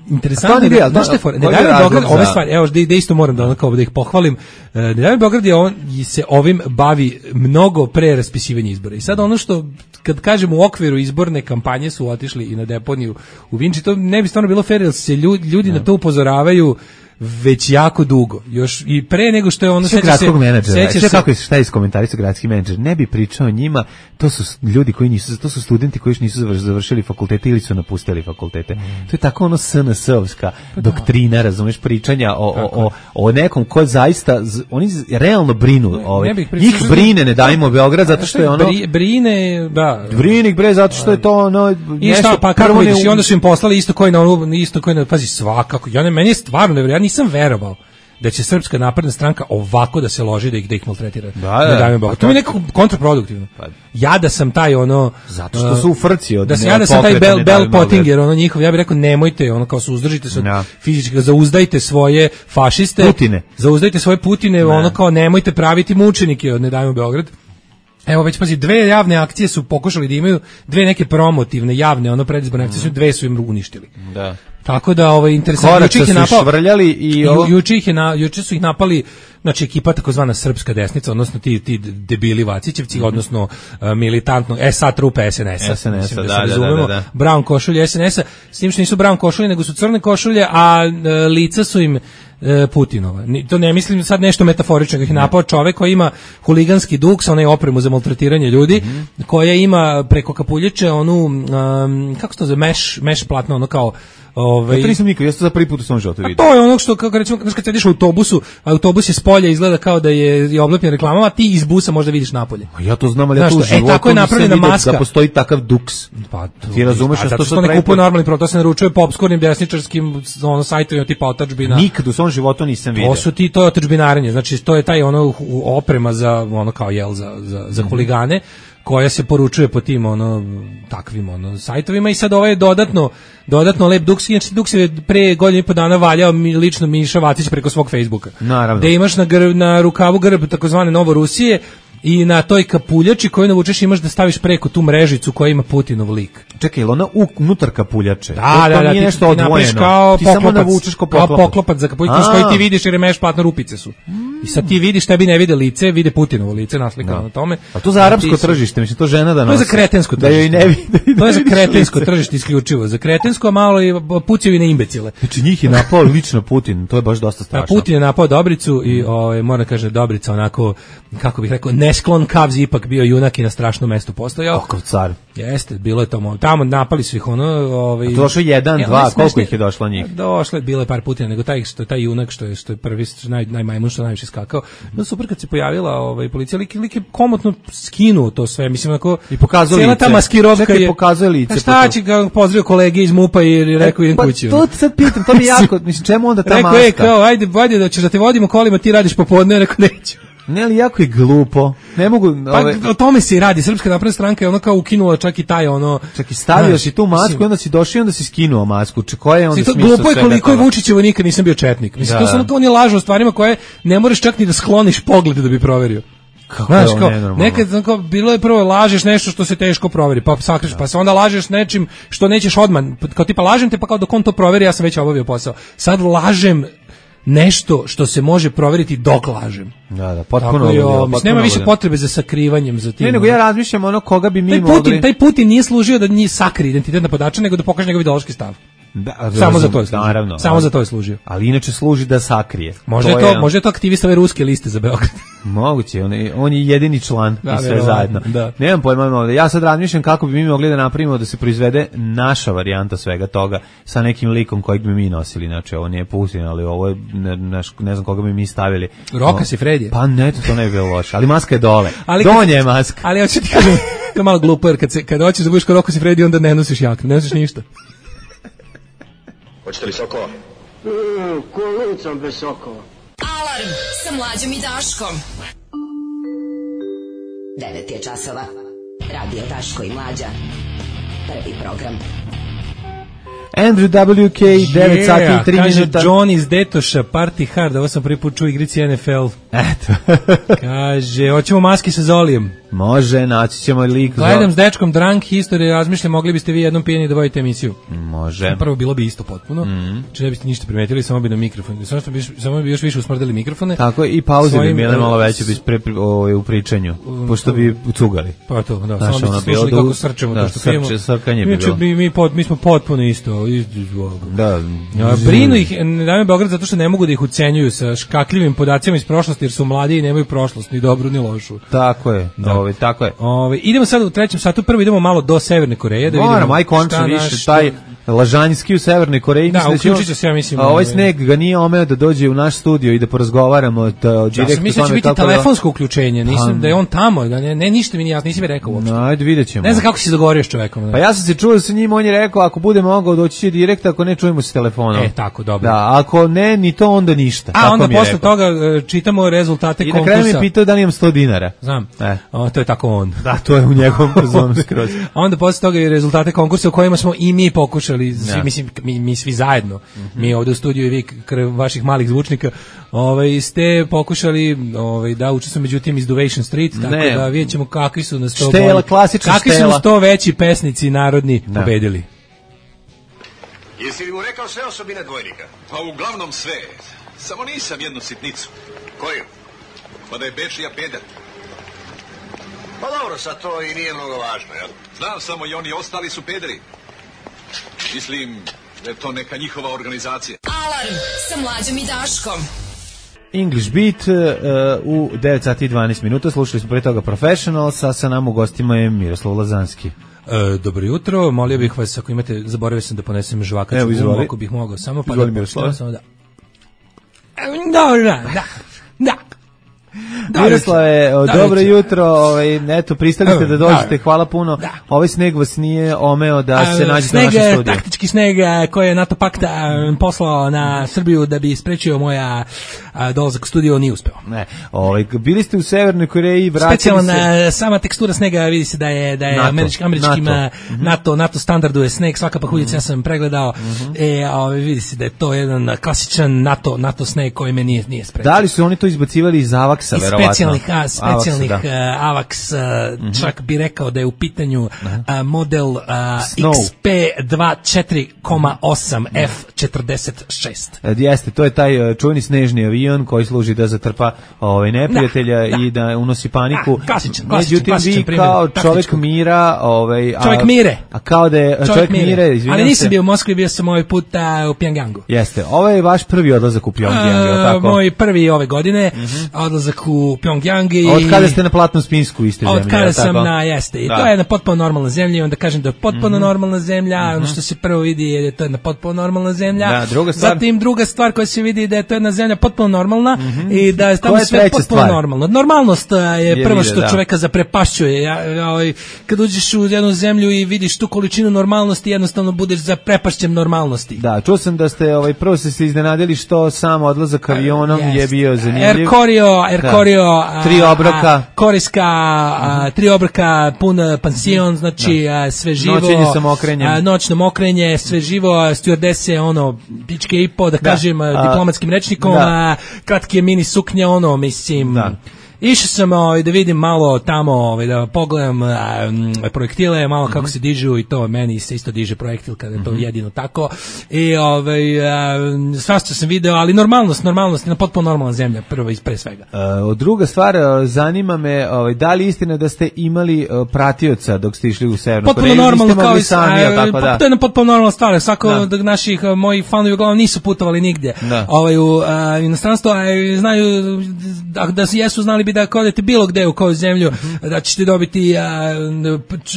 interesantno je, znaš te for, ne daj Beograd ove stvari, evo da, da isto moram da onako da ih pohvalim. Ne daj Beograd je on se ovim bavi mnogo pre raspisivanja izbora. I sad ono što kad kažemo u okviru izborne kampanje su otišli i na deponiju u Vinči, to ne bi stvarno bilo fer, jer se ljudi, ljudi na to upozoravaju već jako dugo. Još i pre nego što je ono seća se gradskog menadžera. Sve kako je šta iskomentarisao gradski menadžer. Ne bi pričao o njima, to su ljudi koji nisu, to su studenti koji još nisu završili fakultete ili su napustili fakultete. Mm. To je tako ono S N S-ovska pa doktrina, razumeš, pričanja o, o, o, o nekom ko zaista oni realno brinu, ne, ovaj. Ne njih brine, ne dajmo Beograd zato što je ono Bri, brine, da. Brinik bre zato što je to ono i šta, pa kako vidiš, i onda su im poslali isto koji na onu, isto koji na, pazi, svakako. Ja ne, meni je stvarno nevjerojatno, nisam verovao da će Srpska napredna stranka ovako da se loži da ih da ih maltretira. Da, da. da to mi je nekako kontraproduktivno. Pa, ja da sam taj ono zato što su u frci od da sam ja da sam taj Bell, Bell Pottinger ono njihov, ja bih rekao nemojte ono kao suzdržite se no. fizički, zauzdajte svoje fašiste, Putine. Zauzdajte svoje Putine, no. ono kao nemojte praviti mučenike od Ne dajmo Beograd. Evo već pazi, dve javne akcije su pokušali da imaju, dve neke promotivne javne ono predizborne akcije, mm. dve su im uništili. Da. Tako da ovaj interesantno juče ih je napao švrljali i ovo... ju, juče ih je na juče su ih napali, znači ekipa takozvana srpska desnica, odnosno ti ti debili Vacićevci, mm-hmm. odnosno uh, militantno S A trupe S N S-a. S N S-a, da, da, da, da, da, da. Brown košulje S N S-a, s tim što nisu brown košulje, nego su crne košulje, a uh, lica su im Putinova. To ne mislim sad nešto metaforično, ih napao čovek koji ima huliganski duh sa onaj opremu za maltretiranje ljudi, mm-hmm. koja ima preko kapuljiće onu um, kako se to zove, meš, meš platno, ono kao ovaj. Ja to nisam nikad, ja sam za prvi put u svom životu vidio. To je ono što kako recimo kad sediš u autobusu, autobus je s polja izgleda kao da je, je oblepljen reklamama, a ti iz busa možda vidiš napolje. Ja to znam, ali ja to u životu. E tako je napravljena maska. Da postoji takav duks. Pa ti razumeš što to ne kupuje normalni produkt, to se naručuje po opskurnim desničarskim ono sajtovima tipa Otadžbina. Nikad u svom životu nisam vidio. To su ti, to je otadžbinarenje, znači to je taj ono oprema za ono kao jel za za za huligane koja se poručuje po tim ono takvim ono sajtovima i sad ovo je dodatno dodatno lep Duks, znači Duks je pre godinu i po dana valjao mi, lično Miša Vacić preko svog Facebooka. Naravno. Da imaš na grb, na rukavu grb takozvane Novorusije i na toj kapuljači koju navučeš imaš da staviš preko tu mrežicu koja ima Putinov lik. Čekaj, ili ona unutar kapuljače? Da, to, da, to da, nije ti, nešto ti odvojeno. Kao ti poklopac, samo navučeš kao poklopac. Kao poklopac za kapuljač, koji ti vidiš jer je meš platno rupice su. I sad ti vidiš, tebi ne vide lice, vide Putinovo lice naslikano na tome. A to za arapsko tržište, mislim, to žena da nosi. To je za kretensko tržište. Da joj ne vide. To je za kretensko tržište isključivo. Za kretensko, a malo i pucaju i na imbecile. Znači njih je napao lično Putin, to je baš dosta strašno. A Putin je napao Dobricu i ovaj mora kaže Dobrica onako, kako bih rekao, nesklon kavzi ipak bio junak i na strašnom mestu postojao. Oko car. Jeste, bilo je to, tamo napali su ih ono, ovaj. A to došlo jedan, e, dva, koliko ih je došlo njih? Došlo je bilo je par Putina, nego taj što je taj junak što je što je prvi naj najmajmun što najviše skakao. No super kad se pojavila ovaj policija, lik, lik je komotno skinuo to sve, mislim onako i pokazao lice. Cela ta maskirovka je pokazao lice. A šta će ga pozdravio kolege iz MUP-a i rekao idem kući. Pa to sad pitam, to mi jako, mislim čemu onda ta maska? Rekao je kao ajde, ajde da ćeš da te vodimo kolima, ti radiš popodne, rekao neću. Ne, ali jako je glupo. Ne mogu, ove... Pa o tome se i radi. Srpska napredna stranka je ono kao ukinula čak i taj ono. Čak i stavio si tu masku, onda si došao i onda si skinuo masku. Če koja je onda to smisao? Glupo je koliko je Vučićevo nikad nisam bio četnik. Mislim da. To su ono kao oni lažu o stvarima koje ne možeš čak ni da skloniš pogled da bi proverio. Kako znaš, je kao, nekad kao, bilo je prvo lažeš nešto što se teško proveri, pa sakriš, da. Pa se onda lažeš nečim što nećeš odmah, kao tipa lažem te pa kao dok on to proveri ja sam već obavio posao. Sad lažem nešto što se može proveriti dok lažem. Da, da, potpuno. Tako nema više potrebe za sakrivanjem za tim. Ne, nego ja razmišljam ono koga bi mi taj mogli. Putin, taj Putin nije služio da njih sakri identitet napadača, nego da pokaže njegov ideološki stav. Da, samo za to je služio. Naravno, samo ali, za to je služio. Ali inače služi da sakrije. Može to, je to može to aktivista ove ruske liste za Beograd. Moguće, on je, on je jedini član da, i sve zajedno. Da. Nemam pojma, ja sad razmišljam kako bi mi mogli da napravimo da se proizvede naša varijanta svega toga sa nekim likom kojeg bi mi nosili. Znači, ovo nije Putin, ali ovo je, ne, ne, ne znam koga bi mi stavili. Rokas i Fredije. Pa ne, to, to ne bi bilo loše, ali maska je dole. Ali donje je maska. Ali hoću ti kažem, to je malo glupo, jer kad, se, kad hoćeš da budeš kao Rokas i Fredije, onda ne nosiš jaknu, ne nosiš ništa. Hoćete li sokova? Mm, kolicom bez sokova. Alarm sa Mlađom i Daškom. devet je časova. Radio Daško i Mlađa. Prvi program. Andrew W K, devet yeah, sati i tri minuta. Kaže John iz Detoša, Party Hard, ovo sam prvi put čuo igrici N F L. Eto. Kaže, hoćemo maske sa Zolijem. Može, naći ćemo lik. Gledam s dečkom Drunk History, razmišljam, mogli biste vi jednom pijeni da vodite emisiju. Može. Prvo bilo bi isto potpuno, mm. či ne biste ništa primetili, samo bi na mikrofon. Samo, bi, samo bi još više usmrdili mikrofone. Tako i pauze bi bile malo veće bi pre, pre, o, u pričanju, pošto bi cugali. Pa to, da, Znaš, samo bi slušali kako srčemo da, to što pijemo. Srče, srkanje bi bilo. Mi, mi, pod, mi smo potpuno isto. Da. Brinu ih, dame Beograd, zato što ne mogu da ih ucenjuju sa škakljivim podacima iz prošlosti, jer su mladi i nemaju prošlost, ni dobru, ni lošu. Tako je, da. Ove, tako je. Ove, idemo sad u trećem satu, prvo idemo malo do Severne Koreje. Da Moram, aj končno više, taj Lažanjski u Severnoj Koreji. Da, uključit će se, ja mislim. A ovaj sneg ga nije omeo da dođe u naš studio i da porazgovaramo da, direktno. Ja mislim da će biti telefonsko uključenje, nisam da je on tamo, da ne, ne ništa mi nije jasno, nisi mi rekao uopšte. No, ajde, vidjet ćemo. Ne znam kako si se dogovorio s čovekom. Pa ja sam se čuo sa njim, on je rekao, ako bude mogao doći će direkt, ako ne čujemo se telefonom. E, tako, dobro. Da, ako ne, ni to, onda ništa. A onda posle toga čitamo rezultate konkursa. I na kraju mi pitao da li imam sto dinara. Znam, e. o, to je tako on. Da, to je u njegovom zonu skroz. A onda posle toga i rezultate konkursa u kojima smo i mi pokušali, svi, mislim, mi, mi svi zajedno, mm-hmm. mi ovde u studiju i vi krv vaših malih zvučnika, ovaj, ste pokušali ovaj, da učestvujemo, međutim iz Duvation Street, tako ne. Da vidjet ćemo kakvi su nas to štela, klasična kakvi štela. su nas to veći pesnici narodni da. Pobedili. Jesi li mu rekao sve osobine dvojnika? Pa uglavnom sve, samo nisam jednu sitnicu. Koju? Pa da je Bečija peder. Pa dobro, sad to i nije mnogo važno, jel? Znam samo i oni ostali su pederi. Mislim da je to neka njihova organizacija. Alarm sa Mlađom i Daškom. English Beat uh, u devet sati i dvanaest minuta. Slušali smo pre toga Professionals, a sa nam u gostima je Miroslav Lazanski. E, dobro jutro, molio bih vas, ako imate, zaboravio sam da ponesem žvakaću gumu, ako bih mogao, samo pa izvoli, da Miroslav. Samo da. Dobro, da, da, da. Miroslave, dobro jutro, ovaj, eto, pristali ste da dođete, hvala puno. Da. Ovaj sneg vas nije omeo da se nađete na našem Sneg, studiju. taktički sneg koji je NATO pakt poslao na Srbiju da bi sprečio moja dolazak u studio, nije uspeo. Ne, ovaj, bili ste u Severnoj Koreji, vratili Specijalna se... sama tekstura snega, vidi se da je da je NATO, američki, američkim NATO. NATO NATO standardu je sneg, svaka pahuljica, mm-hmm. ja sam pregledao. Mm-hmm. E, ovaj, vidi se da je to jedan klasičan NATO NATO sneg koji me nije nije sprečio. Da li su oni to izbacivali iz Avaksa, verovatno? Specijalnih, a, specijalnih Avaksa, uh, Avaks, uh, mm-hmm. čak bi rekao da je u pitanju uh, model uh, X P dvadeset četiri osam F četrdeset šest. E, jeste, to je taj uh, čuveni snežni avion koji služi da zatrpa ovaj neprijatelja da, da. i da unosi paniku. A, klasičan, klasičan, Međutim, klasičan vi primjer, kao taktičko. čovjek mira, ovaj, a, čovjek mire. A kao da je čovjek, čovjek mire, mire izvinjam se. Ali nisam bio u Moskvi, bio sam ovaj put uh, u Pjongjangu. Jeste, ovo je vaš prvi odlazak u Pjongjang, je li tako? Moj prvi ove godine, mm-hmm. odlazak u Pjongjang. I... Od kada ste na platnom spisku iste zemlje? Od kada sam tako? na, jeste. I da. to je jedna potpuno normalna zemlja, i onda kažem da je potpuno mm-hmm. normalna zemlja, mm-hmm. ono što se prvo vidi je da je to jedna potpuno normalna zemlja. Da, druga stvar... Zatim druga stvar koja se vidi da je to jedna zemlja potpuno normalna mm-hmm. i da je tamo je sve potpuno stvar? normalno. Normalnost je, je prvo što da. čoveka zaprepašćuje. Ja, ja, ovaj, kad uđeš u jednu zemlju i vidiš tu količinu normalnosti, jednostavno budeš zaprepašćen normalnosti. Da, čuo sam da ste ovaj prvo ste se iznenadili što sam odlazak avionom yes. je bio zanimljiv. Air Koryo, Air Koryo, tri obroka, korejska, a, tri obroka, pun pansion, znači a, sve živo. Noćenje sa mokrenjem. A, noćno mokrenje, sve živo, stewardese, ono, pičke i po, da, da. kažem, a, diplomatskim rečnikom, da. a, kratke mini suknje, ono, mislim... Da. Išao sam ovaj, da vidim malo tamo, ovaj, da pogledam a, projektile, malo kako mm-hmm. se dižu i to, meni se isto diže projektil kada je to mm-hmm. jedino tako. I ovaj, svašta sam video, ali normalnost, normalnost, na potpuno normalna zemlja, prvo i pre svega. Uh, druga stvar, zanima me, ovaj, da li istina da ste imali uh, pratioca dok ste išli u Severnu Koreju? Potpuno normalno, kao i sami, a, tako da. To je jedna potpuno normalna stvar, svako da. od naših moji fanovi uglavnom nisu putovali nigdje da. ovaj, u a, inostranstvo, a znaju da, da jesu znali bi da kodete bilo gde u koju zemlju, mm-hmm. da ćete dobiti a,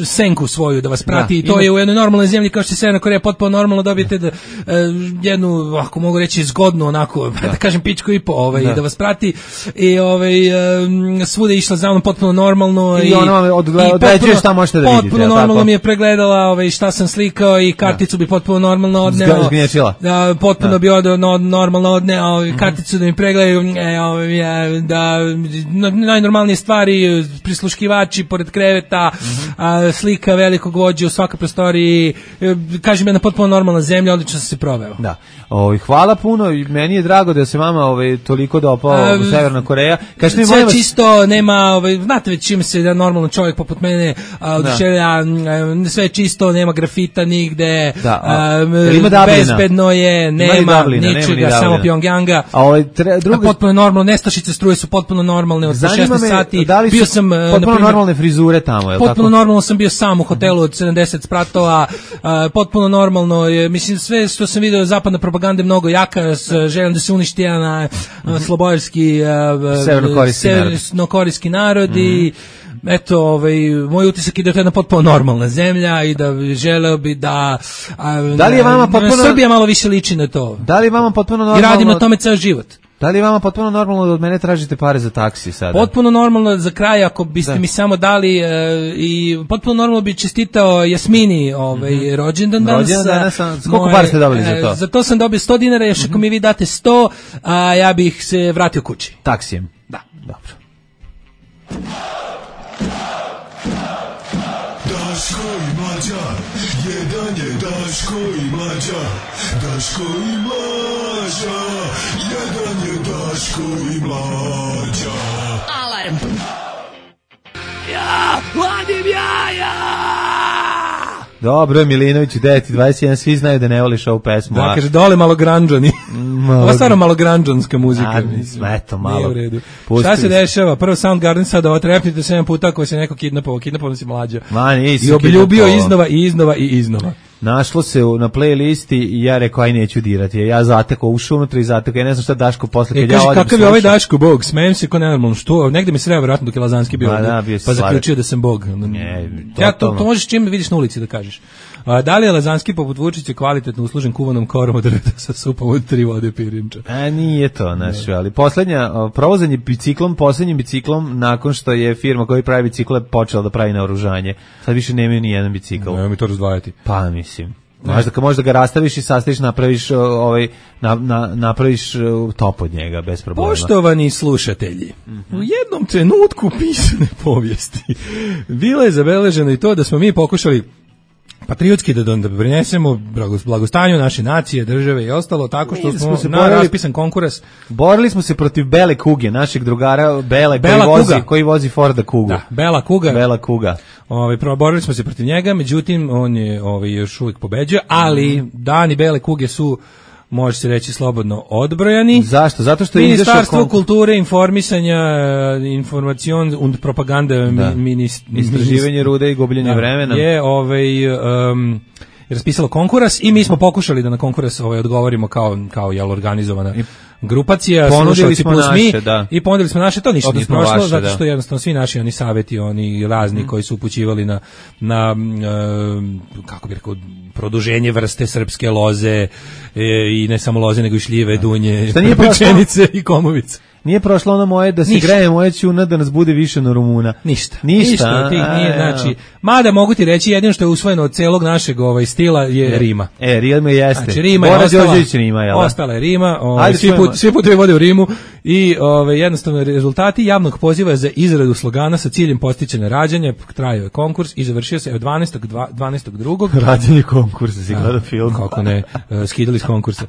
senku svoju da vas prati da, i to ima... je u jednoj normalnoj zemlji kao što je Severna Koreja potpuno normalno dobijete da, a, jednu, ako mogu reći zgodnu onako, da, da kažem pičku i po ovaj, da. da vas prati i ovaj, a, svuda je išla za mnom potpuno normalno i, i ona vam određuje šta možete da vidite. Potpuno normalno tako? Mi je pregledala ovaj, šta sam slikao i karticu da. bi potpuno normalno odneo. Zgnječila. Da, potpuno da. bi od, no, normalno odneo ovaj, karticu mm-hmm. da mi pregledaju e, ovaj, da najnormalnije stvari, prisluškivači pored kreveta, mm-hmm. a, slika velikog vođe u svakoj prostoriji, kažem jedna potpuno normalna zemlja, odlično sam se proveo. Da. O, hvala puno i meni je drago da se vama ovaj, toliko dopao u Severna Koreja. Kažete mi, sve vas... čisto, nema, ovaj, znate već čim se jedan normalan čovjek poput mene oduševlja, sve čisto, nema grafita nigde, da, a, a, bezbedno je, nema ničega, samo Pjongjanga, a ovaj, tre, druga... potpuno normalno, nestašice struje su potpuno normalne, od šesnaest sati, da li bio sam potpuno naprimjer, normalne frizure tamo, je potpuno tako? normalno sam bio sam u hotelu od sedamdeset spratova, a, potpuno normalno je, mislim sve što sam video zapadna propaganda je mnogo jaka, s željom da se uništi jedan slobodarski severnokorejski narod i eto, ovaj, moj utisak je da je to jedna potpuno normalna zemlja i da želeo bi da, a, da li je vama potpuno... Srbija malo više liči na to. Da li je vama potpuno normalno... I radim na tome ceo život. Da li je vama potpuno normalno da od mene tražite pare za taksi sada? Potpuno normalno za kraj, ako biste da. mi samo dali e, i potpuno normalno bi čestitao Jasmini ovaj, mm-hmm. rođendan danas. Rođendan danas, sam, koliko para ste dobili za to? E, za to sam dobio sto dinara, još mm-hmm. ako mi vi date sto, a ja bih se vratio kući. Taksijem? Da. Dobro. Daško i Mlađa, jedan je Daško i Mlađa, Daško i Mlađa, jedan je Daško i Mlađa. Alarm. Ja, vadim jaja! Dobro, Milinoviću, devet i dvadeset jedan, svi znaju da ne voliš ovu pesmu. Da, kaže, dole malo granđani. Ovo je stvarno malo granđanska muzika. A, eto, malo. Šta se dešava? Prvo Soundgarden sada otrepnite sedam puta ako se neko kidnapovao, kidnapovao si Mlađa. Ma, nisi I obljubio iznova i iznova i iznova. Našlo se na playlisti i ja rekao aj neću dirati. Ja zatekao, ušao unutra i zatekao. Ja ne znam šta Daško posle kad e, ja odem. Kakav je ovaj Daško bog? Smejem se ko nenormalno. Što? Negde mi sreo vjerojatno dok je Lazanski bio. Da, bio pa zaključio da sam bog. Ne, ja to, to možeš čim me vidiš na ulici da kažeš. A, da li je Lazanski poput Vučića kvalitetno uslužen kuvanom korom od drveta sa supom od tri vode pirinča? A nije to, znači, ali poslednja, provozanje biciklom, poslednjim biciklom, nakon što je firma koja pravi bicikle počela da pravi naoružanje. Sad više nemaju ni jedan bicikl. Nemoj mi to razdvajati. Pa, mislim. Možda ka možda ga rastaviš i sastaviš, napraviš ovaj na, na, napraviš top od njega bez problema. Poštovani slušatelji, mm-hmm. u jednom trenutku pisane povijesti bilo je zabeleženo i to da smo mi pokušali patriotski da da prinesemo blagostanju naše nacije, države i ostalo tako što mi smo, smo naravno pisan konkurs. Borili smo se protiv Bele kuge, našeg drugara Bele Bela koji vozi, koji vozi Forda Kugu. Da, Bela kuga. Bela kuga. Ovaj borili smo se protiv njega, međutim on je ovaj još uvijek pobeđuje, ali dani Bele kuge su, može se reći slobodno, odbrojani. Zašto? Zato što je Ministarstvo kon... kulture, informisanja, informacion und propaganda, da. minist... istraživanje rude i gubljenje vremena. Je ovaj um, raspisalo konkurs i mi smo pokušali da na konkurs ovaj odgovorimo kao kao jel organizovana I grupacija, ponudili smo plus naše, mi, da. I ponudili smo naše, to ništa nije prošlo, vaše, zato da. što jednostavno svi naši oni saveti, oni razni mm. koji su upućivali na, na uh, kako bih rekao, produženje vrste srpske loze e, i ne samo loze, nego i šljive, da. Dunje, pečenice i komovice. Nije prošlo ono moje da se ništa. Greje moje ćuna da nas bude više na Rumuna. Ništa. Ništa. Ništa tih nije, znači, mada mogu ti reći jedino što je usvojeno od celog našeg ovaj stila je e, Rima. E, Rima jeste. Znači, Rima je Bora ostala, Rima, jel? Ostala je Rima, ovaj, svi, put, svi putevi vode u Rimu i ovaj, jednostavno rezultati javnog poziva za izradu slogana sa ciljem podsticanja rađanja, trajao je konkurs i završio se od dvanaestog drugog Rađanje konkursa, si gledao film. Kako ne, skidali s konkursa.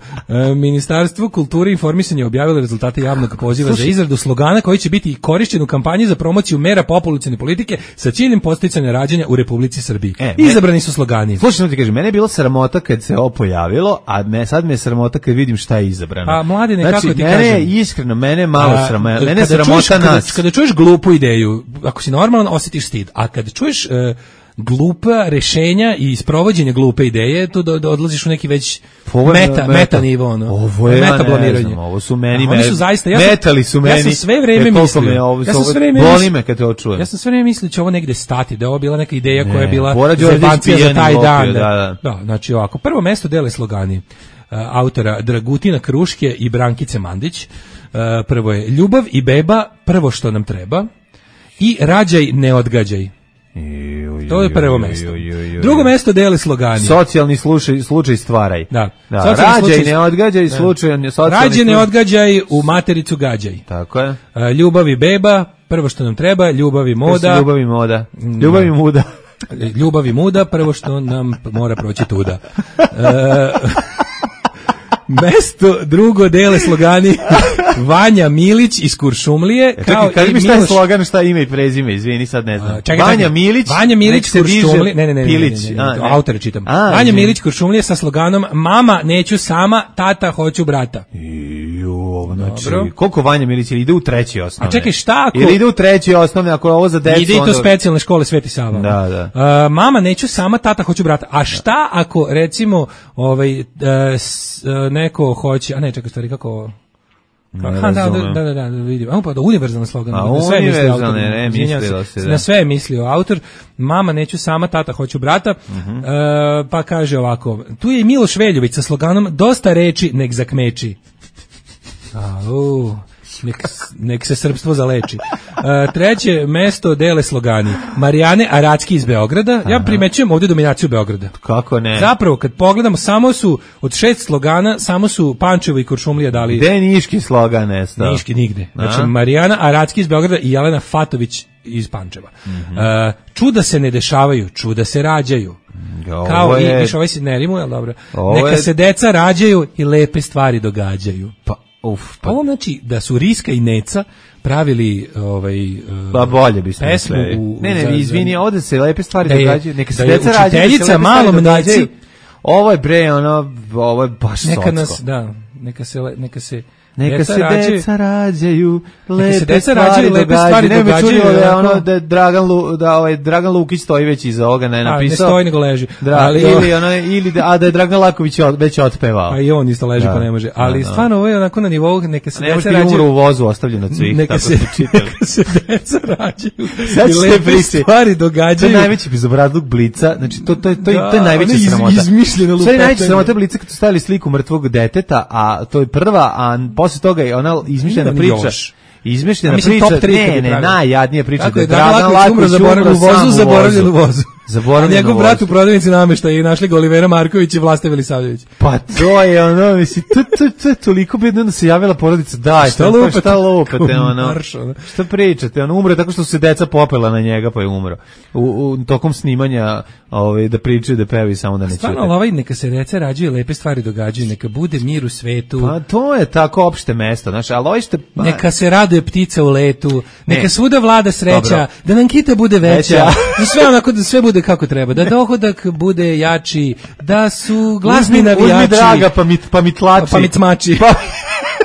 Ministarstvo kulture i informisanja objavilo rezultate javnog poziva Slušaj. za izradu slogana koji će biti korišćen u kampanji za promociju mera populacione politike sa ciljem podsticanja rađanja u Republici Srbiji. E, Izabrani su slogani. Slušaj, ti kažem, mene je bilo sramota kad se ovo pojavilo, a me, sad me je sramota kad vidim šta je izabrano. Pa mladine, znači, kako ti mene kažem? Mene je iskreno, mene je malo a, sramota, mene je sramota čuješ, nas. Kada, kada čuješ glupu ideju, ako si normalan, osjetiš stid, a kada čuješ uh, glupa rešenja i sprovođenje glupe ideje, tu do, do odlaziš u neki već meta, meta, meta nivo, ono. Ovo je, meta blamiranje. Znam, ovo su meni, oni su zaista, ja sam, metali su meni. Ja sam sve vreme mislio, me, ovo, ja sam sve vreme boli me kad to čujem. Ja sam sve vreme mislio da će ovo negde stati, da je ovo bila neka ideja ne, koja je bila zebancija za taj lopio, dan. Da, da. da, znači ovako, prvo mesto dele slogani uh, autora Dragutina Kruške i Brankice Mandić. Uh, prvo je ljubav i beba, prvo što nam treba, i rađaj, ne odgađaj. To je prvo mesto. Drugo mesto dele slogani. Socijalni slučaj, slučaj stvaraj. Da. da. Rađaj, slučaj, ne odgađaj, slučaj, socijalni rađaj, ne odgađaj, u matericu gađaj. Tako je. Uh, ljubav i beba, prvo što nam treba, ljubav i moda. Ljubav i moda. Ljubav i muda. Ljubav i muda, prvo što nam mora proći tuda. Uh, mesto drugo dele slogani Vanja Milić iz Kuršumlije. E, čekaj, kad mi šta je slogan, šta ime i prezime, izvini, sad ne znam. Čekaj, Vanja čekaj. Milić, Vanja Milić Kuršumlije, ne, ne, ne, Pilić, ne, ne, ne, a, ne, ne. autore čitam. A, Vanja izvini. Milić Kuršumlije sa sloganom mama neću sama, tata hoću brata. Jo, znači, koliko Vanja Milić ide u treći osnovne? A čekaj, šta ako... Ili ide u treći osnovne, ako je ovo za decu... Ide i to onda... specijalne škole Sveti Sava. Da, da. Uh, mama neću sama, tata hoću brata. A šta ako, recimo, ovaj, uh, s, uh, neko hoće... A ne, čekaj, stvari, kako... Ne da, da, da, da, da, vidim. A pa da univerzalni slogan. A na sve univerzalne, ne, mislilo se, da. Na sve je mislio autor. Mama neću sama, tata hoću brata. Uh-huh. E, pa kaže ovako, tu je i Miloš Veljović sa sloganom dosta reči, nek zakmeči. Au, nek, nek se srpstvo zaleči. E, treće mesto dele slogani. Marijane Aracki iz Beograda. Ja primećujem ovdje dominaciju Beograda. Kako ne? Zapravo, kad pogledamo, samo su od šest slogana, samo su Pančevo i Kuršumlija dali... Gde je niški slogan nestao? Niški nigde. Znači, Marijana Aracki iz Beograda i Jelena Fatović iz Pančeva. Mm-hmm. uh, čuda se ne dešavaju, čuda se rađaju. Ovo kao je... i viš, ovaj se ne rimuje, ali dobro. Neka je... se deca rađaju i lepe stvari događaju. Pa, uf, pa. Ovo znači da su Riska i Neca pravili ovaj uh, pa bolje bi pesmu u, ne ne za, izvini, ovde se lepe stvari da je, događaju, neka se da deca rađaju, učiteljica malom Neci, ovo je bre ono, ovo je baš neka socko. nas, da, neka se neka se Neka se rađaju, deca rađaju, lepe neka se deca stvari rađaju, lepe stvari događaju. Ne me čudilo da je onako- ono da je Dragan Lu, da ovaj Dragan Lukić stoji već iza ovoga, ne A, napisao. ne stoji nego leži. Da, Ali- ili ono ili da, a da je Dragan Laković od- već otpevao. A i on isto leži Da. pa ne može. Ali Da, da. stvarno ovo je onako na nivou neka se Ne deca može umro rađaju. u vozu ostavljen od svih, Neka tako se, ste čitali. neka se deca rađaju. Sad I ćete lepe priči. stvari To je događaju. najveći bezobrazluk Blica, znači to to to, to, Da, to je najveća ono iz- sramota. izmišljeno Sve je najveća lupetanje. sramota Blica kad su stavili sliku mrtvog deteta, a to je prva, a posle toga je ona izmišljena Ima priča. još. Izmišljena A mislim, priča, top tri kad ne, bi ne, pravili. najjadnija priča. Tako da je, Dragan Laković umro, Laković zaboravljen u sam vozu, zaboravljen u vozu. Zaboravljen A njegov u brat u vozu. prodavnici namešta i našli ga Olivera Marković i Vlasta Velisavljević. Pa to je ono, misli, to, to, to je toliko bedno da se javila porodica, daj, Šta šta lupate? šta lupate, ono, Marš, ono. šta pričate, ono, umre tako što su se deca popela na njega, pa je umro. U, u tokom snimanja, ovaj, da pričaju, da pevaju, samo da ne Stvarno, čute. ali ovaj neka se deca rađaju, lepe stvari događaju, neka bude mir u svetu. Pa to je tako opšte mesto, znaš, ali ovo što... Pa, Neka se raduje ptica u letu, neka Ne. svuda vlada sreća, Dobro. da nam kita bude veća, Veća. da sve onako da sve bude kako treba, da dohodak bude jači, da su glasni uzmi, navijači. uzmi draga, pa mi, pa mi tlači. Pa mi cmači. Pa,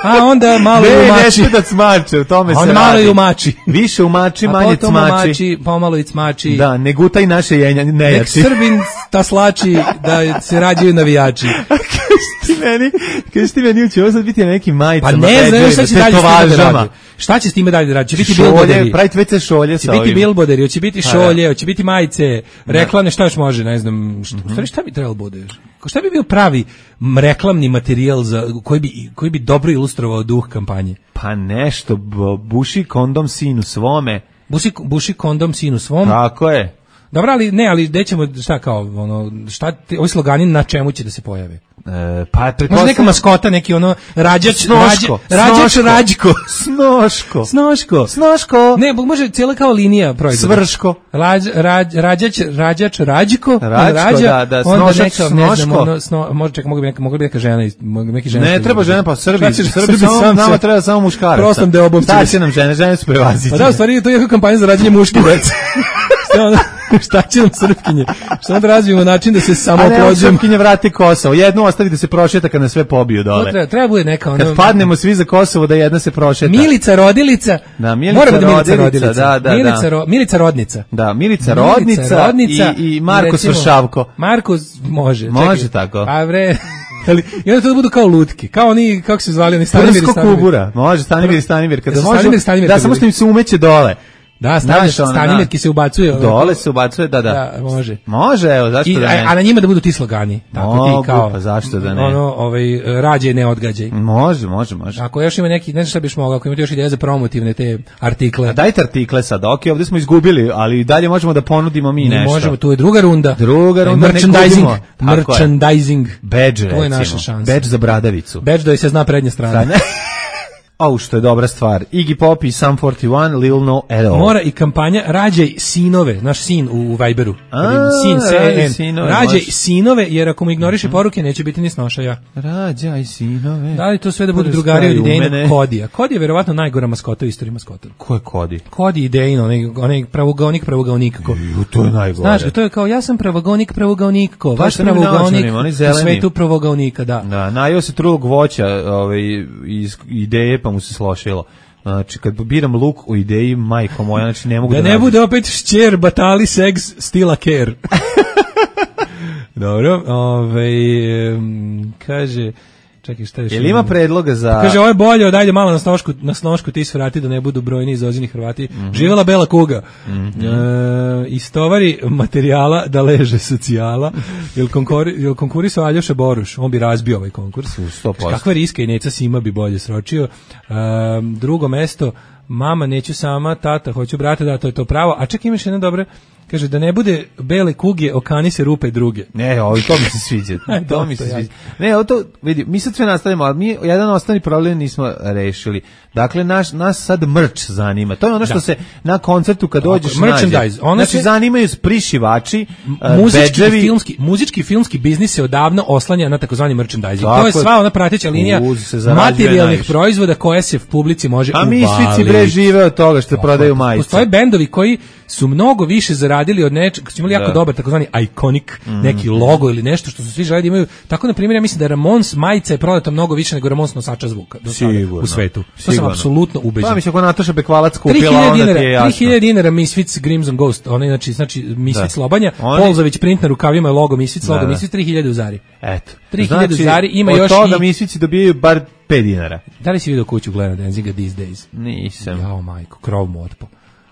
A onda malo ne, i ne umači. sme da cmače, u tome A se onda radi. malo i umači. Više umači, A manje potom cmači. umači, pomalo i cmači. Da, ne gutaj naše jenja, Nek nejači. Srbin taslači da se rađaju navijači. Kaži ti meni, kaži ti meni, će ovo sad biti na nekim majicama. Pa ne znam šta će dalje s time da tetovažama. radi. Šta će s time dalje da radi? Će biti Šolje, bilboderi. praviti već se šolje Će sa biti ovim. bilboderi, hoće biti Pa, šolje, hoće biti majice, reklamne, šta još može, ne znam, šta, u stvari šta bi trebalo bude još? Ko- Šta bi bio pravi m, reklamni materijal za, koji, bi, koji bi dobro ilustrovao duh kampanje? Pa nešto, b- buši kondom sinu svome. Buši, buši kondom sinu svom. Tako je. Dobro, ali ne, ali gde ćemo, šta kao, ono, šta, ti, ovi slogani na čemu će da se pojave? E, pa Može neka maskota, neki ono, rađač, Snoško, rađa, rađač, snoško. rađko. Snoško. Snoško. Snoško. Ne, može cijela kao linija proizvoda. Svrško. Rađ, rađ, rađač, rađač, rađko, Rađko, da, da, onda snošač, neka, ne znam, snoško. ono, sno, može čak mogu bi neka, mogu bi neka žena, iz- mogu bi neki žena. Ne treba žena, pa Srbi, Šta će- Srbi, samo, sam nama se- treba samo muškaraca. Prostom deobom Šta će- će nam žene? Žene su prevazićene. Pa da, u stvari to je jako kampanja za rađenje muške dece. Šta ono, šta će nam Srpkinje? Šta onda razvijemo način da se samo A ne, oplođujemo? Srpkinje vrati Kosovo. Jednu ostavi da se prošeta kad nas sve pobiju To dole. Treba, treba bude neka ono... Kad padnemo svi za Kosovo da jedna se prošeta. Milica rodilica. Da, Milica Mora bude Milica rodilica, rodilica. da, da, Milica, da. ro, Milica rodnica. Da, Milica Rodnica, rodnica i, i Marko recimo, Svršavko. Marko z- može. Može čekaj. tako. Pa bre. Ali, i onda to da budu kao lutke. Kao oni, kako se zvali, oni Stanimir i Prsko Stanimir. kubura. Može, Stanimir i Stanimir. Kada Jesu može, Stanimir i Stanimir da, kad samo bili? što im se umeće dole. Da, Stanimir, Znaš, ono, Stanimir da. ki se ubacuje. ono, Dole se ubacuje, da, da. Da, može. Može, evo, zašto I, da a, ne? a na njima da budu ti slogani. Tako Mogu, ti kao. pa zašto da ne? Ono, ovaj, rađe ne odgađaj. Može, može, može. Ako još ima neki, ne znam šta biš mogao, ako imate još ideje za promotivne te artikle. A dajte artikle sad, ok, ovdje smo izgubili, ali dalje možemo da ponudimo mi Mi nešto. možemo, tu je druga runda. Druga runda, ne merchandising, gubimo. Tako je. merchandising. Badge, To je recimo. naša šansa. Badge za bradavicu. Badge da se zna prednja strana. Da, ne? Au, što je dobra stvar. Iggy Pop i Sum četrdeset jedan, Lil No at all. Mora i kampanja rađaj sinove, naš sin u, u Viberu. A, Sin, rađaj C N. sinove, Rađaj može. sinove, jer ako mu ignoriše poruke, neće biti ni snošaja. Rađaj sinove. Da li to sve da budu Prskaju drugari od u idejnog mene. Kodija? Kodi je verovatno najgora maskota u istoriji maskota. Ko je Kodi? Kodi idejno, onaj, onaj pravogonik, pravogonik. Ko. Ju, to je najgore. Znaš, to je kao, ja sam pravogonik, pravogonik, ko. je Vaš sa onim pravogonik naočarima, oni u zeleni. svetu pravogonika, da. Da, najeo se trulog voća ovaj, iz ideje, pa mu se slošilo. Znači, kad biram luk u ideji, majko moja, znači ne mogu da, Da ne nađem. bude opet šćer, batali, seks, stila care. Dobro, ovaj, em, kaže, čekaj šta još. Jel ima predloga za... Kaže, ovo je bolje, dajde malo na snošku, na snošku ti svrati da ne budu brojni izozini Hrvati. Mhm. Živela bela kuga. E, istovari materijala da leže socijala. Jel, konkuri, jel konkurisao Aljoša Boruš? On bi razbio ovaj konkurs. sto posto. Kakva riska i Neca Sima bi bolje sročio. E, drugo mesto, mama neću sama, tata hoću brata, da, to je to pravo. A čak imaš jedno dobro, kaže, da ne bude bele kuge, okani se rupe druge. Ne, ovo, to mi se sviđa. Aj, to mi dosta, se ja. sviđa. Ne, ovo to, vidi, mi sad sve nastavimo, ali mi jedan osnovni problem nismo rešili. Dakle, naš, nas sad mrč zanima. To je ono što Da. se na koncertu kad dođeš Tako, merchandise. nađe. Ono Znači, se- zanimaju s prišivači, uh, Muzički i bedževi. filmski, muzički i filmski biznis se odavno oslanja na takozvani merchandising. Tako to je je. sva ona prateća linija Uz se zarađuje materijalnih najviše. proizvoda koje se publici može A uvaliti. mi svici bre žive od toga što prodaju majice. Postoje bendovi koji su mnogo više zaradili od nečeg, su imali jako Da. dobar takozvani iconic, Mm. neki logo ili nešto što su svi želeli da imaju. Tako, na primjer, ja mislim da Ramones majica je prodata mnogo više nego Ramones nosača zvuka do sada Sigurno. u svetu. To sam Sigurno. apsolutno ubeđen. Pa mislim, ako Nataša Bekvalac tri kupila, hiljade onda ti je dinara, jasno. tri hiljade dinara Misfits Crimson Ghost, onaj znači znači Misfits Da. Lobanja, Oni- Polzović print na rukavima je logo Misfits, Da, logo da. Misfits, tri hiljade u Zari. Eto. tri hiljade u Zari, ima od još toga i- mislici dobijaju bar pet dinara. Da li si vidio kuću Glena Danziga These Days? Nisam. Jao majko, krov mu otpo.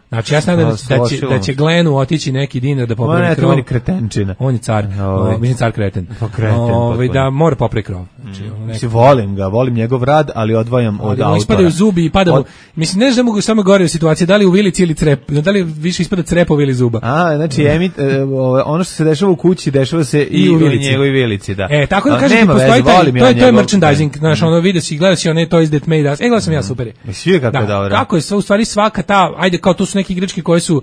Znači ja znam da, Da, da, će, složilo. da će Glenu otići neki dinar da Ma popravi ne, krov. to on je kretenčina. On je car, Ovaj. o, mislim car kreten. Pa kreten, Ovaj, potpuno. da mora popravi krov. Znači, ono neko- Mislim, volim ga, volim njegov rad, ali odvajam od Ali mu autora. ispadaju zubi i pada mu. Od- Mislim, ne znam mogu samo gore u situaciji, da li u vilici ili crep, da li više ispada crepovi ili zuba. A, znači, emit, e, ovo, ono što se dešava u kući, dešava se i, I u u vilici. njegovoj vilici, da. E, tako da A, kažem ti, nema postoji veze, taj, volim to ja je, to je njegov- merchandising, znaš, ono, vidio si, gledao si one Toys That Made Us, e, gledao sam ja, super je. Jesi vidio kako je dobro? Kako je sve, u stvari svaka ta, ajde, kao tu su neke igračke koje su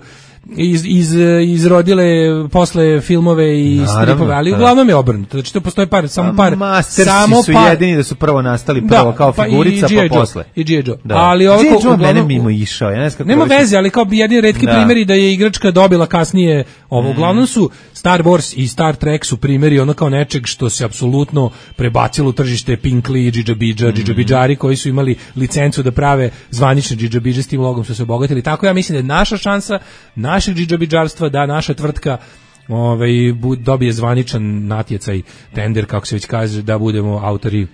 iz, iz, izrodile posle filmove i Naravno, stripove, ali da. uglavnom je obrnuto, znači to postoji par, samo par, Mastersi samo su par, jedini da su prvo nastali, prvo kao pa i figurica, G I. pa Joe, posle. I G I. Joe. Da. Ali ovako, G I. Joe uglavnom- mene mimo išao, ja ne znam kako Nema više- veze, ali kao bi jedini retki Da. primjeri da je igračka dobila kasnije ovo. Uglavnom su Star Wars i Star Trek su primjeri ono kao nečeg što se apsolutno prebacilo u tržište Pinkley, Džidžabidža, Džidžabidžari koji su imali licencu da prave zvanične Džidžabidže, s tim logom su se obogatili. Tako ja mislim da je naša šansa, našeg džidžabidžarstva, da naša tvrtka ovaj, bu- dobije zvaničan natjecaj, tender, kako se već kaže, da budemo autori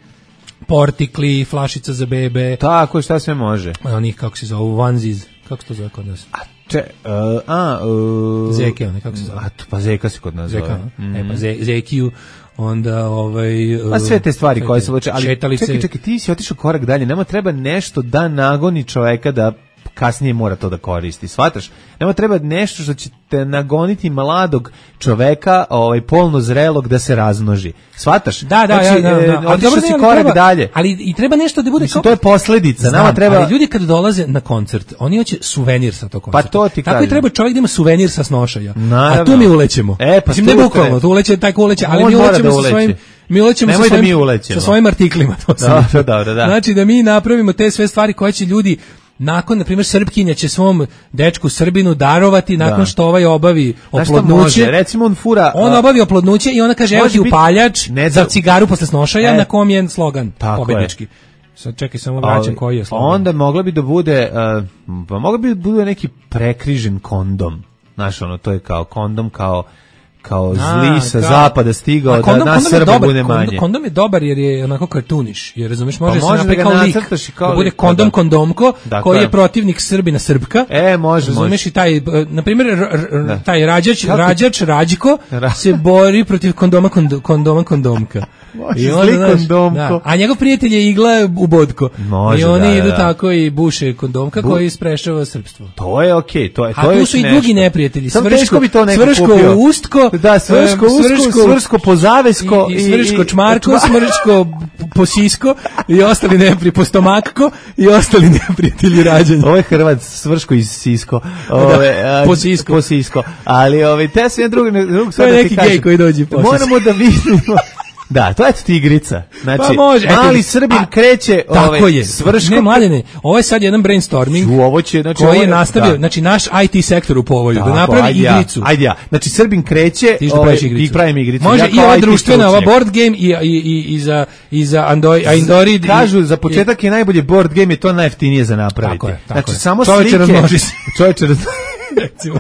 portikli, flašica za bebe, Tako, šta sve može. onih, kako se zove, onesies, kako se to zove kod nas? Če, uh, a, uh, Zeke, one, kako se zove? A, to, pa Zeka se kod nas Zeka, zove. no? E, pa ze, Zekiju, onda ovaj... Pa sve te stvari koje se vuče, ali šetalice. čekaj, čekaj, ti si otišao korak dalje, nema treba nešto da nagoni čoveka da kasnije mora to da koristi, shvataš? Nema treba nešto što će te nagoniti mladog čoveka, ovaj, polno zrelog da se razmnoži. Shvataš? Da, da, znači, ja, da, da. e, Ali otišao dobro, si ali korak treba- dalje. Ali i treba nešto da bude Mislim, kao... to je posledica, nama Znam, treba... ali ljudi kad dolaze na koncert, oni hoće suvenir sa tog koncerta. Pa to ti Tako i kažem. treba čovjek da ima suvenir sa snošaja. Naravno. A tu mi ulećemo. E, pa Mislim, tu ne bukvalno, treba. tu uleće taj ko uleće, ali On mi mora ulećemo da sa uleće. svojim... Mi ulećemo sa Nemoj da svojim, mi ulećemo. sa svojim artiklima. To sam Dobro, mislio. dobro, da. Znači da mi napravimo te sve stvari koje će ljudi nakon, na primjer, Srpkinja će svom dečku Srbinu darovati nakon Da. što ovaj obavi Znaš šta oplodnuće. može? Recimo on fura... On a, obavi oplodnuće i ona kaže evo Može ti biti- upaljač ne za da- cigaru posle snošaja, E. na kom je slogan Tako pobednički. Sad čekaj, samo vraćam ali koji je slogan. Onda mogla bi da bude, uh, pa mogla bi da bude neki prekrižen kondom. Znaš, ono, to je kao kondom, kao kao zli A, sa kao- zapada stigao A da kondom- nas kondom je Srba dobar, bude kondom- manje. Kondom je dobar jer je onako kartuniš, jer razumeš, može Pa se može da napraviti ga kao lik, nacrtaš i kao da bude lik, pa kondom da. kondomko, Dakle. koji je protivnik Srbina Srpka. E, može, Razumeš može. i taj, e, na primjer, r- r- Da. taj rađač, Kako? rađač Rađko Ra- se bori protiv kondoma kond- kondoma kondomka. Može, I onda, zli znaš, kondomko. da, a njegov prijatelj je igla u bodko. Može, I oni da, idu da. tako i buše kondomka Bu- koji sprečava srpstvo. To je okej, to je to A je tu već su i nešto. drugi neprijatelji. Samo Svrško- teško bi to neko Svrško kupio. ustko, Da, svrško e, usko, svrško- svrško pozavesko i, i svrško čmarko, čma- smrčko posisko i ostali nepri postomakko i ostali neprijatelji rađanja. Ovo je Hrvat, svrško iz Sisko. Ove, a, po Sisko. Po Sisko. Ali ove, te sve drugi, drugi To je neki gej koji dođe posle. Moramo da vidimo. Da, to je eto ti igrica. Znači, Pa može, mali eto, Srbin a, kreće Tako ovaj, je. svrško. Ne, mladene, ovo je sad jedan brainstorming U, ovo će, znači, koji ovo je nastavio, da. znači naš I T sektor u povoju, da Tako, napravi ajde ja, igricu. Ajde ja. Znači, Srbin kreće, Ti što ovaj, praviš igricu. i pravim igricu. Može Ja i kao ova I T društvena, ova stručnjak. board game i, i, i, i za, i za Android, a Android i- Kažu, za početak je najbolje board game, je to najjeftinije za napraviti. Tako je, tako znači, je. samo Čoveče, slike. razmnoži se. Čoveče, razmnoži recimo.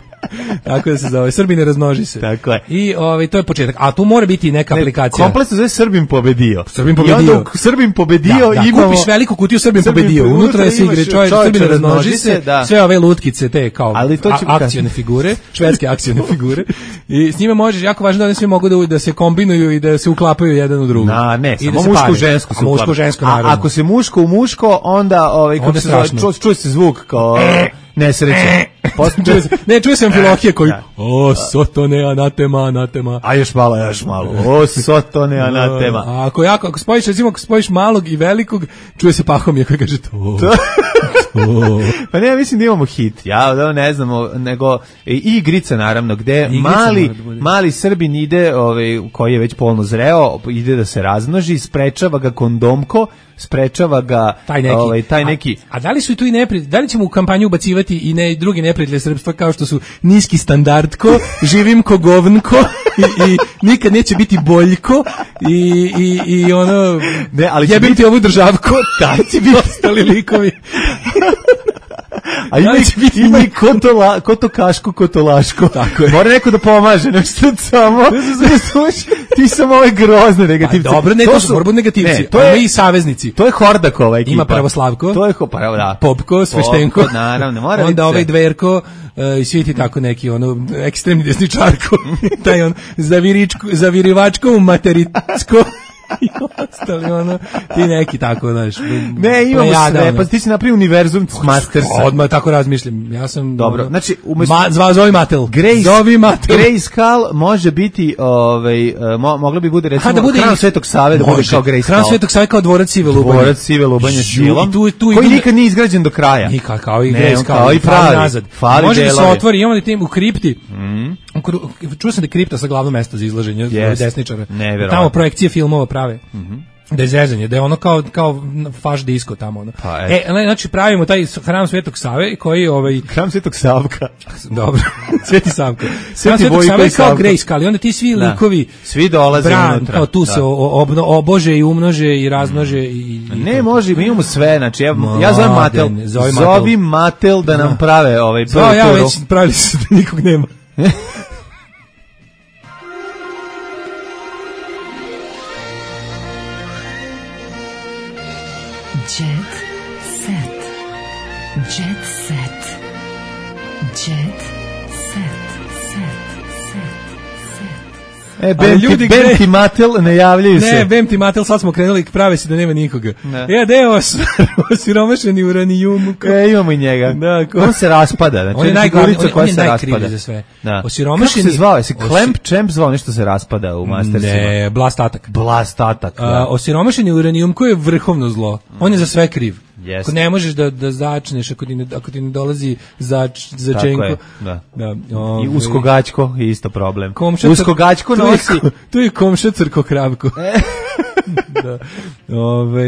Tako da se zove, Srbine razmnoži se. Tako je. I ovaj, to je početak. A tu mora biti i neka Ne, aplikacija. komplet se zove Srbin pobedio. Srbin I pobedio. onda u Srbin pobedio Da, da, imamo... kupiš veliku kutiju Srbin Srbin pobedio. pobedio, Unutra unutra se igre imaš čovjek, čovječe, Srbine razmnoži razmnoži se, se, da. sve ove lutkice, te kao Ali to će a- kasnije. akcione figure, švedske akcione figure. I s njima možeš, jako važno da oni svi mogu da, da se kombinuju i da se uklapaju jedan u drugu. Na, ne, I samo da se muško pare. u žensku se A muško uklapa. u žensku, A naravno. ako se muško u muško, onda, ovaj, kako Onda se zove, strašno. ču- čuje se zvuk kao nesreće. Posle- Čuje se- ne, čuje se Amfilohije koji, Da. o, sotone, anatema, anatema. A još malo, još malo. O, sotone, anatema. A ako jako, ako spojiš, recimo, ako spojiš malog i velikog, čuje se Pahomije koji kaže to. to. Pa ne, ja mislim da imamo hit. Ja da ne znamo, nego i igrica naravno gde Igrica mali mora da bude. mali Srbin ide, ovaj koji je već polno zreo, ide da se razmnoži, sprečava ga kondomko, sprečava ga Taj neki. ovaj taj neki A, a da li su i tu i neprijatelji, da li ćemo u kampanju ubacivati i ne drugi neprijatelji srpstva kao što su niski standardko, živim ko govnko i, i nikad neće biti boljko i, i, i ono, ne, ali jebim biti... ti ovu državko, taj će biti ostali likovi. A ima, biti ima i ko to, la, ko to kašku, ko to laško. Tako je. Mora neko da pomaže, ne što samo, ti samo ove grozne negativce. Pa dobro, ne, to, to su borbu negativci, ne, to je i saveznici. To je Hordakova ekipa. Ima Pravoslavko, to je, pa, da. Popko, Sveštenko, Popko, naravno, mora onda ovaj Dverko, i svi ti tako neki, ono, ekstremni desničarko, taj on, zaviričko, zavirivačko, materitsko, i ostali, ono, ti neki tako, znaš. Ne, imamo sve, pa ti si napravio univerzum Mastersa. Odmah tako razmišljam, ja sam... Dobro, ono, znači... Umjesto... Ma, zva, zovi Matel. Grace, zovi Matel. Grayskull može biti, ovaj, mo, moglo bi bude, recimo, da bude Hram Svetog Save, da bude kao Grayskull. Hram Svetog Save kao dvorac Sive Lubanje. Dvorac Sive Lubanje silom, tu, tu koji nikad nije izgrađen do kraja. Nikad, kao i Grayskull. Kao i pravi, nazad. Može da se otvori, imamo li tim u kripti. Mm. Čuo sam da je kripta sa glavno mesto za izlaženje yes. desničara. Neverovatno. Tamo projekcije filmova prave. Mhm. Da je zezanje, da je ono kao, kao faš disko tamo. Ono. Pa, e, znači pravimo taj Hram Svetog Save koji ovaj... Hram Svetog Savka. Dobro, Sveti Savka. Sveti Hram Svetog Save kao Grayskull i onda ti svi da. likovi svi dolaze bran, unutra. Kao tu da. se obno, obože i umnože i razmnože. I, i ne, može, mi imamo sve. Znači, ja, ja zovem Matel. Zovi Matel, Zovi Matel da nam da. prave ovaj prvi turu. Ja već pravili su da nikog nema. Jet set. Jet set. Jet set. Set. Set. E, Bem ti, Bem ti Matel ne javljaju se. Ne, Bem ti Matel, sad smo krenuli, prave se da nema nikoga. Ja, deo osiromašeni uranijum. E, imamo i njega. Da, ko... On se raspada. Znači, on je najglavniji, on, on je najkriviji za sve. Da. Osiromašeni... Kako se zvao? Jesi Clamp Champ zvao nešto se raspada u Mastersima? Ne, Blast Attack. Blast Attack, da. Uh, osiromašeni uranijum koji je vrhovno zlo. On je za sve kriv. Yes. Ako ne možeš da da začneš, ako ti ne, ako ti ne dolazi zač, začenko. Je, da. Da, ove, i uskogačko je isto problem. Komša, uskogačko nosi. Tu je komša crko kravko. da. Ove,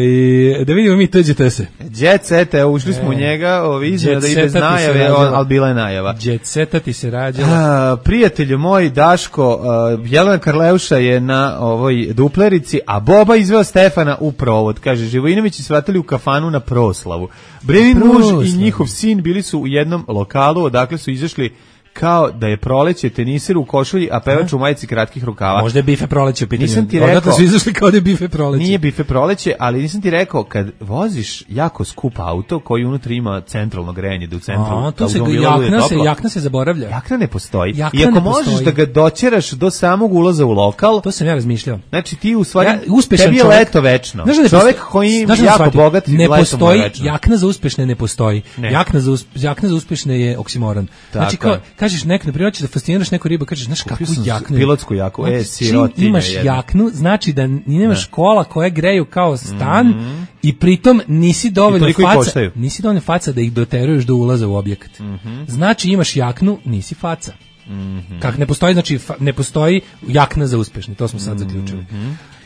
da vidimo mi tuđete se. Jet set, evo, ušli smo u njega, ovi izmjena da i bez najave, ali bila je najava. Jet seta ti se rađala. A, prijatelju moj, Daško, a, Jelena Karleuša je na ovoj duplerici, a Boba izveo Stefana u provod. Kaže, Živojinovići svratili u kafanu na proslavu. Brenin muž i njihov sin bili su u jednom lokalu, odakle su izašli kao da je proleće, teniser u košulji, a pevač u majici kratkih rukava. Možda je bife proleće u pitanju. Nisam ti rekao, odatle su izašli kao da je bife proleće. Nije bife proleće, ali nisam ti rekao, kad voziš jako skup auto koji unutra ima centralno grejanje, da u centru a, tu se jakna, se, jakna se zaboravlja. Jakna ne postoji. Jakna I ako ne možeš postoji. da ga doćeraš do samog ulaza u lokal, to sam ja razmišljao. Znači ti u stvari, ja, uspešan tebi je čovjek, leto večno. Znaš, čovjek koji je jako shvatio, bogat, ne postoji, večno. jakna za uspešne ne postoji. Ne. Jakna, za uspe, jakna za uspešne je oksimoron. Znači, kao, kažeš nek, na primjer, da fasciniraš neku ribu, kažeš, znaš kakvu jaknu. Pilotsku jaknu, e, sirotinja. Imaš jedna. Jaknu, znači da nemaš kola koje greju kao stan mm-hmm. i pritom nisi dovoljno faca, nisi dovoljno faca da ih doteruješ do ulaza u objekat. Mm-hmm. Znači imaš jaknu, nisi faca. Mm-hmm. Kak ne postoji, znači fa, ne postoji jakna za uspešne, to smo sad mm-hmm. zaključili.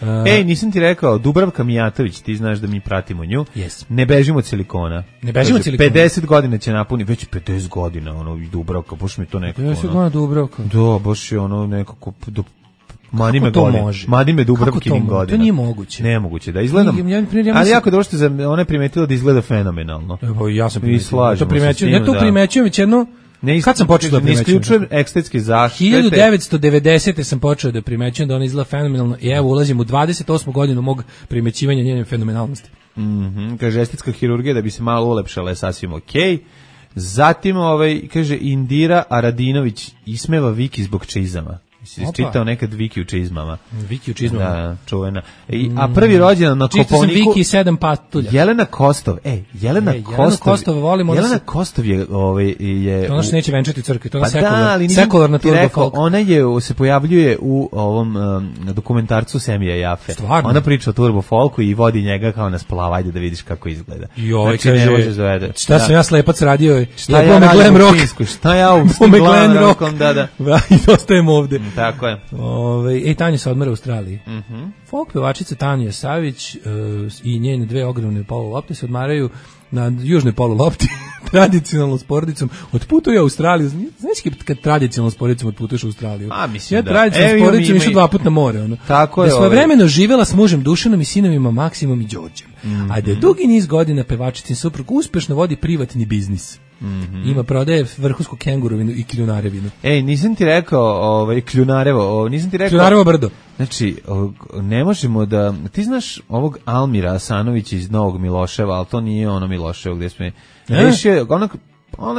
Uh, Ej, nisam ti rekao, Dubravka Mijatović, ti znaš da mi pratimo nju. Yes. Ne bežimo od silikona. Ne bežimo od silikona. pedeset godina će napuni, već pedeset godina, ono, i Dubravka, baš mi to nekako, pedeset godina Dubravka. Da, baš je ono nekako, do, mani me to godina. može? Mani me Dubravkinim godina. To nije moguće. Nemoguće, da izgledam. Ja, ja, ja ali jako dobro što ona je primetila da izgleda fenomenalno. Evo, ja sam primetio. To primećujem, ja to primećujem već jedno. Ne Kad sam počeo da primećujem? Ne isključujem estetski zaštite. hiljadu devetsto devedesete sam počeo da primećujem da ona izgleda fenomenalno i evo ulazim u dvadeset osmu godinu mog primećivanja njene fenomenalnosti. Mhm, kaže estetska hirurgija da bi se malo ulepšala je sasvim okej. Okay. Zatim ovaj kaže Indira Aradinović ismeva Viki zbog čizama. Si čitao nekad Viki u čizmama. Viki u čizmama. Da, čuvena. I, a prvi rođendan na Kopaoniku... Čitao sam Viki i sedam patulja. Jelena Kostov. Ej, Jelena e, Kostov... Jelena Kostov volimo... Jelena se... Kostov je... Ovaj, je to ona se neće venčati u crkvi, to je pa sekular, da, ali sekularna turbo folk. Ona je, se pojavljuje u ovom um, dokumentarcu Semija Jafe. Stvarno? Ona priča o turbo folku i vodi njega kao na splav, ajde da vidiš kako izgleda. Joj, znači, ne može zavede. Šta sam ja slepac radio? Šta ja radim u Finsku? Šta ja u glam rockom? Da, da. I ostajem ovde. Tako je. Ove, ej, Tanja se odmara u Australiji. Mm-hmm. Folk pevačica Tanja Savić uh, i njene dve ogromne polulopte se odmaraju na južnoj polulopti. tradicionalnom s porodicom otputuje u Australiju. Znaš kad tradicionalnom s porodicom otputuješ u Australiju? A, mislim ja da. tradicionalnom s porodicom išao dva puta na more. Ono. Tako je. Da svojevremeno živela s mužem Dušanom i sinovima Maksimom i Đorđem. Mm-hmm. A da je dugi niz godina pevačicin suprug uspešno vodi privatni biznis. Mm-hmm. Ima prodaje vrhunsku kengurovinu i kljunarevinu. Ej, nisam ti rekao, ovaj, kljunarevo, o, nisam ti rekao... Kljunarevo brdo. Znači, o, ne možemo da... Ti znaš ovog Almira Asanovića iz Novog Miloševa, ali to nije ono Miloševo gdje smo... Rešio, onak...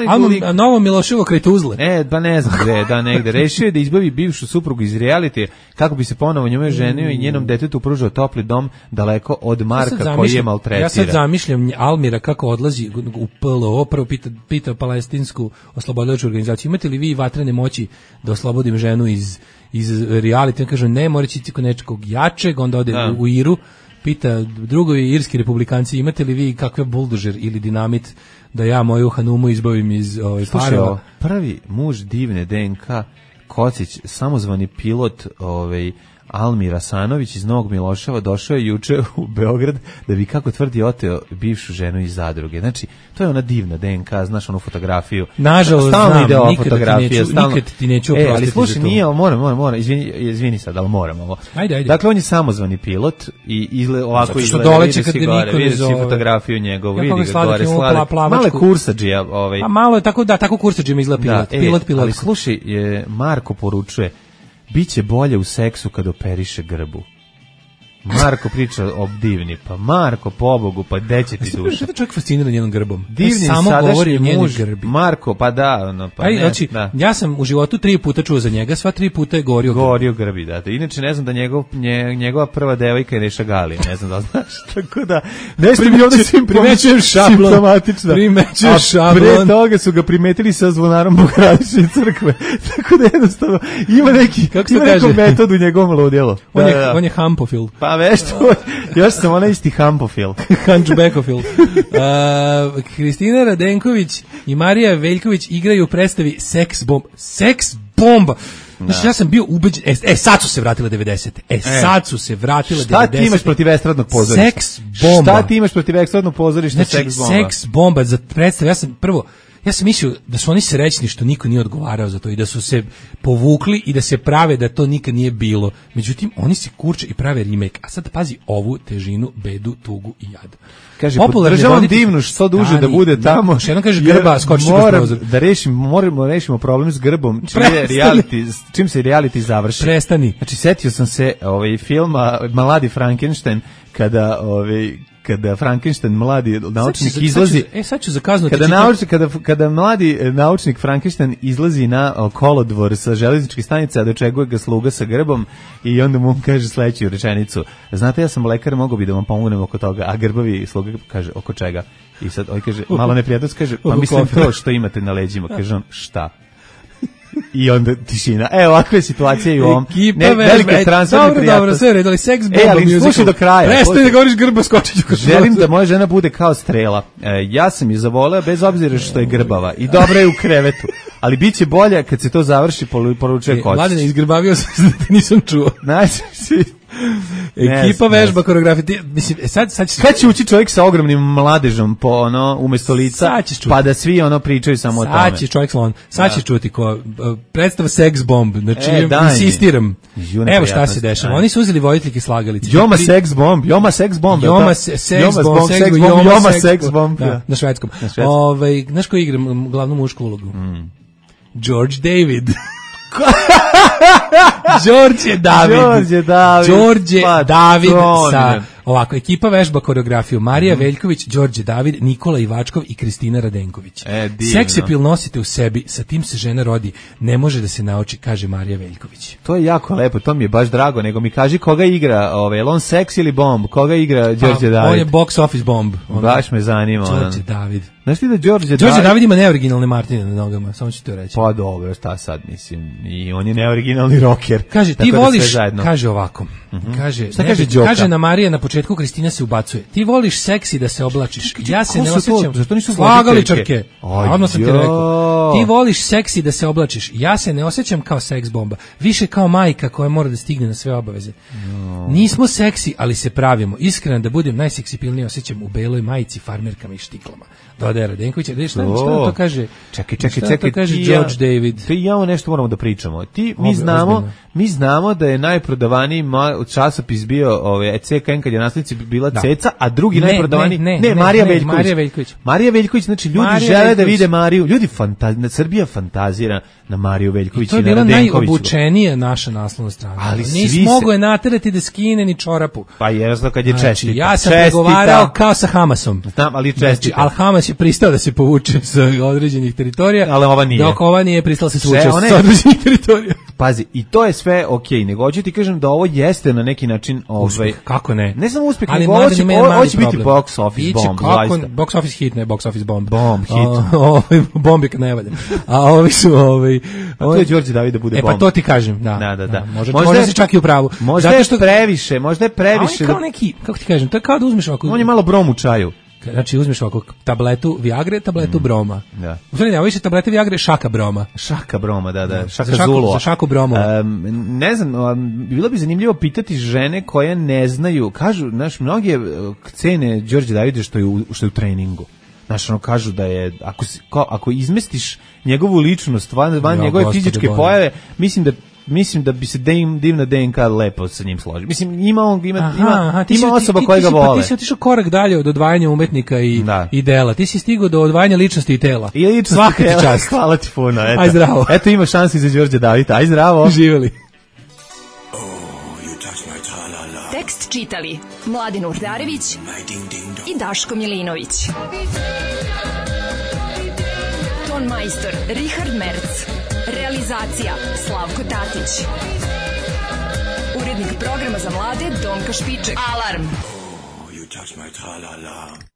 Almo, a novo Miloševo kraj Tuzle. E, pa ne znam gde, da negde. Rešio je da izbavi bivšu suprugu iz realitija kako bi se ponovo njome ženio i njenom detetu pružao topli dom daleko od Marka ja koji je maltretira. Ja sad zamišljam Almira kako odlazi u P L O, prvo pita, pita palestinsku oslobodilačku organizaciju, imate li vi vatrene moći da oslobodim ženu iz, iz realitija? Kažu ne, mora će kod nečeg jačeg, onda ode u, u Iru, pita drugovi irski republikanci, imate li vi kakve buldožer ili dinamit da ja moju Hanumu izbavim iz ovaj parova. Prvi muž divne D N K Kocić, samozvani pilot ovaj Almir Asanović iz Novog Miloševa došao je juče u Beograd da bi, kako tvrdi, oteo bivšu ženu iz zadruge. Znači, to je ona divna D N K, znaš onu fotografiju. Nažalost, znam, ide ova nikad, fotografija, ti neću, stalno... nikad ti neću oprostiti. E, ali slušaj, nije, moram, moram, moram, izvini, izvini sad, ali moram ovo. Ajde, ajde. Dakle, on je samozvani pilot i izle, ovako zato izgleda, doleće kad niko vidiš ne fotografiju njegovu, ja vidi ga gore, sladak, male kursadžija. Ovaj. A malo je tako, da, tako kursadžija izgleda pilot, da, pilot, e, pilot. Ali slušaj, je, Marko poručuje, biće bolje u seksu kad operiše grbu. Marko priča o divni, pa Marko, pobogu, pa gde će ti duša? Što čovjek fascinira njenom grbom? Divni samo govori o njenoj grbi. Marko, pa da, no, pa Aj, ne, znači, da. Ja sam u životu tri puta čuo za njega, sva tri puta je gorio grbi. Gorio grbi, da. Inače, ne znam da njegov, nje, njegova prva devojka je Neša Galija, ne znam da znaš. Tako da, nešto mi ovdje svim primećujem šablon. Simptomatično. Primećujem šablon. Pre toga su ga primetili sa zvonarom Bogorodične crkve. Tako da jednostavno ima neki, kako se ima kaže? neku metodu u njegovom ludjelu. On, da, je, da. on je hampofil. Pa veš to, još sam ona isti hampofil. Hančbekofil. Uh, Kristina Radenković i Marija Veljković igraju u predstavi Seks bomba. Seks bomba! Znači, ja sam bio ubeđen, e, e, sad su se vratile devedesete. E, sad su se vratile šta devedesete. Šta ti imaš protiv estradnog pozorišta? Seks bomba. Šta ti imaš protiv estradnog pozorišta? Znači, seks bomba? Seks bomba za predstavu. Ja sam prvo, ja sam mislio da su oni srećni što niko nije odgovarao za to i da su se povukli i da se prave da to nikad nije bilo. Međutim, oni se kurče i prave remake. A sad pazi ovu težinu, bedu, tugu i jad. Kaže, podržavam divnu što duže da bude tamo. Što jednom kaže grba, skoči kroz prozor. Da rešimo, moramo rešimo problem s grbom, čim, je reality, čim se reality završi. Prestani. Znači, setio sam se ovaj, filma Mladi Frankenstein, kada... Ovaj, kada Frankenstein mladi naučnik sad ću, izlazi sad ću, e sad ću zakaznuti kada naučnik kada kada mladi naučnik Frankenstein izlazi na kolodvor sa železničke stanice, a dočekuje ga sluga sa grbom i onda mu kaže sledeću rečenicu: znate, ja sam lekar, mogao bi da vam pomognem oko toga, a grbavi sluga kaže: oko čega? I sad on kaže, malo neprijatno, kaže, pa mislim to što imate na leđima. Kaže on, šta? I onda tišina. E, ovakve situacije i u ovom. Ne, velika transferna dobro, prijatnost. dobro, sve redali, seks bomba. E, ali slušaj do kraja. Prestani da govoriš grba, skočit ću. Želim da moja žena bude kao strela. E, ja sam je zavoleo bez obzira što je grbava. I dobra je u krevetu. Ali bit će bolje kad se to završi, poručuje Kocić. Mladine, izgrbavio sam da te nisam čuo. Znači, ekipa vežba koreografije. Mislim, sad sad će kad će ući čovjek sa ogromnim mladežom po ono umesto lica, pa da svi ono pričaju samo o tome. Sad će čovjek slon. Sad će čuti ko predstava Seks bomb. Znači, e, insistiram. Evo šta se dešava. Oni su uzeli voditeljke slagalice. Joma Seks bomb, Joma Seks bomb. Joma Seks bomb, Joma Seks bomb. Na švedskom. Ovaj, znaš ko igra glavnu mušku ulogu? George David. Đorđe David. Đorđe David. Đorđe pa, David sa ovako ekipa vežba koreografiju Marija mm. Veljković, Đorđe David, Nikola Ivačkov i Kristina Radenković. E, seksapil nosite u sebi, sa tim se žena rodi, ne može da se nauči, kaže Marija Veljković. To je jako lepo, to mi je baš drago, nego mi kaži koga igra, ovaj, on seks ili bomb, koga igra Đorđe David? On je box office bomb. On, baš me zanima. Đorđe David. Znaš ti da Đorđe David... Đorđe David ima neoriginalne Martine na nogama, samo ću to reći. Pa dobro, šta sad, mislim, i on je neoriginalni rocker. Kaže, ti voliš, kaže ovako, mm-hmm. kaže, šta ne, kaže Đoka? Kaže na Marija na početku, Kristina se ubacuje. Ti voliš seksi da se oblačiš. Ja se ne osjećam. Zašto nisu slagaličarke? Odmah sam ti rekao. Ti voliš seksi da se oblačiš. Ja se ne osjećam kao seks bomba. Više kao majka koja mora da stigne na sve obaveze. No. Nismo seksi, ali se pravimo. Iskreno da budem najseksipilniji osjećam u beloj majici, farmerkama i štiklama. Dodaje Slobodara Radenkovića. Šta, šta to kaže? Čekaj, čekaj, šta čekaj. To kaže ti George ja, David. Ti i ja nešto moramo da pričamo. Ti, mi Ob, znamo, ozbiljno. mi znamo da je najprodavaniji ma, časopis bio ovaj, C K N kad je naslednici bila da. Ceca, a drugi ne, najprodavaniji... Ne, ne, ne, ne, Marija ne, Veljković. Marija Veljković. Marija Veljković, znači ljudi Marija žele Veljković. da vide Mariju. Ljudi, fantaz, Srbija fantazira na Mariju Veljković i, I to je na bila Radenkoviću. najobučenija naša naslovna strana. Ali Nisi svi mogo se- je naterati da skine ni čorapu. Pa jasno kad je Znači, čestita. ja sam Čestita. pregovarao kao sa Hamasom. Znam, ali Znači, čestita. al Hamas je pristao da se povuče sa određenih teritorija, Ali ova nije. dok ova nije pristala da se Sve, povuče ona je- sa određenih teritorija. Pazi, i to je sve okej, nego hoću ti kažem da ovo jeste na neki način ovaj Uspeh, kako ne? Ne samo uspeh, Ali nego ovo mladen će, ima ovo, jedan ovo mali će biti problem. box office Biće bomb, kako- zaista. box office hit, ne box office bomb. Bomb hit. A, ovaj, bomb je kad ne valja. A ovi su... Ovaj, A to je Đorđe David da bude E pa bomb. to ti kažem, da. Da, da, da. Može, Možda možda je- si čak i u pravu. Možda Zato je što- previše, možda je A on je previše. kao da- neki, kako ti kažem, to je kao da uzmeš ovako... On je malo brom u čaju. Znači uzmeš ovako tabletu Viagre, tabletu Broma. Da. U stvari ne, ovo više tablete Viagre, šaka Broma. Šaka Broma, da, da, šaka Za šaku- Zulova. za šaku Bromu. Um, ne znam, um, bilo bi zanimljivo pitati žene koje ne znaju, kažu, znaš, mnoge uh, cene Đorđe Davide što je u, što je u treningu. Znaš, ono kažu da je, ako, si, ko, ako izmestiš njegovu ličnost van, van Ja, njegove Gospode fizičke Bože. pojave, mislim da mislim da bi se dim, divna D N K lepo sa njim složi. Mislim, ima, on, ima, Aha, ima, aha, ti ima si- osoba ti- koja ti ga si- pa vole. Ti si otišao korak dalje od odvajanja umetnika i, Da. i dela. Ti si stigao do odvajanja ličnosti i tela. I ličnost Svaka ti tela. čast. Hvala ti puno. Eto. Aj zdravo. Eto ima šansi za Đorđe Davida. Aj zdravo. Živjeli. Tekst čitali Mladin Urdarević i Daško Milinović. Ton majstor Richard Merc. Realizacija Slavko Tatić. Urednik programa za mlade Donka Špiček. Alarm! You touch my tra-la-la.